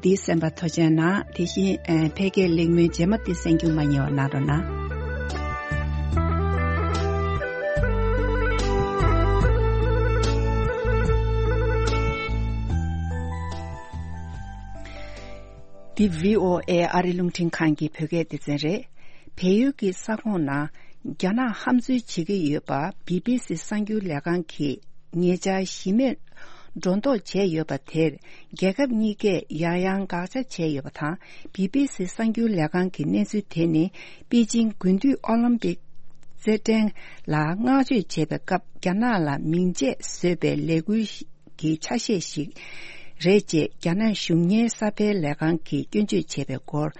འདི་གསན་པར་ཐུགས་རྗེ་གནང་། དེ་བཞིན་ཨ་འཕེལ་རྒྱས་གླེང་མོལ་རྗེས་མ་འདི་གསན་རྒྱུ་མ་བསྙེལ་བ་གནང་རོགས་གནང་། འདི་བྷི་ཨོ་ཨེ་ཨ་རི་རླུང་འཕྲིན་ཁང་གི་བོད་སྐད་སྡེ་ཚན་རེད། བལ་ཡུལ་གྱི་ས་ཁོངས་ནང་རྒྱ་ནག་ཧམ་འཛུལ་བྱེད་ཀྱི་ཡོད་པ་བི་བི་སི་གསར་འགྱུར་ལས་ཁང་གིས་ཉེ་ཆར་གཞི་མེད་སྒྲོ་འདོགས་བྱས་ཡོད་པ་དེར། རྒྱལ་ཁབ་གཉིས་ཀས་ཡང་ཡང་དགག་བྱ་བྱས་ཡོད་པ་དང་། བི་བི་སི་གསར་འགྱུར་ལས་ཁང་གི་གནས་ཚུལ་དེ་ནི་པེ་ཅིང་དགུན་དུས་ཨོ་ལིམ་པིག་རྩེད་འགྲན་ལ་བསྔགས་བརྗོད་བྱེད་པའི་སྐབས་རྒྱ་ནག་ལ་མིང་ཆད་བཟོས་པའི་ལས་འགུལ་གྱི་ཆ་ཤས་ཤིག་རེད་ཅེས་རྒྱ་ནག་གཞུང་གཉེར་གསར་སྤེལ་ལས་ཁང་གིས་སྐྱོན་བརྗོད་བྱས་པའི་སྐོར།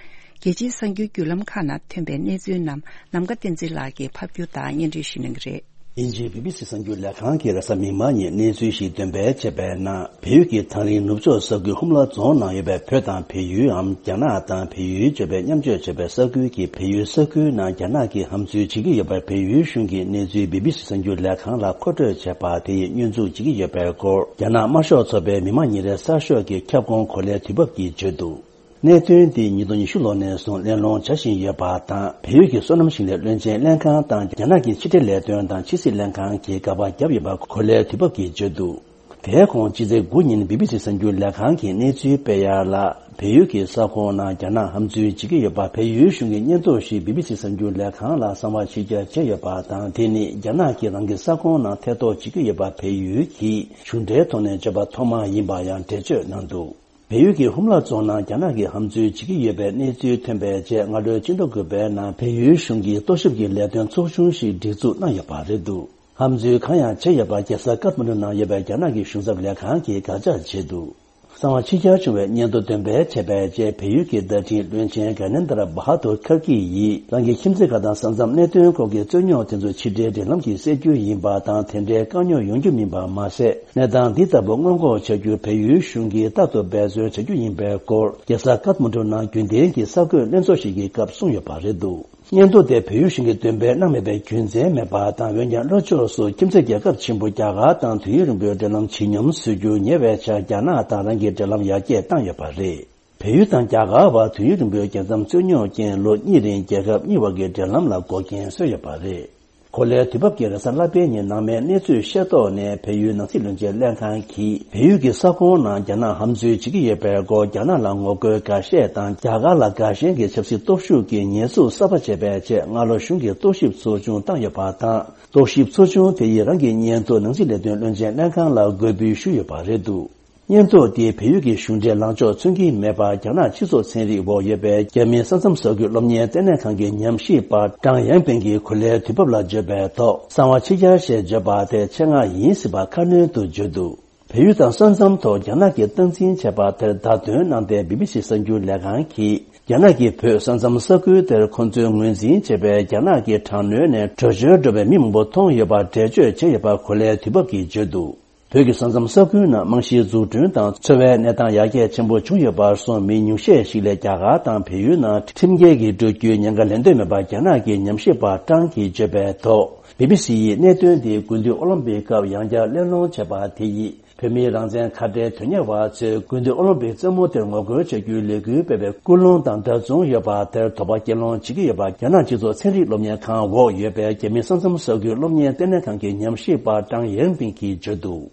རྒྱལ་སྤྱིའི་གསར་འགྱུར་བརྒྱུད་ལམ་ཁག་ནང་ཐོན་པའི་གནས་ཚུལ་རྣམས་ནམ་མཁའ་བསྟན་འཛིན་ལགས་ཀྱིས་ཕབ་སྒྱུར་དང་སྙན་སྒྲོན་ཞུ་གནང་གི་རེད། དབྱིན་ཇིའི་བི་བི་སི་གསར་འགྱུར་ལས་ཁང་གིས་རེས་གཟའ་མིག་དམར་ཉིན་གནས་ཚུལ་ཞིག་འདོན་སྤེལ་བྱས་པའི་ནང་། བལ་ཡུལ་གྱི་ཐང་རིང་ནུབ་ཕྱོགས་ས་ཁུལ་ཧུམ་ལ་རྫོང་ནང་ཡོད་པའི་བོད་དང་བལ་ཡུལ་འམ། རྒྱ་ནག་དང་བལ་ཡུལ་བརྗོད་པའི་མཉམ་སྤྱོད་བྱེད་པའི་ས་ཁུལ་གྱི་བལ་ཡུལ་ས་ཁུལ་ནང་རྒྱ་ནག་གིས་ཧམ་འཛུལ་བྱེད་ཀྱི་ཡོད་པར་བལ་ཡུལ་གཞུང་གིས་གནས་ཚུལ་བི་བི་སི་གསར་འགྱུར་ལས་ཁང་ལ་མཁོ་སྤྲོད་བྱས་པ་དེ་ཡིས་བསྙོན་འཛུགས་བྱེད་ཀྱི་ཡོད་པའི་སྐོར། རྒྱ་ནག་དམར་ཤོག་ཚོགས་པའི་མི་དམངས་ཉིན་རེའི་གསར་ཤོག་གི་ཁྱབ་ཁོངས་གོ་ལའི་དུས་བབ་ཀྱིས་བརྗོད་འདུག་གནད་དོན་འདི་ཉིས་སྟོང་ཉི་ཤུ་ལོ་ནས་བཟུང་གླེང་སློང་བྱ་བཞིན་ཡོད་པ་དང་། བལ་ཡུལ་གྱི་སོ་ནམ་ཞིང་ལས་བློན་ཆེན་ལྷན་ཁང་དང་རྒྱ་ནག་གི་ཕྱི་འབྲེལ་ལས་དོན་དང་ཕྱི་སྲིད་ལྷན་ཁང་གིས་དགག་པ་བརྒྱབ་ཡོད་པ་གོ་ལའི་དུས་བབ་ཀྱིས་བརྗོད་འདུག་དེའི་གོང་ཕྱི་ཚེས་དགུ་ཉིན་བི་བི་སི་གསར་འགྱུར་ལས་ཁང་གིས་གནས་ཚུལ་སྤེལ་ཡག་ལ། བལ་ཡུལ་གྱི་ས་ཁོངས་ནང་རྒྱ་ནག་ཧམ་འཛུལ་བྱེད་ཀྱི་ཡོད་པ། བལ་ཡུལ་གཞུང་གི་སྙན་ཐོ་ཞིག་བི་བི་སི་གསར་འགྱུར་ལས་ཁང་ལ་གསང་བ་ཕྱིར་བསྐྱར་བྱས་ཡོད་པ་དང་། དེ་ནི་རྒྱ་ནག་གིས་རང་གི་ས་ཁོངས་ནང་ཐེ་གཏོགས་བྱེད་ཀྱི་ཡོད་པ། བལ་ཡུལ་གྱིས་གཞུང་འབྲེལ་ཐོག་ནས་བརྗོད་པ་ཐོག་མ་ཡིན་པ་ཡང་འགྲེལ་བརྗོད་གནང་འདུག་བལ་ཡུལ་གྱི་ཧུམ་ལ་རྫོང་ནང་རྒྱ་ནག་གིས་ཧམ་འཛུལ་བྱེད་ཀྱི་ཡོད་པའི་གནས་ཚུལ་ཐོན་པའི་རྗེས། སྔ་ལོའི་ཕྱི་ཟླ་དགུ་པའི་ནང་བལ་ཡུལ་གཞུང་གིས་རྟོག་ཞིབ་ཀྱི་ལས་དོན་ཚོགས་ཆུང་ཞིག་སྒྲིག་འཛུགས་གནང་ཡོད་པ་རེད་འདུག་ཧམ་འཛུལ་གང་ཡང་བྱས་ཡོད་པ་རྒྱལ་ས་ཀཏ་མན་ཌུ་ནང་ཡོད་པའི་རྒྱ་ནག་གི་གཞུང་ཚབ་ལས་ཁང་གིས་དགག་བྱ་བྱས་འདུག་གསང་བ་ཕྱིར་གྱར་བྱུང་བའི་སྙན་ཐོ་འདོན་སྤེལ་བྱས་པའི་རྗེས། བལ་ཡུལ་གྱི་བརྡ་འཕྲིན་བློན་ཆེན་གྷ་ནེན་དར་བྷ་དུར་ཁར་གྱི་ཡིས། རང་གི་ཁྱིམ་མཚེས་ཁག་དང་ས་མཚམས་གནད་དོན་སྐོར་གྱི་རྩོད་རྙོག་དེ་ཚོ་ཕྱི་འབྲེལ་འབྲེལ་ལམ་གྱིས་སེལ་རྒྱུ་ཡིན་པ་དང་། དེ་འདྲའི་དཀའ་རྙོག་ཡོང་རྒྱུ་མིན་པ་མ་ཟད། གནས་སྟངས་འདི་ལྟ་བུ་སྔོན་འགོག་བྱ་རྒྱུར་བལ་ཡུལ་གཞུང་གིས་རྟག་ཏུ་འབད་བརྩོན་བྱ་རྒྱུ་ཡིན་པའི་སྐོར། རྒྱལ་ས་ཀཏ་མན་ཌུ་ནང་རྒྱུན་ལྡན་གྱི་གསར་འགོད་ལྷན་ཚོགས་ཤིག་གི་སྐབས་གསུངས་ཡོད་པ་རེད་འདུག་སྙན་ཐོ་དེ་བལ་ཡུལ་གཞུང་གིས་འདོན་སྤེལ་གནང་མེད་པའི་རྒྱུ་མཚན་མེད་པ་དང་། འོན་ཀྱང་ལྷོ་ཕྱོགས་སུ་ཁྱིམ་མཚེས་རྒྱལ་ཁབ་ཆེན་པོ་རྒྱ་གར་དང་དུས་ཡུན་རིང་པོའི་འབྲེལ་ལམ་ཇེ་ཉུང་བཟོ་རྒྱུ་ཉེ་བའི་ཆར། རྒྱ་ནག་དང་རང་གི་འབྲེལ་ལམ་ཡར་རྒྱས་བཏང་ཡོད་པ་རེད། བལ་ཡུལ་དང་རྒྱ་གར་བར་དུས་ཡུན་རིང་པོའི་རྒྱལ་མཚམས་རྩོད་རྙོག་རྐྱེན། ལོ་གཉིས་རིང་རྒྱལ་ཁབ་གཉིས་བར་གྱི་འབྲེལ་ལམ་ལ་འགོག་རྐྱེན་བཟོས་ཡོད་པ་རེད། གོ་ལའི་དུས་བབ་ཀྱིས་རེས་གཟའ་ལྷག་པའི་ཉིན་ནང་མའི་གནས་ཚུལ་ཤེས་རྟོགས་ནས། བལ་ཡུལ་ནང་སྲིད་བློན་ཆེན་ལྷན་ཁང་གིས་བལ་ཡུལ་གྱི་ས་ཁོངས་ནང་རྒྱ་ནག་ཧམ་འཛུལ་བྱེད་ཀྱི་ཡོད་པའི་སྐོར། རྒྱ་ནག་ལ་ངོ་རྒོལ་འགའ་ཤས་དང་རྒྱ་གར་ལ་དགའ་ཞེན་གྱི་ཆབ་སྲིད་སྟོབས་ཤུགས་ཀྱི་ཉེས་འཛུགས་གསར་པ་བྱས་པའི་རྗེས། སྔ་ལོ་གཞུང་གིས་རྟོག་ཞིབ་ཚོགས་ཆུང་བཏང་ཡོད་པ་དང་། རྟོག་ཞིབ་ཚོགས་ཆུང་དེ་ཡིས་རང་གི་སྙན་ཐོ་ནང་སྲིད་ལས་དོན་བློན་ཆེན་ལྷན་ཁང་ལ་འགོད་འབུལ་ཞུས་ཡོད་པ་རེད་འདུག་སྙན་ཐོ་དེ་བལ་ཡུལ་གྱི་གཞུང་འབྲེལ་ལངས་ཕྱོགས་མཚོན་གྱི་མེད་པར། རྒྱ་ནག་སྤྱི་ཚོགས་ཚན་རིག་འོག་ཡོད་པའི་རྒྱ་མིའི་ས་མཚམས་ས་ཁུལ་སློབ་གཉེར་ལྟེ་གནས་ཁང་གི་ཉམས་ཞིབ་པ་ཀྲང་ཡང་པིང་གིས་གོ་ལའི་དུས་བབ་ལ་བརྗོད་པའི་ཐོག་གསང་བ་ཕྱིར་གྱར་ཞེས་བརྗོད་པ་དེ་ཆེད་མངགས་ཡིན་སྲིད་པ་ཁ་སྣོན་དུ་བརྗོད་འདུག་བལ་ཡུལ་དང་ས་མཚམས་ཐོག་རྒྱ་ནག་གིས་སྟངས་འཛིན་བྱས་པ་དེར་བརྡ་སྟོན་གནང་སྟེ། བི་བི་སི་གསར་འགྱུར་ལས་ཁང་གིས། རྒྱ་ནག་གིས་བོད་ས་མཚམས་ས་ཁུལ་དེར་ཁོ་ཚོས་ངོས་འཛིན་བྱས་པའི་རྒྱ་ནག་གི་དྲག་གནོན་ནས་བྲོས་བྱོལ་འགྲོ་བའི་མི་མང་པོ་མཐོང་ཡོད་པ་འགྲེལ་བརྗོད་བྱས་ཡོད་པ་གོ་ལའི་དུས་བབ་ཀྱིས་བརྗོད་འདུག་བོད་ཀྱི་ས་མཚམས་ས་ཁུལ་ནང་རྨང་གཞིའི་འཛུགས་སྐྲུན་དང་འཚོ་བའི་གནས་སྟངས་ཡར་རྒྱས་ཆེན་པོ་བྱུང་ཡོད་པར་སོང་མི་ཉུང་ཤས་ཤིག་ལས་རྒྱ་གར་དང་བལ་ཡུལ་ནང་ཁྲིམས་འགལ་གྱིས་འགྲོ་རྒྱུའི་ཉེན་ཁ་ལན་འདོད་མེད་པར་རྒྱ་ནག་གི་ཉམས་ཞིབ་པ་ཀྲང་གིས་བརྗོད་པའི་ཐོག་བི་བི་སི་ཡིས་གནད་དོན་འདི་དགུན་དུས་ཨོ་ལིམ་པིག་སྐབས་ཡང་བསྐྱར་གླེང་སློང་བྱས་པ་དེ་ཡིས། བོད་མིའི་རང་བཙན་ཁ་བྲལ་དོན་གཉེར་བ་ཚོས་དགུན་དུས་ཨོ་ལིམ་པིག་རྩེད་མོ་དེར་ངོ་རྒོལ་བྱ་རྒྱུའི་ལས་འགུལ་སྤེལ་བའི་ཀུན་སློང་དང་འདྲ་མཚུངས་ཡོད་པ་དེར་དོགས་པ་སྐྱེ་སློང་བྱེད་ཀྱི་ཡོད་པ་རྒྱ་ནག་སྤྱི་ཚོགས་ཚན་རིག་སློབ་གཉེར་ཁང་འོག་ཡོད་པའི་རྒྱ་མིའི་ས་མཚམས་ས་ཁུལ་སློབ་གཉེར་ལྟེ་གནས་ཁང་གི་ཉམས་ཞིབ་པ་ཀྲང་ཡེང་པིང་གིས་བརྗོད་འདུག་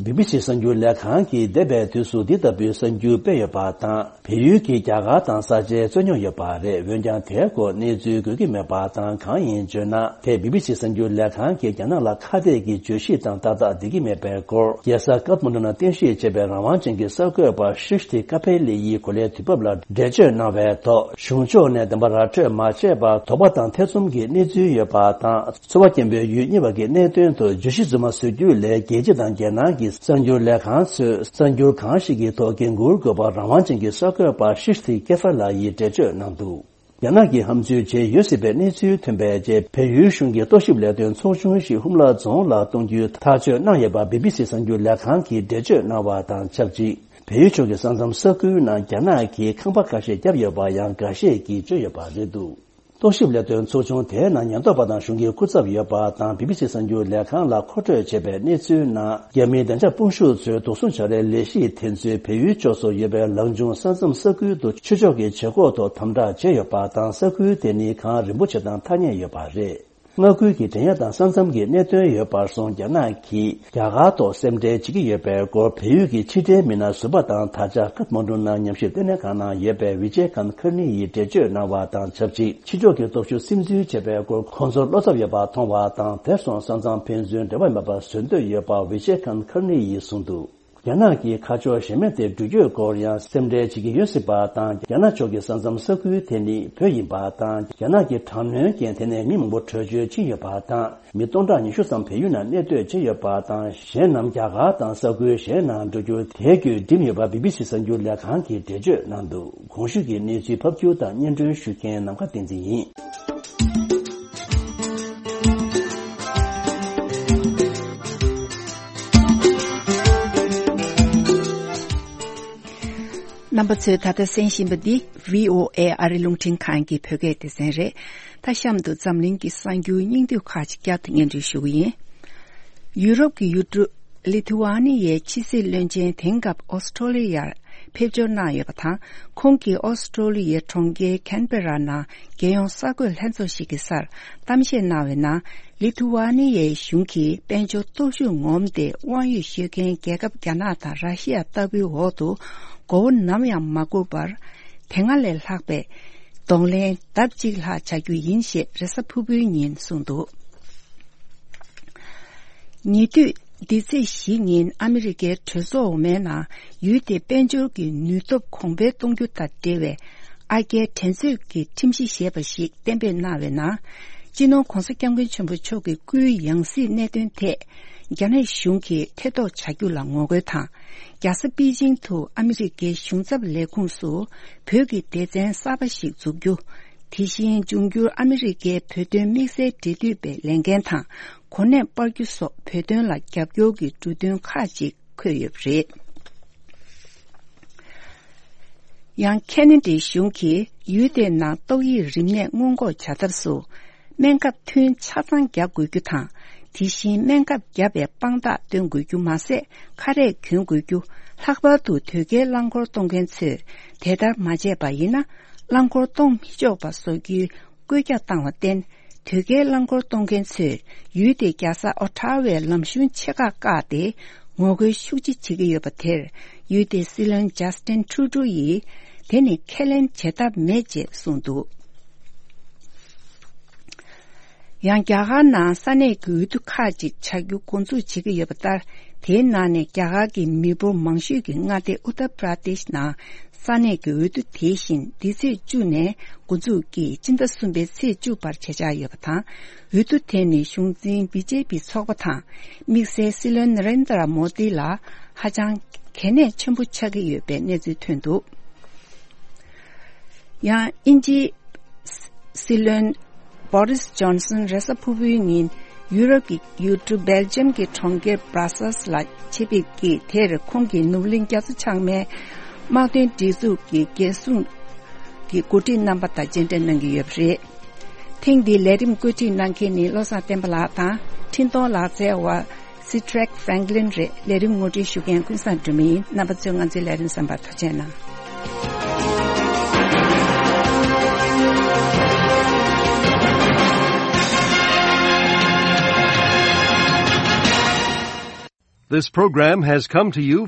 བི་བི་སི་གསར་འགྱུར་ལས་ཁང་གིས་འདས་པའི་དུས་སུ་འདི་ལྟ་བུའི་གསར་འགྱུར་སྤེལ་ཡོད་པ་དང་། བལ་ཡུལ་གྱིས་རྒྱ་གར་དང་ས་ཆའི་རྩོད་རྙོག་ཡོད་པ་རེད། འོན་ཀྱང་དེའི་སྐོར་གནས་ཚུལ་འགོད་ཀྱི་མེད་པ་དང་། གང་ཡིན་བརྗོད་ན། དེས་བི་བི་སི་གསར་འགྱུར་ལས་ཁང་གིས་རྒྱ་ནག་ལ་ཁ་གཏད་ཀྱི་བརྗོད་གཞི་དང་ཏག་ཏག་བསྡད་ཀྱི་མེད་པའི་སྐོར། རྒྱལ་ས་ཀཏ་མན་ཌུ་ནང་རྟེན་གཞི་བྱས་པའི་རང་དབང་ཅན་གྱི་གསར་འགོད་པ་ཤྲི་ཤྲི་ཀ་ཕེ་ལི་ཡིས་གོ་ལའི་དུས་བབ་ལ་འགྲེལ་བརྗོད་གནང་བའི་ཐོག་གཞུང་ཕྱོགས་ནས་བདེན་པ་ར་འཕྲོད་མ་བྱས་པར་དོགས་པ་དང་ཐེ་ཚོམ་གྱི་གནས་ཚུལ་ཡོད་པ་དང་། ཚོར་བ་སྐྱེན་པོའི་ཡུལ་གཉིས་བར་གྱི་གནད་དོན་དུ་བརྗོད་གཞི་རྫུན་མ་བཟོ་རྒྱུ་ལས། རྒྱལ་སྤྱི་དང་རྒྱལ་ནང་གི་གསར་འགྱུར་ལས་ཁང་ཚོས་གསར་འགྱུར་གང་ཞིག་གི་ཐོག་འགན་འཁུར་དགོས་པར་རང་དབང་ཅན་གྱི་གསར་འགོད་པ་ཤྲི་ཤྲི་ཀེ་ཕ་ལ་ཡིས་འགྲེལ་བརྗོད་གནང་འདུག་རྒྱ་ནག་གིས་ཧམ་འཛུལ་བྱས་ཡོད་སྲིད་པའི་གནས་ཚུལ་ཐོན་པའི་རྗེས། བལ་ཡུལ་གཞུང་གི་རྟོག་ཞིབ་ལས་དོན་ཚོགས་ཆུང་ཞིག་ཧུམ་ལ་རྫོང་ལ་གཏོང་རྒྱུའི་ཐག་གཅོད་གནང་ཡོད་པ་བི་བི་སི་གསར་འགྱུར་ལས་ཁང་གིས་འགྲེལ་བརྗོད་གནང་བ་དང་ཆབས་ཅིག་བལ་ཡུལ་ཕྱོགས་ཀྱི་ས་མཚམས་ས་ཁུལ་ནང་རྒྱ་ནག་གིས་ཁང་པ་ཁ་ཤས་བརྒྱབ་ཡོད་པ་ཡང་འགའ་ཤས་ཀྱིས་བརྗོད་ཡོད་པ་རེད་འདུག་རྟོག་ཞིབ་ལས་དོན་ཚོགས་ཆུང་དེའི་ནང་ཉེན་རྟོག་པ་དང་གཞུང་གི་སྐུ་ཚབ་ཡོད་པ་དང་། བི་བི་སི་གསར་འགྱུར་ལས་ཁང་ལ་མཁོ་སྤྲོད་བྱས་པའི་གནས་ཚུལ་ནང་། རྒྱ་མིའི་བདེ་འཇགས་དཔུང་ཤུགས་ཚོས་དུག་སྲུང་བྱ་རའི་ལས་གཞི་དེ་ཚོས་བལ་ཡུལ་ཕྱོགས་སུ་ཡོད་པའི་ལང་ཆུང་ས་མཚམས་ས་ཁུལ་དུ་ཆོས་ཕྱོགས་ཀྱི་བྱེད་སྒོ་ཐོག་དམ་དྲག་བྱས་ཡོད་པ་དང་། ས་ཁུལ་དེ་ནི་གངས་རིན་པོ་ཆེ་དང་ཐག་ཉེ་ཡོད་པ་རེད། མངའ་ཁུལ་གྱི་འགྲན་ཡ་དང་ས་མཚམས་ཀྱི་གནད་དོན་ཡོད་པར་སོང་རྒྱ་ནག་གིས་རྒྱ་གར་ཐོག་སེམས་ཁྲལ་བྱེད་ཀྱི་ཡོད་པའི་སྐོར་བལ་ཡུལ་གྱི་ཕྱི་འབྲེལ་མི་སྣ་ཟུར་པ་དང་ད་ཆ་ཀཏ་མན་ཌུ་ནང་ཉམས་ཞིབ་ལྟེ་གནས་ཁང་ནང་ཡོད་པའི་ཝི་ཇེ་ཁན་ཁར་ནི་ཡིས་འགྲེལ་བརྗོད་གནང་བ་དང་ཆབས་ཅིག་ཕྱི་ཕྱོགས་ཀྱི་སྟོབས་ཤུགས་སིམ་འཛུལ་བྱས་པའི་སྐོར་ཁོང་ཚོར་བློ་འཚབ་ཡོད་པ་མཐོང་བ་དང་། དེར་སོང་ས་མཚམས་ཕན་ཚུན་འབྲེལ་བ་མེད་པ་བཟོ་འདོད་ཡོད་པ་ཝི་ཇེ་ཁན་ཁར་ནི་ཡིས་གསུངས་འདུག་རྒྱ་ནག་གིས་ཁ་ཕྱོགས་གཞན་མ་དེ་འགྲུལ་སྐྱོད་སྐོར་ཡང་སེམས་ཁྲལ་བྱེད་ཀྱི་ཡོད་སྲིད་པ་དང་། རྒྱ་ནག་ཕྱོགས་ཀྱི་ས་མཚམས་ས་ཁུལ་དེ་ནི་བོད་ཡིན་པ་དང་། རྒྱ་ནག་གི་དྲག་གནོན་རྐྱེན་དེ་ནས་མི་མང་པོ་བྲོས་བྱོལ་ཕྱིན་ཡོད་པ་དང་། མི་སྟོང་ཕྲག་ཉི་ཤུ་ཙམ་བལ་ཡུལ་ནང་གནས་སྡོད་བྱས་ཡོད་པ་དང་། གཞན་རྣམས་རྒྱ་གར་དང་ས་ཁུལ་གཞན་ནང་འགྲོ་རྒྱུར་དེ་བརྒྱུད་འགྲིམས་ཡོད་པ་བི་བི་སི་གསར་འགྱུར་ལས་ཁང་གིས་འགྲེལ་བརྗོད་གནང་འདུག་གོང་ཞུས་ཀྱི་གནས་ཚུལ་ཕབ་སྒྱུར་དང་སྙན་སྒྲོན་ཞུ་མཁན་ནམ་མཁའ་བསྟན་འཛིན་ཡིན། རྣམ་པ་ཚོས་ད་ལྟ་གསན་བཞིན་པ་འདི་བྷི་ཨོ་ཨེ་ཨ་རི་རླུང་འཕྲིན་ཁང་གི་བོད་སྐད་སྡེ་ཚན་རེད། ད་གཤམ་དུ་འཛམ་གླིང་གི་གསར་འགྱུར་སྙིང་བསྡུས་ཁག་ཅིག་བསྐྱར་དུ་སྙན་སྒྲོན་ཞུ་གི་ཡིན། ཡུ་རོབ་ཀྱི་ཡུལ་གྲུ་ལི་ཐུ་ཝ་ནི་ཡའི་ཕྱི་སྲིད་བློན་ཆེན་དེང་སྐབས་ཨོ་སི་ཀྲོ་ལི་ཡར་ཕེབས་འབྱོར་གནང་ཡོད་པ་དང་། ཁོང་གིས་ཨོ་སི་ཀྲོ་ལི་ཡའི་གྲོང་ཁྱེར་ཁན་བེ་ར་ནང་རྒྱལ་ཡོངས་གསར་འགོད་ལྷན་ཚོགས་ཤིག་གི་སར་གཏམ་བཤད་གནང་བའི་ནང་། ལི་ཐུ་ཝ་ནི་ཡའི་གཞུང་གིས་དཔལ་འབྱོར་སྟོབས་ཤུགས་ངོམ་སྟེ་དབང་ཡོད་ཤོད་མཁན་རྒྱལ་ཁབ་རྒྱ་ནག་དང་ར་ཤི་ཡ་ལྟ་བུའི་འོག་ཏུ་མགོ་བོ་ནམ་ཡང་མ་སྒུར་བར། དེ་སྔ་ལས་ལྷག་པའི་གདོང་ལེན་ལྡབ་གཅིག་ལྷག་བྱ་རྒྱུ་ཡིན་ཞེས་རེས་གཟའ་ཕུར་བུའི་ཉིན་གསུངས་འདུག་ཉེ་དུས་འདི་ཚེས་བཞི་ཉིན་ཨ་མི་རི་ཀའི་གྲོས་ཚོགས་འོག་མའི་ནང་ཡུལ་དེའི་དཔལ་འབྱོར་གྱི་ནུས་སྟོབས་གོང་འཕེལ་གཏོང་རྒྱུ་དང་འབྲེལ་བའི་ཨ་རྒྱའི་འགྲན་རྩོད་ཀྱི་ཁྲིམས་གཞི་ཞེས་པ་ཞིག་གཏན་འབེབས་གནང་བའི་ནང་། སྤྱི་ནོར་༧གོང་ས་༧སྐྱབས་མགོན་ཆེན་པོ་མཆོག་གི་སྐུའི་ཡང་སྲིད་གནད་དོན་ཐད། རྒྱ་ནག་གཞུང་གིས་ཐེ་གཏོགས་བྱ་རྒྱུ་ལ་ངོ་རྒོལ་དང་། རྒྱལ་ས་པེ་ཅིང་དུ་ཨ་མི་རི་ཀའི་གཞུང་ཚབ་ལས་ཁུངས་སུ་བོད་ཀྱི་སྡེ་ཚན་གསར་པ་ཞིག་འཛུགས་རྒྱུ། དེ་བཞིན་འབྱུང་འགྱུར་ཨ་མི་རི་ཀའི་བོད་དོན་དམིགས་བསལ་འབྲེལ་མཐུད་པའི་ལས་འགན་དང་གོ་གནས་སྤར་རྒྱུ་སོགས་བོད་དོན་ལ་རྒྱབ་སྐྱོར་གྱི་འབྲུ་དོན་ཁག་ཅིག་འཁོད་ཡོད་པ་རེད། ཡང་ཁེ་ན་ཌའི་གཞུང་གིས་ཡུལ་དེའི་ནང་ཏོག་དབྱིབས་རིམས་ནད་སྔོན་འགོག་བྱ་ཐབས་སུ། སྨན་ཁབ་ཐུན་ཆ་ཚང་རྒྱག་དགོས་རྒྱུ་དང་། དེ་བཞིན་སྨན་ཁབ་བརྒྱབ་པའི་དཔང་རྟགས་སྟོན་དགོས་རྒྱུ་མ་ཟད། ཁ་རས་གྱོན་དགོས་རྒྱུ། ལྷག་པར་དུ་དོས་སྐྱེལ་རླངས་འཁོར་གཏོང་མཁན་ཚོས་དེ་ལྟར་མ་བྱས་པ་ཡིན་ན། རླངས་འཁོར་གཏོང་མི་ཆོག་པ་བཟོ་རྒྱུའི་བཀོད་རྒྱ་བཏང་བར་བརྟེན། དོས་སྐྱེལ་རླངས་འཁོར་གཏོང་མཁན་ཚོས་ཡུལ་དེའི་རྒྱལ་ས་ཨོ་ཊ་ཝའི་ལམ་གཞུང་ཆེ་ཁག་བཀག་སྟེ། ངོ་རྒོལ་ཤུགས་ཆེ་བྱེད་ཀྱི་ཡོད་པ་དེར། ཡུལ་དེའི་སྲིད་བློན་ཇཱ་སི་ཏིན་ཁྲུ་ཏྲུ་ཡིས། དེ་ནི་ཁས་ལེན་བྱེད་ཐབས་མེད་ཅེས་གསུངས་འདུག་ཡང་རྒྱ་གར་ནང་ས་གནས་ཀྱི་འོས་བསྡུ་ཁག་ཅིག་བྱ་རྒྱུ་འགོ་འཛུགས་བྱེད་ཀྱི་ཡོད་པ་ལྟར། དེའི་ནང་ནས་རྒྱ་གར་གྱི་མི་འབོར་མང་ཤོས་ཀྱི་མངའ་སྡེ་ཨུ་ཏར་པྲ་དེཤ་ནང་ས་གནས་ཀྱི་འོས་བསྡུ་དེ་བཞིན་འདི་ཚེས་བཅུ་ནས་འགོ་འཛུགས་ཀྱིས་སྤྱི་ཟླ་གསུམ་པའི་ཚེས་བཅུ་བར་བྱེད་འཆར་ཡོད་པ་དང་། འོས་བསྡུ་དེ་ནི་གཞུང་འཛིན་བི་ཇེ་པི་ཚོགས་པ་དང་དམིགས་བསལ་སྲིད་བློན་ན་རེན་དྲ་མོ་དི་ལ་ཧ་ཅང་གལ་གནད་ཆེན་པོ་ཆགས་ཀྱི་ཡོད་པའི་གནས་ཚུལ་ཐོན་འདུག་ཡང་དབྱིན་ཇིའི་སྲིད་བློན་བོ་རིས་ཇོན་སན་རེས་གཟའ་ཕུར་བུའི་ཉིན་ཡུ་རོབ་ཀྱི་ཡུལ་གྲུ་སྦེལ་ཇམ་གྱི་གྲོང་ཁྱེར་སྦྲ་སལ་ལ་ཆེད་ཕེབས་ཀྱིས། དེར་ཁོང་གིས་ནོར་གླིང་རྒྱ་མཚོ་བྱང་མའི་དམག་དོན་སྒྲིག་འཛུགས་ཀྱི་འགན་སྲུང་གི་འགོ་ཁྲིད་རྣམ་པ་དང་མཇལ་འཕྲད་གནང་གི་ཡོད་པ་རེད། ཐེངས་འདིའི་ལས་རིམ་བཀོད་སྒྲིག་གནང་མཁན་ནི་བློ་བཟང་བསྟན་པ་ལགས་དང་། འཕྲིན་གཏོང་ལག་རྩལ་བ་སི་ཊྲེག་ཧྥ་རེང་ལིན་རེད། ལས་རིམ་ངོ་སྤྲོད་ཞུ་མཁན་ཀུན་བཟང་སྒྲོལ་མ་ཡིན། རྣམ་པ་ཚོས་ང་ཚོའི་ལས་རིམ་གསན་པར་ཐུགས་རྗེ་གནང་། This program has come to you